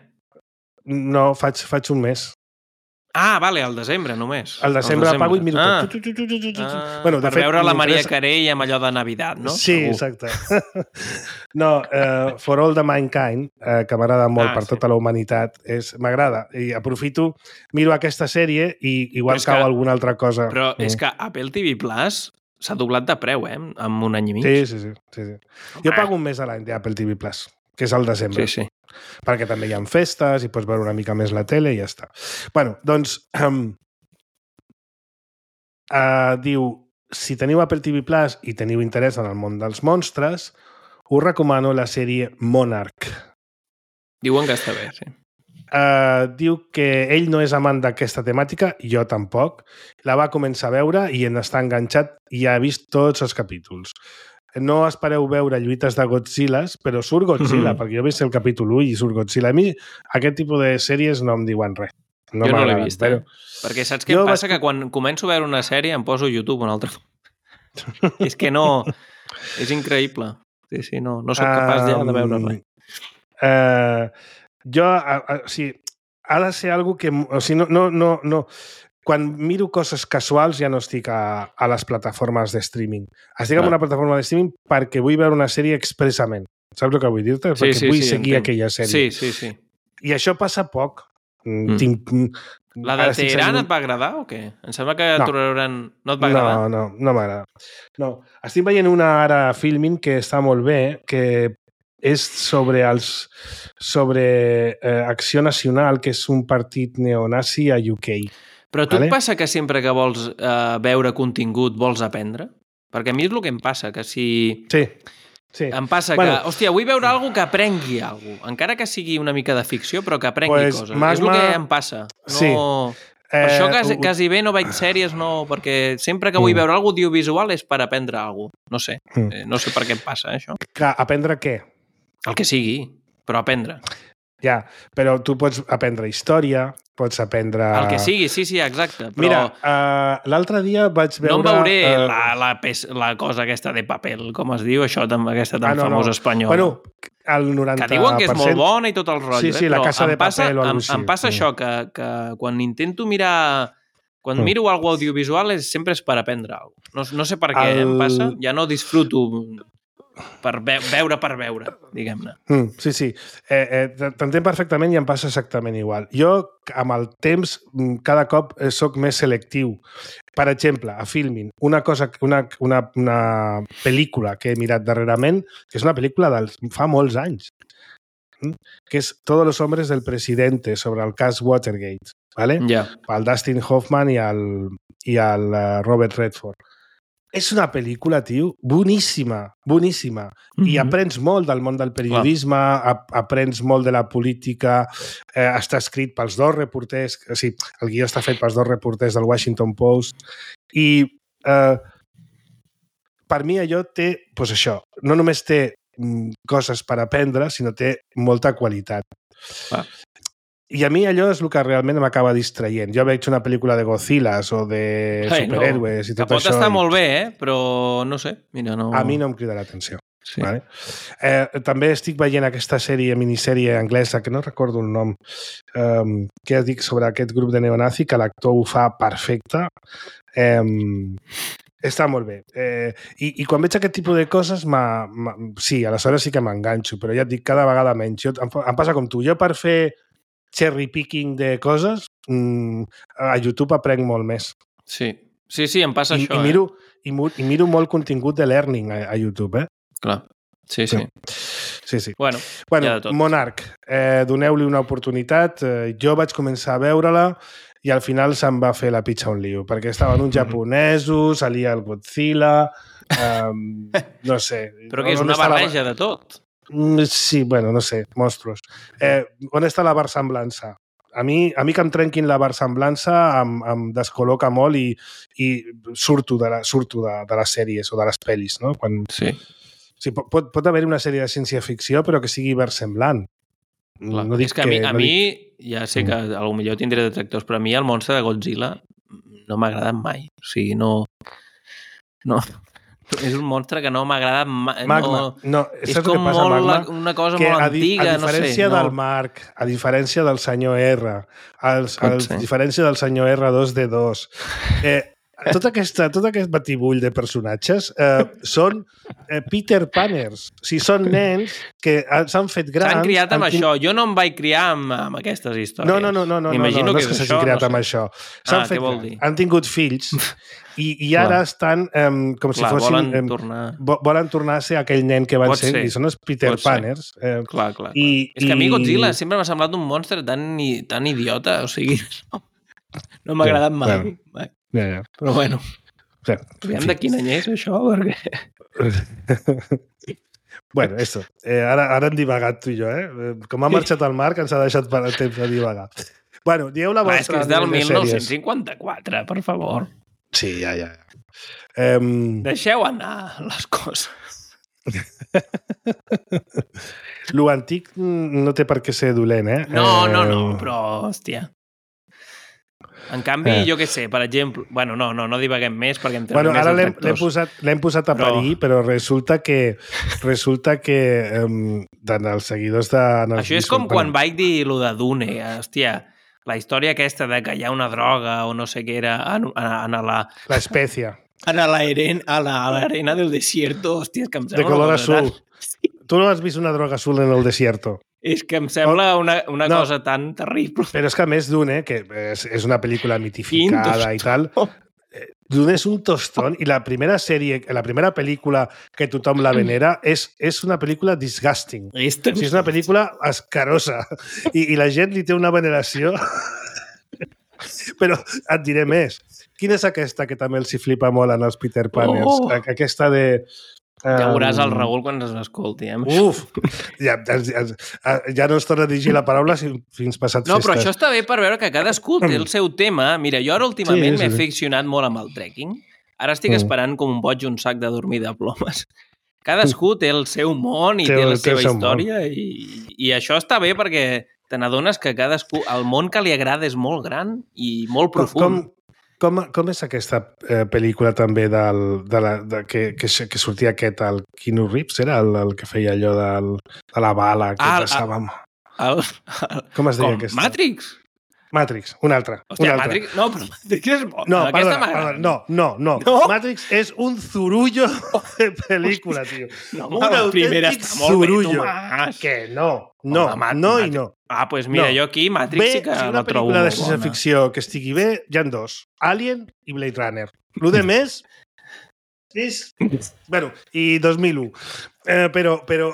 B: No, faig, faig un mes.
C: Ah, vale, al desembre només.
B: Al desembre el pago i miro
C: ah.
B: tot. Tu, tu, tu, tu, tu.
C: Ah,
B: Bueno,
C: per
B: fet,
C: veure la Maria Carey amb allò de Navidad, no?
B: Sí,
C: Segur.
B: exacte. No, uh, For All the Mankind, uh, que m'agrada molt ah, per sí. tota la humanitat, és m'agrada. I aprofito, miro aquesta sèrie i igual cau que, alguna altra cosa.
C: Però mm. és que Apple T V Plus s'ha doblat de preu, eh? En un any i mig.
B: Sí, sí, sí. sí, sí. Jo pago un mes a l'any d'Apple T V Plus, que és el desembre.
C: Sí, sí.
B: Perquè també hi ha festes i pots veure una mica més la tele i ja està. Bueno, doncs... Um, Uh, diu, si teniu Apple T V Plus i teniu interès en el món dels monstres, us recomano la sèrie Monarch.
C: Diuen que està bé, sí.
B: Uh, diu que ell no és amant d'aquesta temàtica, jo tampoc. La va començar a veure i en està enganxat i ha vist tots els capítols. No espereu veure lluites de Godzillas, però surt Godzilla, mm-hmm. perquè jo he vist el capítol u i surt Godzilla. A mi aquest tipus de sèries no em diuen res. No
C: jo no l'he vist,
B: però...
C: eh? Perquè saps què em passa? Vaig... Que quan començo a veure una sèrie em poso YouTube un altre. És que no... És increïble. Sí, sí, no, no soc capaç ja de veure res.
B: Uh, jo, uh, uh, o sigui, ha de ser algo que... O sigui, no, no, no, no. Quan miro coses casuals ja no estic a, a les plataformes de streaming. Estic ah. en una plataforma de streaming perquè vull veure una sèrie expressament. Saps el que vull dir-te?
C: Sí,
B: perquè
C: sí,
B: vull
C: sí,
B: seguir
C: entenc.
B: aquella sèrie.
C: Sí, sí, sí.
B: I això passa poc. Mm. Tinc,
C: la de Teheran et va agradar o què? Em sembla que
B: no.
C: Teheran no et va agradar.
B: No, no, no m'agrada. No. Estic veient una ara Filmin que està molt bé, que és sobre els sobre eh, Acció Nacional, que és un partit neonazi a U K.
C: Però a tu
B: vale?
C: Et passa que sempre que vols eh, veure contingut vols aprendre? Perquè a mi és el que em passa, que si...
B: Sí. Sí.
C: Em passa bueno, que, hòstia, vull veure alguna que aprengui alguna cosa. Encara que sigui una mica de ficció, però que aprengui pues, coses. Magma... És el que em passa. No...
B: Sí.
C: Per eh, això quasi, quasi bé no veig sèries, no, perquè sempre que vull mm. veure alguna cosa audiovisual és per aprendre alguna cosa. No sé. Mm. Eh, no sé per què em passa, eh, això.
B: Que, aprendre què?
C: El que sigui, però aprendre.
B: Ja, però tu pots aprendre història, pots aprendre...
C: El que sigui, sí, sí, exacte. Però...
B: Mira, uh, l'altre dia vaig veure...
C: No em veuré uh... la, la, pes, la cosa aquesta de paper, com es diu, això, aquesta tan ah, no, famosa no. espanyola.
B: Bueno, el noranta per cent...
C: Que diuen que és molt bona i tot el rotllo.
B: Sí, sí,
C: eh?
B: la Casa de
C: passa,
B: Papel o
C: em,
B: alguna cosa
C: em passa això, que, que quan intento mirar... Quan mm. miro alguna audiovisual és, sempre és per aprendre alguna cosa. No, no sé per què el... em passa, ja no disfruto... per ve veure per veure, diguem-ne.
B: Mm, sí, sí. Eh, eh, T'entenc perfectament i em passa exactament igual. Jo, amb el temps, cada cop soc més selectiu. Per exemple, a Filmin, una cosa, una, una, una pel·lícula que he mirat darrerament, que és una pel·lícula de fa molts anys, que és Todos los hombres del presidente, sobre el cas Watergate, ¿vale?
C: Yeah.
B: El Dustin Hoffman i el, i el Robert Redford. És una pel·lícula, tio, boníssima, boníssima. Mm-hmm. I aprens molt del món del periodisme, ap aprens molt de la política, eh, està escrit pels dos reporters, o sigui, el guió està fet pels dos reporters del Washington Post, i eh, per mi allò té, doncs això, no només té mm, coses per aprendre, sinó té molta qualitat.
C: Ah.
B: I a mi allò és el que realment m'acaba distraient. Jo veig una pel·lícula de Godzillas o de Ai, superhéroes no. i tot
C: que pot
B: això.
C: Pot estar
B: i...
C: molt bé, eh? Però no sé. Mira, no...
B: A mi no em crida l'atenció. Sí. Vale? Eh, també estic veient aquesta sèrie, minissèrie anglesa, que no recordo el nom, um, que dic sobre aquest grup de neonazi, que l'actor ho fa perfecte. Um, està molt bé. Eh, i, I quan veig aquest tipus de coses, ma, ma, sí, aleshores sí que m'enganxo, però ja et dic, cada vegada menys. Jo, em, em passa com tu. Jo per fer cherry picking de coses, mmm, a YouTube aprenc molt més.
C: Sí, sí, sí, em passa
B: I,
C: això.
B: I miro, eh? i, I miro molt contingut de learning a, a YouTube, eh?
C: Clar, sí, sí.
B: Sí, sí.
C: Bueno,
B: bueno
C: ja de tot.
B: Monarch, eh, doneu-li una oportunitat. Eh, jo vaig començar a veure-la i al final se'm va fer la pitxa un lío, perquè estaven uns japonesos, salia el Godzilla, eh, no sé.
C: Però que és una barreja la... de tot.
B: Sí, bueno, no sé, monstruos. Eh, on està la versemblança? A mi, a mi que em trenquin la versemblança em, em descol·loca molt i, i surto, de, la, surto de, de les sèries o de les pel·lis, no? Quan...
C: Sí.
B: Sí, pot, pot haver una sèrie de ciència-ficció però que sigui versemblant.
C: Clar, no dic és que a mi, que, no a mi dic... ja sé que mm. potser tindré detractors, però a mi el monstre de Godzilla no m'ha agradat mai. O sigui, no... no... És un monstre que no m'ha agradat mai.
B: Magma.
C: No,
B: no
C: és
B: saps
C: com
B: què passa,
C: molt,
B: Magma?
C: una cosa
B: que
C: molt
B: a, di
C: antiga,
B: a diferència
C: no sé.
B: del
C: No.
B: Marc, a diferència del senyor R, als,
C: Pot
B: als,
C: ser.
B: a diferència del senyor R dos D dos, eh, tot, aquesta, tot aquest batibull de personatges eh, són eh, Peter Panners. O sigui, són nens que s'han fet grans...
C: S'han criat amb
B: han
C: això. Jo no em vaig criar amb, amb aquestes històries.
B: No, no, no, no, no, no, no, no és que s'hagin criat
C: no
B: amb
C: sé.
B: això. S'han
C: Ah,
B: fet
C: què vol
B: grans,
C: dir?
B: han tingut fills i, i ara
C: Clar.
B: estan um, com
C: Clar,
B: si fossin...
C: volen
B: em,
C: tornar...
B: vo- volen tornar a ser aquell nen que van
C: Pot
B: ser,
C: ser.
B: i són els Peter
C: Pot ser.
B: Panners. Eh,
C: Clar, clar. clar.
B: I-
C: És que a mi
B: i-
C: Godzilla sempre m'ha semblat un monstre tan, tan idiota, o sigui... No, no m'ha agradat mai.
B: bueno.
C: mai.
B: ja, ja.
C: Però bueno,
B: Sí,
C: aviam
B: en
C: de
B: fi.
C: quin any és això, perquè...
B: Bueno, eso. Eh, ara, ara hem divagat tu i jo, eh? Eh, Com ha marxat el Marc, ens ha deixat per temps de divagar. Bueno, dieu la
C: Va,
B: vostra...
C: és que és del
B: de
C: dinou
B: sèries.
C: cinquanta-quatre, per favor.
B: Sí, ja, ja. Um,
C: Deixeu anar les coses.
B: Lo antic no té per què ser dolent, eh?
C: No, no, no,
B: Eh,
C: però, hòstia... En canvi,
B: Eh.
C: jo què sé, per exemple... Bueno, no, no, no divaguem més perquè em
B: Bueno,
C: més
B: ara
C: els
B: l'hem l'hem
C: lectors.
B: posat, l'hem posat a
C: Però-
B: parir, però resulta que resulta que um, els seguidors de...
C: Això és com quan vaig dir lo de Dune, hòstia, la història aquesta de que hi ha una droga o no sé què era en, en, en la...
B: La espècie.
C: En l'arena, a la, a l'arena del desierto, hòstia, és que em
B: De
C: sembla...
B: color
C: una cosa
B: azul.
C: Tan...
B: Tu no has vist una droga azul en el desierto.
C: És que em sembla una, una
B: No.
C: cosa tan terrible.
B: Però és que a més Dune, que és, és una pel·lícula mitificada i tal, eh, Dune és un tostón i la primera sèrie, la primera pel·lícula que tothom la venera és, és una pel·lícula disgusting.
C: És,
B: O sigui, és una pel·lícula escarosa i, i la gent li té una veneració. Però et diré més. Quina és aquesta que també els hi flipa molt en els Peter Panners?
C: Oh.
B: A- Aquesta de...
C: Ja veuràs el
B: um,
C: Raül quan es escolti. Eh?
B: Uf! Ja, ja, ja no es torna a dirigir la paraula fins passat
C: No,
B: festes.
C: però això està bé per veure que cadascú té el seu tema. Mira, jo ara últimament
B: Sí, sí,
C: m'he
B: sí.
C: aficionat molt amb el trekking. Ara estic
B: Mm.
C: esperant com un boig un sac de dormir de plomes. Cadascú té el seu món i
B: Té
C: té,
B: el-
C: la
B: té el
C: seva
B: seu
C: història i, i això està bé perquè te n'adones que cadascú, el món que li agrada és molt gran i molt
B: Com,
C: profund.
B: com, com és aquesta eh, pel·lícula també del, de la, de, que, que, que sortia aquest, el Keanu Reeves, era el, el que feia allò del, de la bala que
C: Ah,
B: passava... amb-
C: El, el,
B: Com es deia
C: com,
B: aquesta?
C: Matrix?
B: Matrix, una altra.
C: Hòstia,
B: una altra.
C: Matrix... No, però Matrix és bona.
B: No,
C: Aquesta
B: perdona,
C: m'agrada.
B: perdona, no, no, no,
C: No?
B: Matrix és un zurullo de pel·lícula, tio.
C: No,
B: un
C: la primera
B: autèntic
C: està molt bé,
B: zurullo.
C: Tomàs.
B: Que no, no,
C: Home, Mat-
B: no i
C: Mat-
B: no.
C: Ah, doncs pues mira,
B: No.
C: jo aquí Matrix
B: Bé,
C: sí que
B: si una
C: la trobo
B: pel·lícula de
C: molt
B: ciència
C: bona.
B: ficció que estigui bé, hi ha dos. Alien i Blade Runner. Lo de més és... Bueno, i dos mil u. Eh, però, però...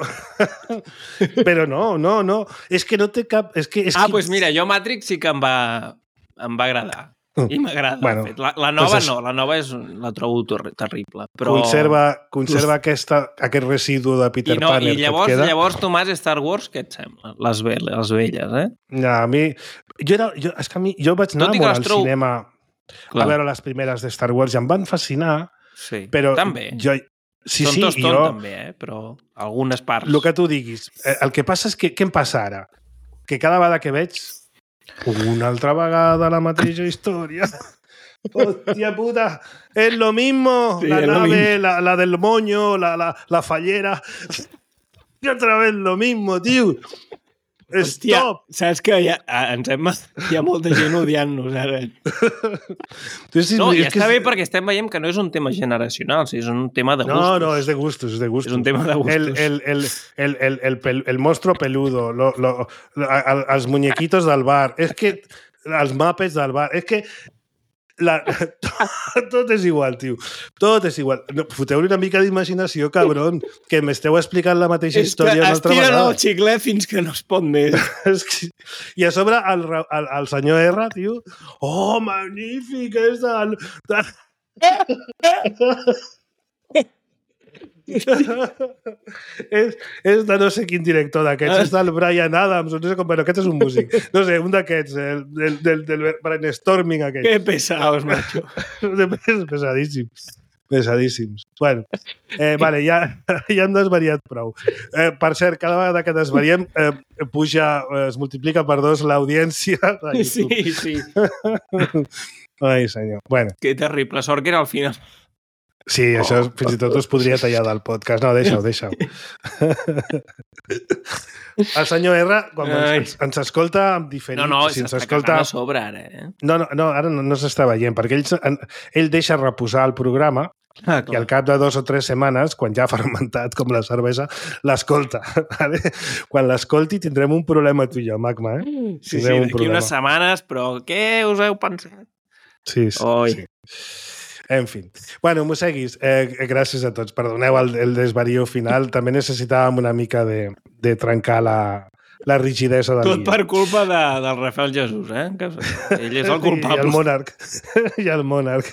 B: però no, no, no. És que no té cap... És que, és
C: Ah,
B: que...
C: doncs pues mira, jo Matrix sí que em va, em va agradar. I m'agrada.
B: Bueno,
C: Bueno, la, la nova
B: doncs
C: no, la nova és, la trobo ter terrible. Però...
B: Conserva, conserva aquesta, aquest residu de Peter
C: I, no,
B: Panner
C: I llavors,
B: que et queda.
C: llavors, Tomàs, Star Wars, què et sembla? Les, ve les velles, eh?
B: Ja, a mi... Jo, era, jo, és que a mi, jo vaig anar
C: Tot i que
B: molt
C: les
B: al
C: trobo-
B: cinema
C: Clar.
B: a veure les primeres de Star Wars i em van fascinar,
C: Sí,
B: però
C: també.
B: jo... Sí,
C: Són
B: sí,
C: tots
B: jo...
C: també, eh? Però algunes parts.
B: El que tu diguis. Eh, El que passa és que... Què em passa ara? Que cada vegada que veig una altra vegada la mateixa història... Hostia puta, es lo mismo,
C: Sí,
B: la
C: es lo
B: nave,
C: mismo.
B: la, la del moño, la, la, la fallera. Y otra vez lo mismo, tío.
C: Hòstia,
B: Stop.
C: saps que hi ha, ens hem, hi ha molta gent odiant-nos ara.
B: Entonces,
C: No, i
B: és que
C: està
B: és-
C: bé perquè estem veient que no és un tema generacional, sí, és un tema de gustos.
B: No, no, es de gustos, es de gustos.
C: És un tema de gustos.
B: El, el, el, el, el, el, pel- el monstruo peludo, lo, lo, lo, el- els muñequitos del bar, és que els mapes del bar, és que la, tot és igual, tio. Tot és igual. No, foteu-li una mica d'imaginació, cabron, que m'esteu explicant la mateixa
C: És que
B: història una altra
C: estiren
B: vegada.
C: el xiclet fins que no es pot més.
B: És que... I a sobre el, Ra- el, el senyor R, tio, oh, magnífic, és del... del... és, és de no sé quin director d'aquests, és del Brian Adams, no sé com, però aquest és un músic, no sé, un d'aquests, el, del, del, del brainstorming aquest.
C: Que pesaos, macho.
B: És pesadíssims. Pesadíssims. Bueno, eh, vale, ja, ja hem desvariat prou. Eh, per cert, cada vegada que desvariem eh, puja, eh, es multiplica per dos l'audiència de YouTube.
C: Sí, sí.
B: Ai, senyor. Bueno,
C: Que terrible. Sort que era al final.
B: Sí, això oh. fins i tot us podria tallar del podcast. No, deixa-ho, deixa-ho. El senyor R, quan ens, ens escolta amb diferit...
C: No, no,
B: si
C: s'està
B: escolta...
C: cagant a sobre ara, eh?
B: No, no, no ara no, no s'està veient, perquè ell, ell deixa reposar el programa ah, i al cap de dos o tres setmanes, quan ja ha fermentat com la cervesa, l'escolta. Vale? Quan l'escolti tindrem un problema tu i jo, Magma. Eh?
C: Sí, sí, d'aquí problema. Unes setmanes, però què us heu pensat?
B: Sí, sí.
C: Oi.
B: sí. En fi. Bueno, Moseguis, eh, gràcies a tots. Perdoneu el, el desvarío final. També necessitàvem una mica de, de trencar la, la rigidesa del
C: Tot dia. Per culpa de, del Rafael Jesús, eh? Que ell és el culpable.
B: I el monarc. I el monarc.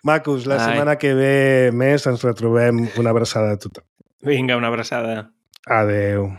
B: Macos, la Ai. setmana que ve més ens retrobem. Una abraçada a tothom.
C: Vinga, una abraçada.
B: Adeu.